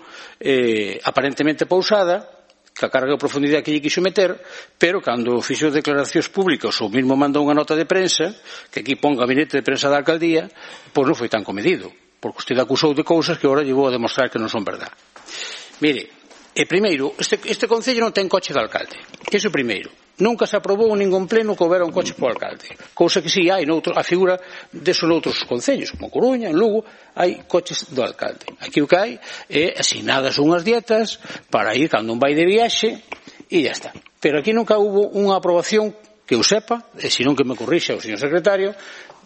aparentemente pausada, que a carga de profundidade que lle quixo meter, pero cando fixo declaracións públicas ou mesmo manda unha nota de prensa, que aquí pon gabinete de prensa da alcaldía, pois non foi tan comedido, porque usted acusou de cousas que agora lle vou a demostrar que non son verdad. Mire, primeiro, este concello non ten coche de alcalde, iso primeiro. Nunca se aprobou en ningún pleno que houbera un coche para o alcalde, cousa que si hai a figura deso noutros concellos, como Coruña, en Lugo, hai coches do alcalde. Aquí o que hai é asignadas unhas dietas para ir cando un vai de viaxe e ya está. Pero aquí nunca hubo unha aprobación que eu sepa, e senón que me corrixa o señor secretario,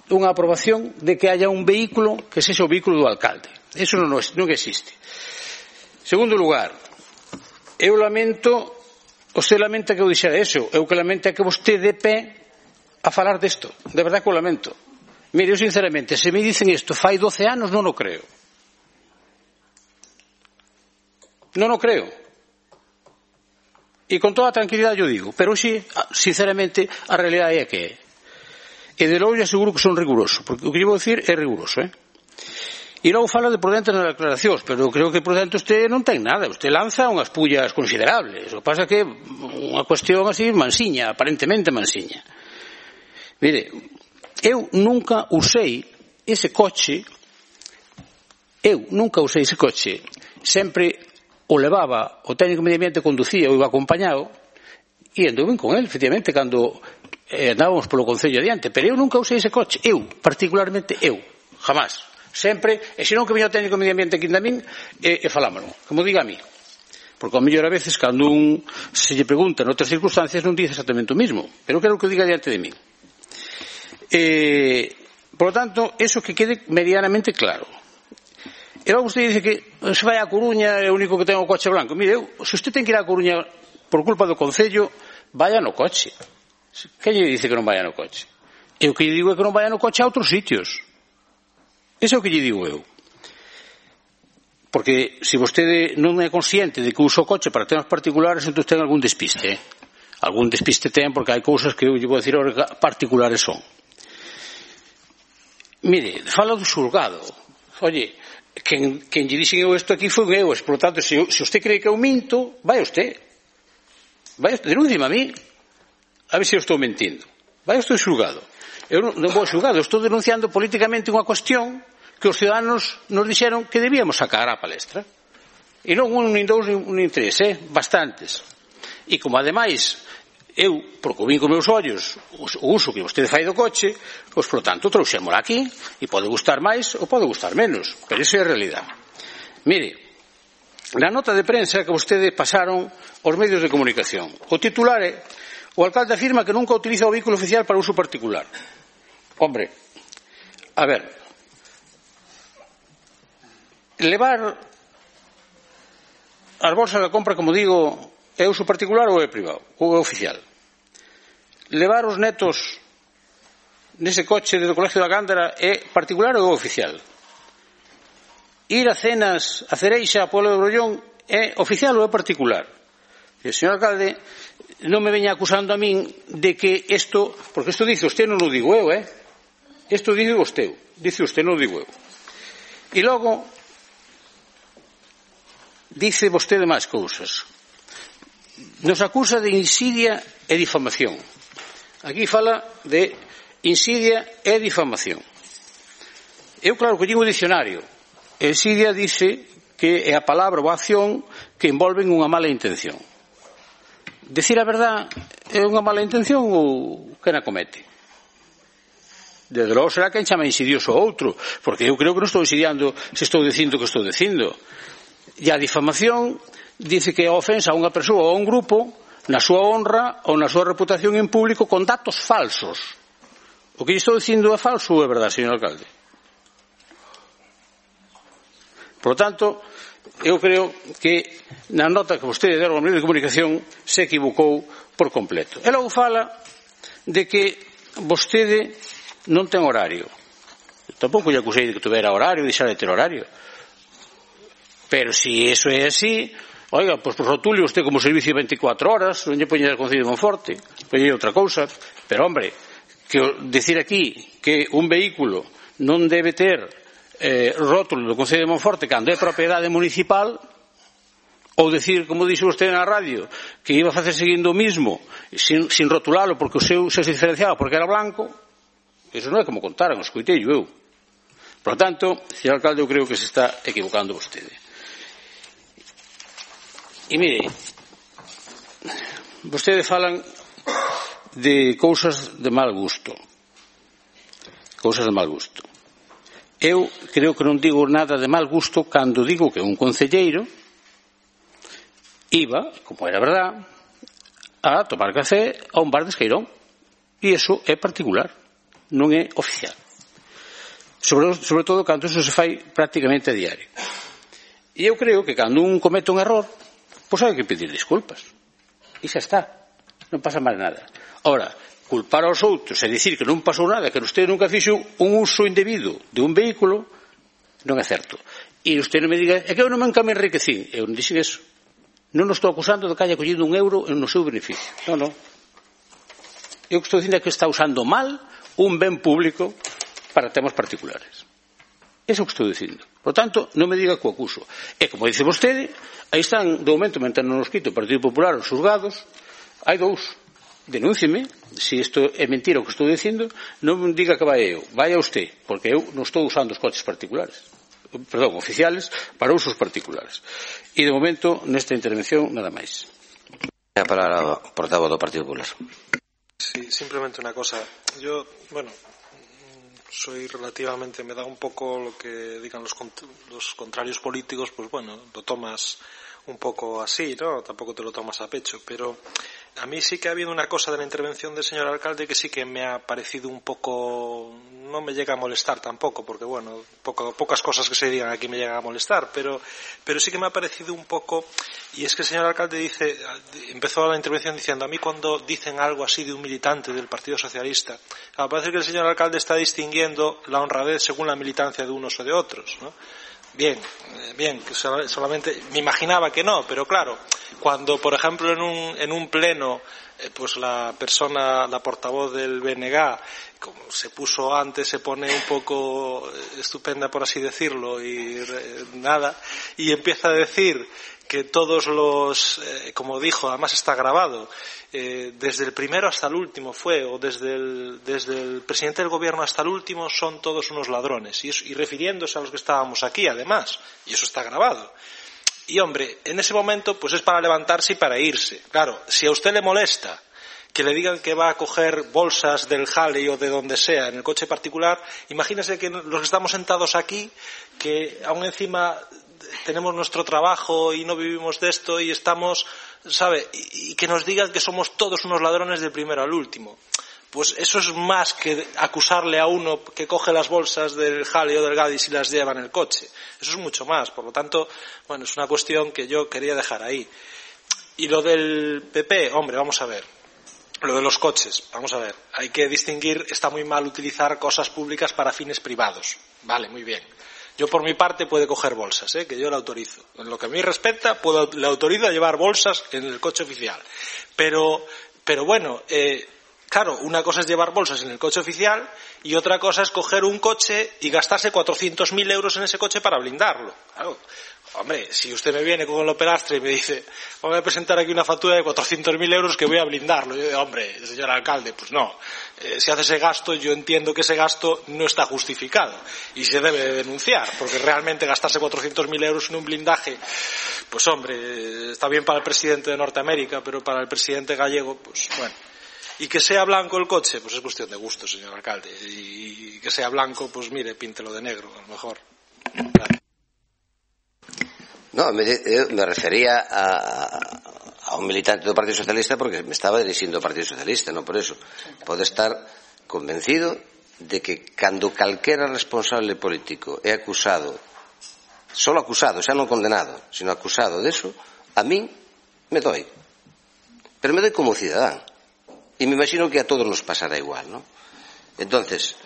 unha aprobación de que haya un vehículo que sexa o vehículo do alcalde. Eso non existe. Segundo lugar, eu lamento. Você lamenta que eu dixera eso, eu que lamento é que vostede dé pé a falar desto, de verdade que o lamento. Mire, eu sinceramente, se me dicen isto fai 12 anos, non o creo. Non o creo. E con toda a tranquilidade eu digo, pero sí, sinceramente, a realidade é que é. E de logo lle aseguro que son riguroso, porque o que lle vou dicir é riguroso, E logo fala de prudente nas declaracións, pero eu creo que prudente usted non ten nada, usted lanza unhas pullas considerables, o que pasa que unha cuestión así mansiña, aparentemente mansiña. Mire, eu nunca usei ese coche, sempre o levaba, o técnico medio ambiente conducía, o iba acompañado, e andou ben con él, efectivamente, cando andábamos polo Concello adiante, pero eu nunca usei ese coche, particularmente jamás, sempre, e senón que viña o técnico medio ambiente aquí a min, e falámoslo, como diga a mí, porque ao mellor a veces, cando se lle pregunta noutras circunstancias, non dice exactamente o mismo, pero quero que o diga diante de mí. Por lo tanto, eso que quede medianamente claro. E logo usted dice que se vai a Coruña é o único que ten o coche blanco. Mire, se usted ten que ir a Coruña por culpa do Concello, vaya no coche. Que lle dice que non vaya no coche? E o que lle digo é que non vaya no coche a outros sitios. Eso é o que lle digo eu. Porque se vostede non é consciente de que usa o coche para temas particulares, entón ten algún despiste. Algún despiste ten porque hai cousas que eu lle vou dicir particulares son. Mire, fala do xulgado. Oye, quen lle dixen eu isto aquí foi eu, por lo tanto, se usted cree que eu minto, vai usted, denúnciame a mí, a ver se eu estou mentindo, vai usted xulgado. Eu non vou xulgado, estou denunciando políticamente unha cuestión que os ciudadanos nos dixeron que debíamos sacar á palestra, e non un, nin dous, nin tres, bastantes, e como ademais eu, porque o vin con meus ollos o uso que vostede fai do coche, pois, por tanto, trouxémola aquí, e pode gustar máis ou pode gustar menos, pero iso é a realidade. Mire, na nota de prensa que vostede pasaron os medios de comunicación, o titular é: o alcalde afirma que nunca utiliza o vehículo oficial para uso particular. Hombre, a ver, levar as bolsas da compra, como digo, é uso particular ou é privado, ou é oficial? Levar os netos nese coche do Colegio da Gándara é particular ou é oficial? Ir a cenas a Cereixa, a Pueblo de Brollón, é oficial ou é particular? E, señor alcalde, non me veña acusando a min de que isto, porque isto dice usted, non o digo eu, isto dice usted, non o digo eu. E logo dice vostede máis cousas. Nos acusa de insidia e difamación. Aquí fala de insidia e difamación. Eu, claro, que digo o dicionario. Insidia dice que é a palabra ou a acción que envolven unha mala intención. Decir a verdad é unha mala intención ou quen a comete? Desde logo será quen chama insidioso o outro, porque eu creo que non estou insidiando se estou dicindo o que estou dicindo. E a difamación dice que é a ofensa a unha persoa ou a un grupo na súa honra ou na súa reputación en público con datos falsos. O que estou dicindo é falso ou é verdade, señor alcalde? Por lo tanto, eu creo que na nota que vostede deu ao medio de comunicación se equivocou por completo. E logo fala de que vostede non ten horario. Eu tampouco lle acusei de que tuvera horario, de deixar de ter horario. Pero se iso é así, oiga, pois por rotulio usted como servicio 24 horas, non lle poñe o Concello de Monforte, poñe outra cousa, pero hombre, que decir aquí que un vehículo non debe ter rótulo do Concello de Monforte cando é propiedade municipal, ou decir, como dixo usted na radio, que iba a facer seguindo o mismo sin rotulalo porque o seu se diferenciaba porque era blanco, eso non é como contaron, escoitei eu. Por lo tanto, señor alcalde, eu creo que se está equivocando vostede. E mire, vostedes falan de cousas de mal gusto. Cousas de mal gusto. Eu creo que non digo nada de mal gusto cando digo que un concelleiro iba, como era verdad, a tomar café a un bar de Esqueirón. E iso é particular, non é oficial. Sobre todo cando iso se fai prácticamente a diario. E eu creo que cando un comete un error, pois hai que pedir disculpas. E xa está. Non pasa máis nada. Ora, culpar aos outros e dicir que non pasou nada, que usted nunca fixo un uso indebido de un vehículo, non é certo. E usted non me diga, é que eu non me enriquecín. Eu non dixen eso. Non nos estou acusando de que haya collido €1 no seu beneficio. Non, non. Eu estou dicindo que está usando mal un ben público para temas particulares. Eso que estou dicindo. Por tanto, non me diga que o acuso. E como dice vostede, aí están, de momento, mentendo nos quito o Partido Popular, os xulgados, hai dous. Denúncieme, se isto é mentira o que estou dicindo, non me diga que vai eu, vai a usted, porque eu non estou usando os coches particulares, perdón, oficiales, para usos particulares. E de momento, nesta intervención, nada máis. A palabra portavoz do Partido Popular. Sí, simplemente una cosa. Yo, bueno, soy relativamente, me da un poco lo que digan los contrarios políticos, pues bueno, lo tomas un poco así, ¿no? Tampoco te lo tomas a pecho, pero a mí sí que ha habido una cosa de la intervención del señor alcalde que sí que me ha parecido un poco, no me llega a molestar tampoco, porque bueno, pocas cosas que se digan aquí me llegan a molestar, pero sí que me ha parecido un poco, y es que el señor alcalde empezó la intervención diciendo, a mí cuando dicen algo así de un militante del Partido Socialista, parece que el señor alcalde está distinguiendo la honradez según la militancia de unos o de otros, ¿no? Bien, que solamente me imaginaba que no, pero claro, cuando por ejemplo en un pleno pues la portavoz del BNG, como se puso antes, se pone un poco estupenda por así decirlo y empieza a decir que todos los, como dijo, además está grabado, desde el primero hasta el último o desde el presidente del gobierno hasta el último son todos unos ladrones, y refiriéndose a los que estábamos aquí además, y eso está grabado. Y hombre, en ese momento pues es para levantarse y para irse. Claro, si a usted le molesta que le digan que va a coger bolsas del Halley o de donde sea en el coche particular, imagínese que los que estamos sentados aquí, que aún encima tenemos nuestro trabajo y no vivimos de esto y estamos, ¿sabe? Y que nos digan que somos todos unos ladrones del primero al último. Pues eso es más que acusarle a uno que coge las bolsas del Halley o del Gadis y las lleva en el coche. Eso es mucho más. Por lo tanto, bueno, es una cuestión que yo quería dejar ahí. Y lo del PP, hombre, vamos a ver. Lo de los coches, vamos a ver. Hay que distinguir, está muy mal utilizar cosas públicas para fines privados. Vale, muy bien. Yo por mi parte puede coger bolsas, que yo le autorizo. En lo que a mí respecta, le autorizo a llevar bolsas en el coche oficial. Pero bueno, claro, una cosa es llevar bolsas en el coche oficial y otra cosa es coger un coche y gastarse 400.000 euros en ese coche para blindarlo. Claro. Hombre, si usted me viene con el operastre y me dice, voy a presentar aquí una factura de 400.000 euros que voy a blindarlo. Yo digo, hombre, señor alcalde, pues no. Si hace ese gasto, yo entiendo que ese gasto no está justificado y se debe de denunciar, porque realmente gastarse 400.000 euros en un blindaje, pues hombre, está bien para el presidente de Norteamérica, pero para el presidente gallego, pues bueno. Y que sea blanco el coche, pues es cuestión de gusto, señor alcalde. Y que sea blanco, pues mire, píntelo de negro, a lo mejor. Gracias. No, me refería a un militante do Partido Socialista porque me estaba dirixindo ao Partido Socialista, non por eso. Pode estar convencido de que cando calquera responsable político é acusado, solo acusado, xa non condenado, sino acusado deso, a min me doi. Pero me doi como cidadán. E me imagino que a todos nos pasará igual, non? Entonces,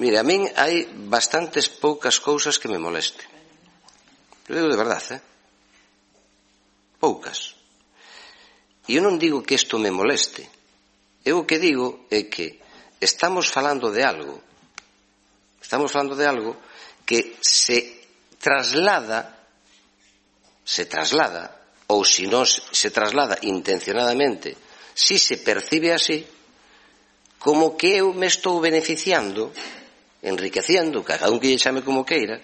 mire, a min hai bastantes poucas cousas que me molesten. Eu digo de verdade, poucas. E eu non digo que isto me moleste. Eu o que digo é que estamos falando de algo que se traslada, ou se non se traslada intencionadamente, si se percibe así, como que eu me estou beneficiando, enriqueciendo, cada un que lle chame como queira.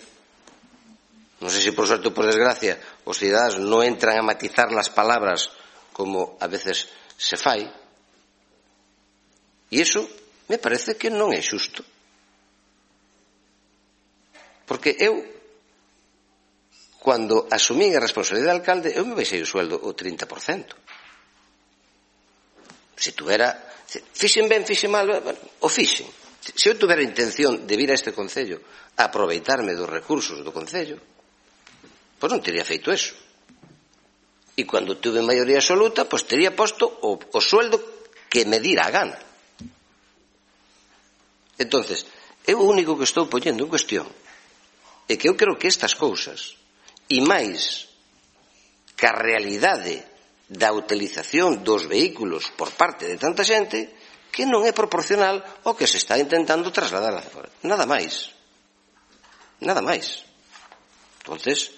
Non sei se por suerte ou por desgracia os cidadáns non entran a matizar las palabras como a veces se fai. E iso me parece que non é xusto. Porque eu, cando asumín a responsabilidade de alcalde, eu me baixei o sueldo o 30%. Se tuvera, fixen ben, fixen mal, o fixen. Se eu tuvera intención de vir a este concello a aproveitarme dos recursos do concello, pois non teria feito eso. E cando tuve maioría absoluta, pois tería posto o sueldo que me dira a gana. Entonces, eu o único que estou poñendo en cuestión é que eu creo que estas cousas, e máis que a realidade da utilización dos vehículos por parte de tanta xente, que non é proporcional ao que se está intentando trasladar hacia fora. Nada máis. Nada máis. Entonces,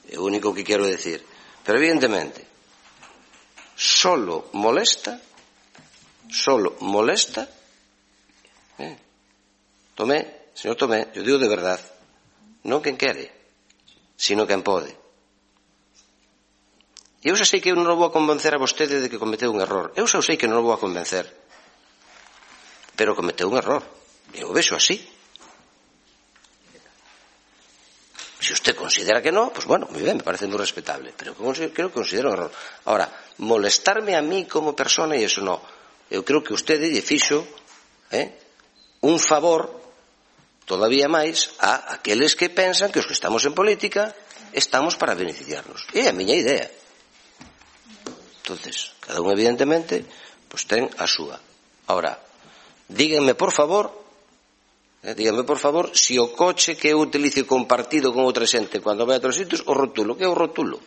é o único que quero decir. Pero evidentemente, solo molesta, Tomé, señor Tomé, yo digo de verdad, non quen quere, sino quen pode. E eu xa sei que eu non o vou a convencer a vostede de que cometeu un error. Eu xa sei que non o vou a convencer. Pero cometeu un error. Eu o vexo así. Si usted considera que no, pues bueno, muy bien, me parece muy respetable. Pero creo que considero un error. Ahora, molestarme a mí como persona, e iso no. Eu creo que usted lle fixo un favor todavía máis a aqueles que pensan que os que estamos en política estamos para beneficiarnos. É a miña idea. Entonces, cada un evidentemente pues ten a súa. Ahora, díganme por favor si o coche que eu utilice compartido con outra xente cando vai a outros sitios, o rotulo. Que é o rotulo?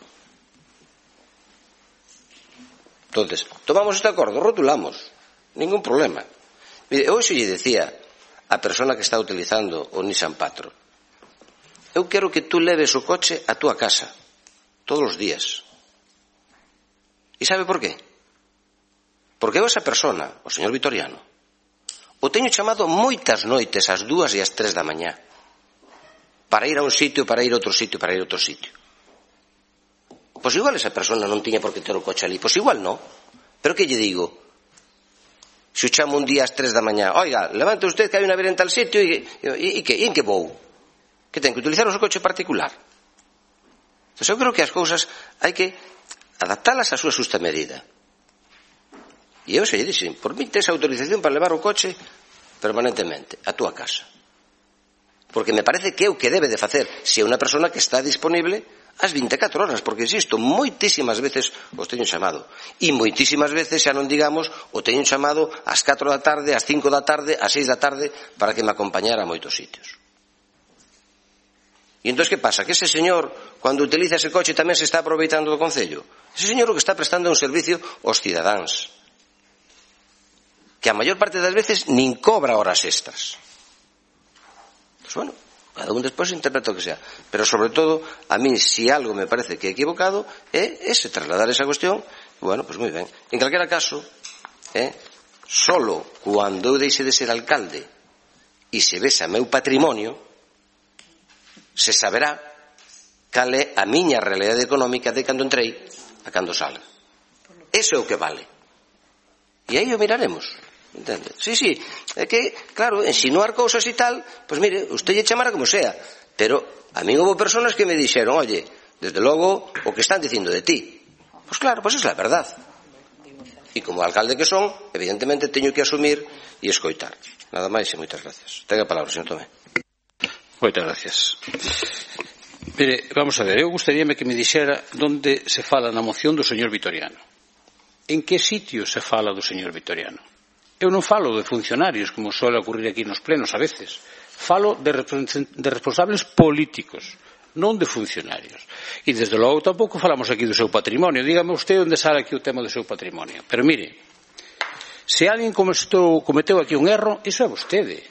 Entonces, tomamos este acordo, rotulamos. Ningún problema. Mire, hoxe lle decía a persona que está utilizando o Nissan Patrol, eu quero que tú leves o coche a túa casa todos os días. E sabe por qué? Porque eu esa persona, o señor Vitoriano, o teño chamado moitas noites ás 2 e ás 3 da mañá para ir a un sitio, para ir a outro sitio, para ir a outro sitio. Pois igual esa persona non tiña por que ter o coche ali, pois igual non. Pero que lle digo? Se o chamo un día ás 3 da mañá, oiga, levante usted que hai unha ver en tal sitio e en que vou? Que ten que utilizar o seu coche particular? Entón eu creo que as cousas hai que adaptalas á súa xusta medida. E eu se lle dixen, por mí tes autorización para levar o coche permanentemente a túa casa. Porque me parece que é o que debe de facer se é unha persona que está disponible ás 24 horas, porque, insisto, moitísimas veces os teño chamado. E moitísimas veces, xa non digamos, o teño chamado ás 4 da tarde, ás 5 da tarde, ás 6 da tarde, para que me acompañara a moitos sitios. E entón, que pasa? Que ese señor, cando utiliza ese coche, tamén se está aproveitando do Concello. Ese señor o que está prestando un servicio aos cidadáns, que a maior parte das veces nin cobra horas extras. Pois bueno, cada un despois interpreta o que sea. Pero, sobre todo, a mí, si algo me parece que é equivocado, é ese trasladar esa cuestión. Bueno, pois moi ben. En calquera caso, solo cando eu deixe de ser alcalde e se vese meu patrimonio, se saberá cal é a miña realidade económica de cando entrei a cando salga. Eso é o que vale. E aí o miraremos. Entende? Sí, é que, claro, insinuar cousas e tal, pois mire, usted lle chamara como sea, pero a mí houve personas que me dixeron, oye, desde logo, o que están dicindo de ti. Pois claro, pois é a verdad. E como alcalde que son, evidentemente teño que asumir e escoitar. Nada máis e moitas gracias. Tenga a palabra, señor Tomé. Moitas gracias. Mire, vamos a ver, eu gustaríame que me dixera onde se fala na moción do señor Vitoriano. En que sitio se fala do señor Vitoriano? Eu non falo de funcionarios, como suele ocurrir aquí nos plenos a veces. Falo de responsables políticos, non de funcionarios. E, desde logo, tampouco falamos aquí do seu patrimonio. Dígame usted onde sale aquí o tema do seu patrimonio. Pero, mire, se alguén cometeu aquí un erro, iso é vostede.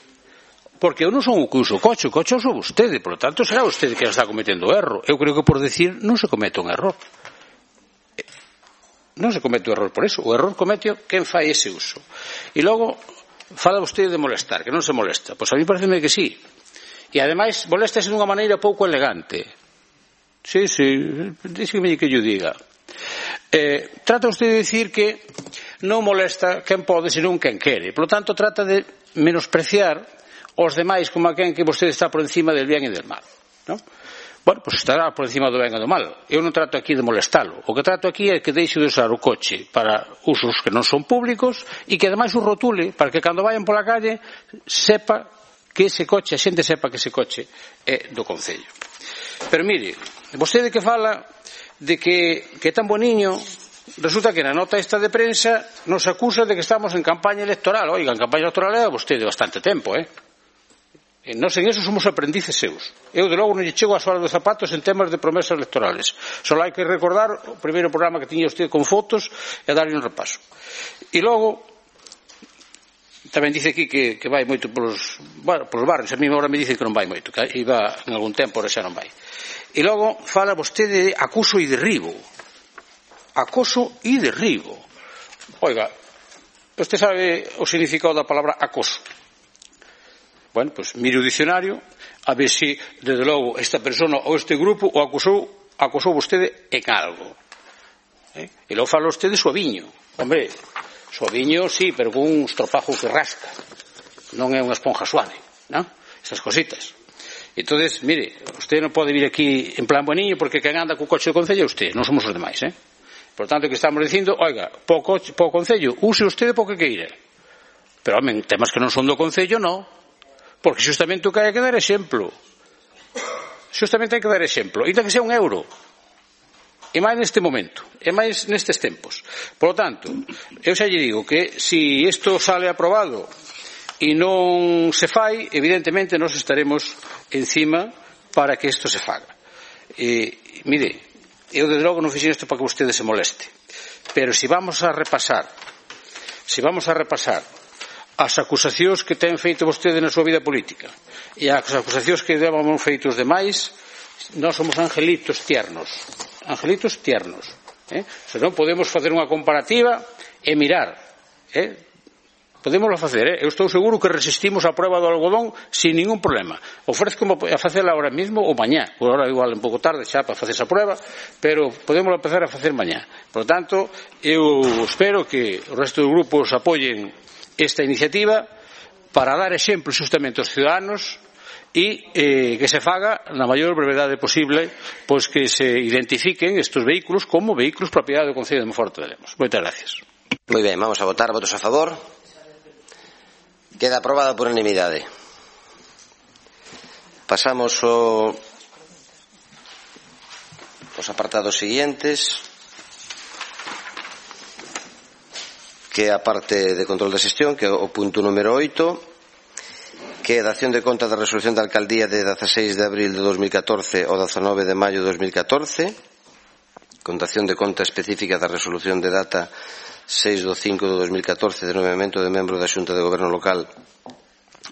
Porque eu non son o que uso o coche o uso vostede. Por lo tanto, será vostede que está cometendo o erro. Eu creo que, por decir, non se comete un error. Non se comete o error por eso. O error comete quen fai ese uso. E logo, fala vostede de molestar, que non se molesta. Pois a mí pareceme que sí. E ademais, moléstase dunha maneira pouco elegante. Sí, díxeme que yo diga. Trata usted de decir que non molesta quen pode, senón quen quere. Por lo tanto, trata de menospreciar os demais como a quen que vostede está por encima del bien e del mal. Non? Bueno, pois estará por encima do ben e do mal. Eu non trato aquí de molestalo. O que trato aquí é que deixe de usar o coche para usos que non son públicos e que ademais o rotule para que cando vayan pola calle sepa que ese coche, a xente sepa que ese coche é do Concello. Pero mire, vostede que fala de que é tan boniño, resulta que na nota esta de prensa nos acusa de que estamos en campaña electoral. Oiga, en campaña electoral é vostede bastante tempo, Nós en eso somos aprendices seus. Eu, de logo, non lle chego a sola dos zapatos en temas de promesas electorales. Só hai que recordar o primeiro programa que tiña usted con fotos e darlle un repaso. E logo, tamén dice aquí que vai moito polos barrios. A mí agora me dicen que non vai moito, que iba en algún tempo, ahora xa non vai. E logo fala vostede de acoso e derribo. Acoso e derribo. Oiga, vostede sabe o significado da palabra acoso. Bueno, pues mire o dicionario a ver se, desde logo, esta persona ou este grupo o acosou vostede en algo. E logo fala vostede suaviño. Hombre, suaviño, sí, pero con un estropajo que rasca. Non é unha esponja suave, non? Estas cositas. Entonces, mire, usted non pode vir aquí en plan boniño porque quen anda co coche do Concello é usted, non somos os demais, Por tanto, que estamos dicindo, oiga, po Concello, use usted po que queira. Pero, home, temas que non son do Concello, non. Porque xustamente o que hai que dar exemplo. Xustamente hai que dar exemplo. Ainda que sea €1. E máis neste momento. E máis nestes tempos. Por lo tanto, eu xa lle digo que se isto sale aprobado e non se fai, evidentemente nós estaremos encima para que isto se faga. Mire, eu desde logo non fixen isto para que vostede se moleste. Pero se vamos a repasar as acusacións que ten feito vostede na súa vida política e as acusacións que levan feito os demais, nós somos angelitos tiernos. Se non podemos facer unha comparativa e mirar, podémoslo facer, eu estou seguro que resistimos a proba do algodón sin ningún problema. Ofrezco a facela ahora mismo ou mañá, por ahora igual un pouco tarde xa para facer esa prueba, pero podemos empezar a facer mañá. Por lo tanto, eu espero que o resto dos grupos apoyen esta iniciativa para dar exemplo xustamente aos ciudadanos e que se faga na maior brevedade posible, pois que se identifiquen estes vehículos como vehículos propiedade do Concello de Monforte de Lemos. Moitas gracias. Moi ben, vamos a votar. Votos a favor. Queda aprobada por unanimidade. Pasamos aos apartados siguientes, que é a parte de control da xestión, que é o punto número 8, que é a dación de conta da resolución da alcaldía de 16 de abril de 2014 ao 19 de maio de 2014, con dación de conta específica da resolución de data 6 de 5 de 2014 de nomeamento de membro da Xunta de Goberno Local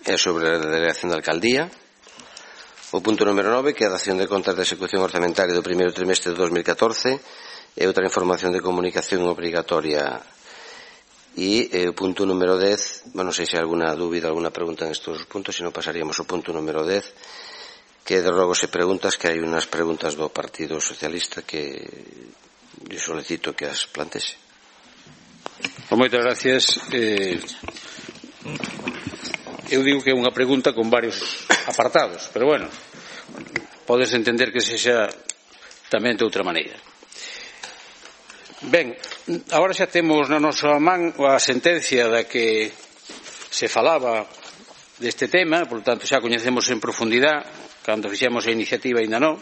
e sobre a delegación da alcaldía. O punto número 9, que é a dación de contas da execución orzamentaria do primeiro trimestre de 2014 e outra información de comunicación obrigatoria. E o punto número 10, non sei se hai alguna dúbida, alguna pregunta en estes puntos, se non pasaríamos ao punto número 10, que de logo se preguntas, que hai unhas preguntas do Partido Socialista que lle solicito que as plantese. Moitas gracias. Eu digo que é unha pregunta con varios apartados, pero bueno, podes entender que sexa tamén de outra maneira. Ben, agora xa temos na nosa man a sentencia da que se falaba deste tema, por tanto xa coñecemos en profundidade, cando fixemos a iniciativa ainda non.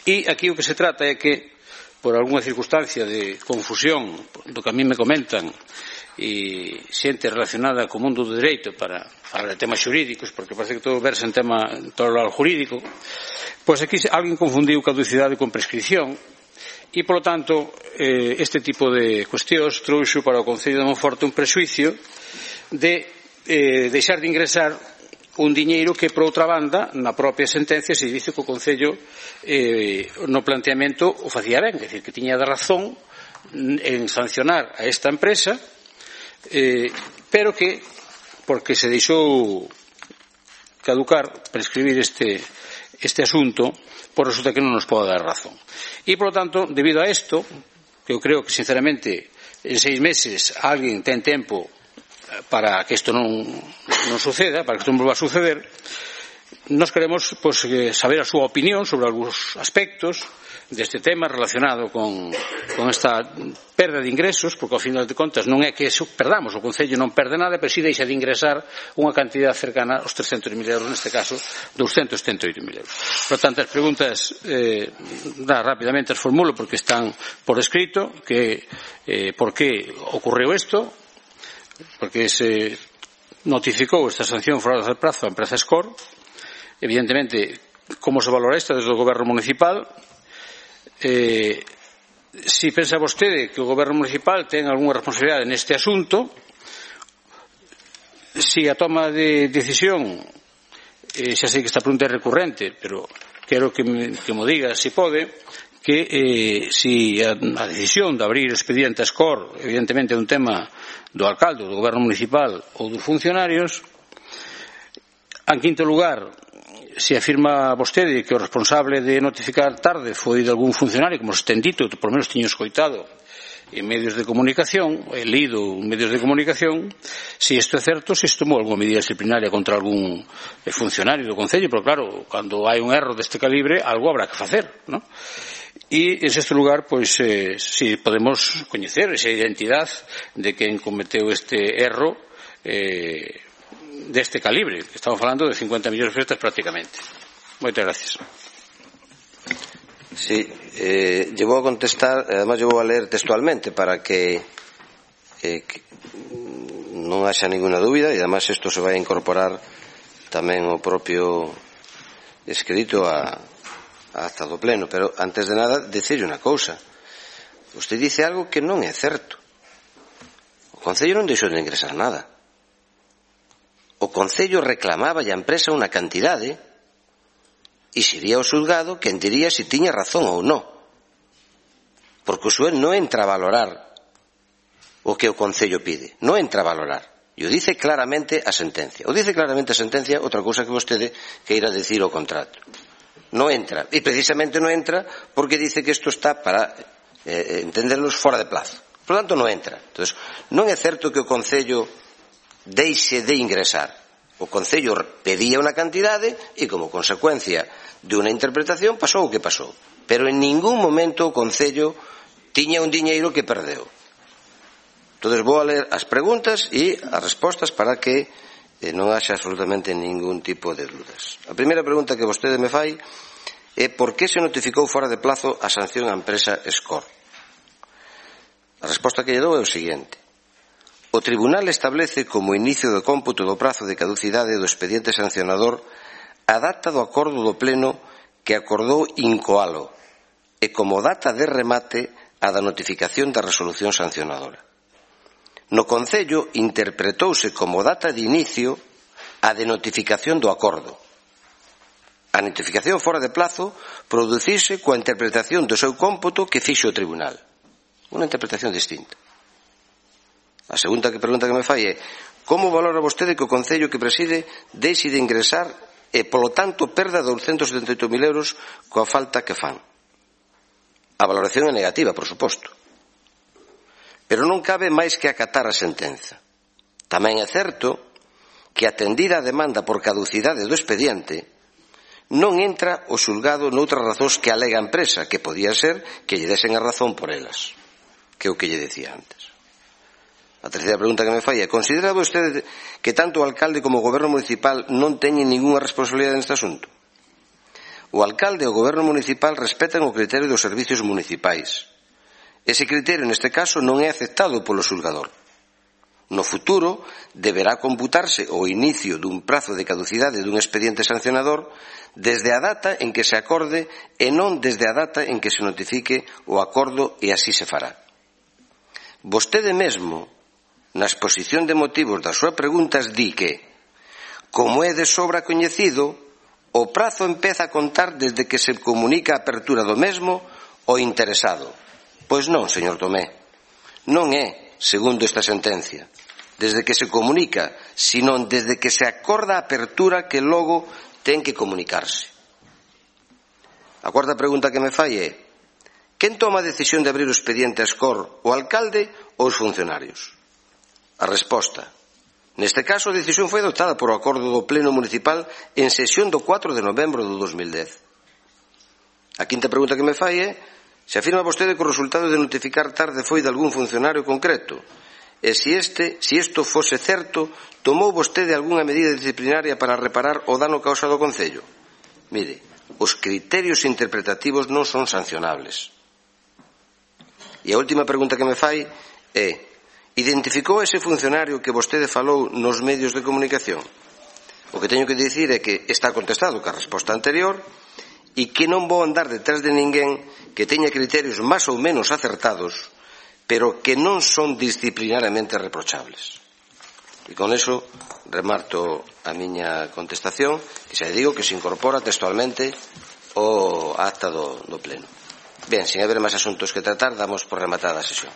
E aquí o que se trata é que, por algunha circunstancia de confusión do que a mí me comentan e xente relacionada co mundo do dereito para falar de temas xurídicos, porque parece que todo verse en tema todo o jurídico, pois aquí alguén confundiu caducidade con prescripción. E, polo tanto, este tipo de cuestións trouxo para o Concello de Monforte un prexuicio de deixar de ingresar un diñeiro que, por outra banda, na propia sentencia se dice que o Concello no planteamento o facía ben, é dicir, que tiña de razón en sancionar a esta empresa, pero que, porque se deixou caducar, prescribir este asunto, por resulta que non nos pode dar razón. E, por lo tanto, debido a isto, que eu creo que, sinceramente, en 6 meses alguén ten tempo para que isto non suceda, para que isto non volva a suceder, Nós queremos saber a súa opinión sobre algúns aspectos deste tema relacionado con esta perda de ingresos, porque ao final de contas non é que perdamos, o Concello non perde nada, pero si deixa de ingresar unha cantidad cercana aos 300.000 euros, neste caso 238.000 euros. Por tanto, as preguntas rapidamente as formulo porque están por escrito, que por que ocorreu isto, porque se notificou esta sanción fora de prazo a empresa Escor. Evidentemente, como se valora isto desde o Goberno Municipal? Si pensa vostede que o Goberno Municipal ten algunha responsabilidade neste asunto, si a toma de decisión, xa sei que esta pregunta é recurrente, pero quero que mo diga, se pode, que si a decisión de abrir expediente a Escor, evidentemente é un tema do alcalde, do Goberno Municipal ou dos funcionarios. En quinto lugar, se afirma vostede que o responsable de notificar tarde foi de algún funcionario, como se ten dito, que por lo menos tiño escoitado en medios de comunicación, he lido en medios de comunicación, se isto é certo, se tomou algunha medida disciplinaria contra algún funcionario do Concello, pero claro, cando hai un erro deste calibre, algo habrá que facer, non? E, en sexto lugar, si podemos coñecer esa identidade de quen cometeu este erro deste calibre, que estamos falando de 50 millóns de pesetas prácticamente. Moitas gracias. Sí, lle vou a contestar, además lle vou a ler textualmente para que non haxa ninguna dúbida, e además isto se vai a incorporar tamén o propio escrito a acta do pleno, pero antes de nada dicirlle unha cousa. Usted dice algo que non é certo. O Concello non deixou de ingresar nada. O Concello reclamaba a empresa unha cantidade e sería o xulgado quen diría se tiña razón ou non, porque o xuez non entra a valorar o que o Concello pide, non entra a valorar, e o dice claramente a sentencia. O dice claramente a sentencia, outra cousa que vostede queira decir o contrato. Non entra, e precisamente non entra porque dice que isto está para entenderlos fora de plazo. Por lo tanto, non entra. Entonces, non é certo que o Concello deixe de ingresar. O Concello pedía unha cantidade e, como consecuencia de unha interpretación, pasou o que pasou. Pero en ningún momento o Concello tiña un diñeiro que perdeu. Entón, vou a ler as preguntas e as respostas para que non haxa absolutamente ningún tipo de dudas. A primeira pregunta que vostede me fai é por que se notificou fora de plazo a sanción á empresa Escor. A resposta que lle dou é o seguinte. O Tribunal establece como inicio do cómputo do prazo de caducidade do expediente sancionador a data do acordo do Pleno que acordou incoalo e como data de remate a da notificación da resolución sancionadora. No Concello interpretouse como data de inicio a de notificación do acordo. A notificación fora de plazo produciuse coa interpretación do seu cómputo que fixo o Tribunal. Unha interpretación distinta. A segunda pregunta que me fai é como valora vostede que o Concello que preside deixe de ingresar e, polo tanto, perda 278.000 euros coa falta que fan? A valoración é negativa, por suposto. Pero non cabe máis que acatar a sentenza. Tamén é certo que, atendida a demanda por caducidade do expediente, non entra o xulgado noutras razóns que alega a empresa, que podía ser que lle desen a razón por elas, que é o que lle decía antes. A terceira pregunta que me fai é: considera vostede que tanto o alcalde como o goberno municipal non teñen ningunha responsabilidade neste asunto? O alcalde e o goberno municipal respetan o criterio dos servicios municipais. Ese criterio, neste caso, non é aceptado polo xulgador. No futuro, deberá computarse o inicio dun prazo de caducidade dun expediente sancionador desde a data en que se acorde e non desde a data en que se notifique o acordo, e así se fará. Vostede mesmo, na exposición de motivos das súas preguntas, di que, como é de sobra coñecido, o prazo empeza a contar desde que se comunica a apertura do mesmo ao interesado. Pois non, señor Tomé, non é, segundo esta sentencia, desde que se comunica, senón desde que se acorda a apertura que logo ten que comunicarse. A cuarta pregunta que me fai é: quen toma a decisión de abrir o expediente a Escor, o alcalde ou os funcionarios? A resposta: Neste caso, a decisión foi adoptada por acordo do Pleno Municipal en sesión do 4 de novembro do 2010. A quinta pregunta que me fai é se afirma vostede que o resultado de notificar tarde foi de algún funcionario concreto e se isto fose certo, tomou vostede algunha medida disciplinaria para reparar o dano causado ao Concello? Mire, os criterios interpretativos non son sancionables. E a última pregunta que me fai é identificou ese funcionario que vostede falou nos medios de comunicación? O que teño que dicir é que está contestado ca resposta anterior e que non vou andar detrás de ninguén que teña criterios máis ou menos acertados, pero que non son disciplinariamente reprochables. E con eso remato a miña contestación, que xa digo que se incorpora textualmente o acta do Pleno. Ben, sin haber máis asuntos que tratar, damos por rematada a sesión.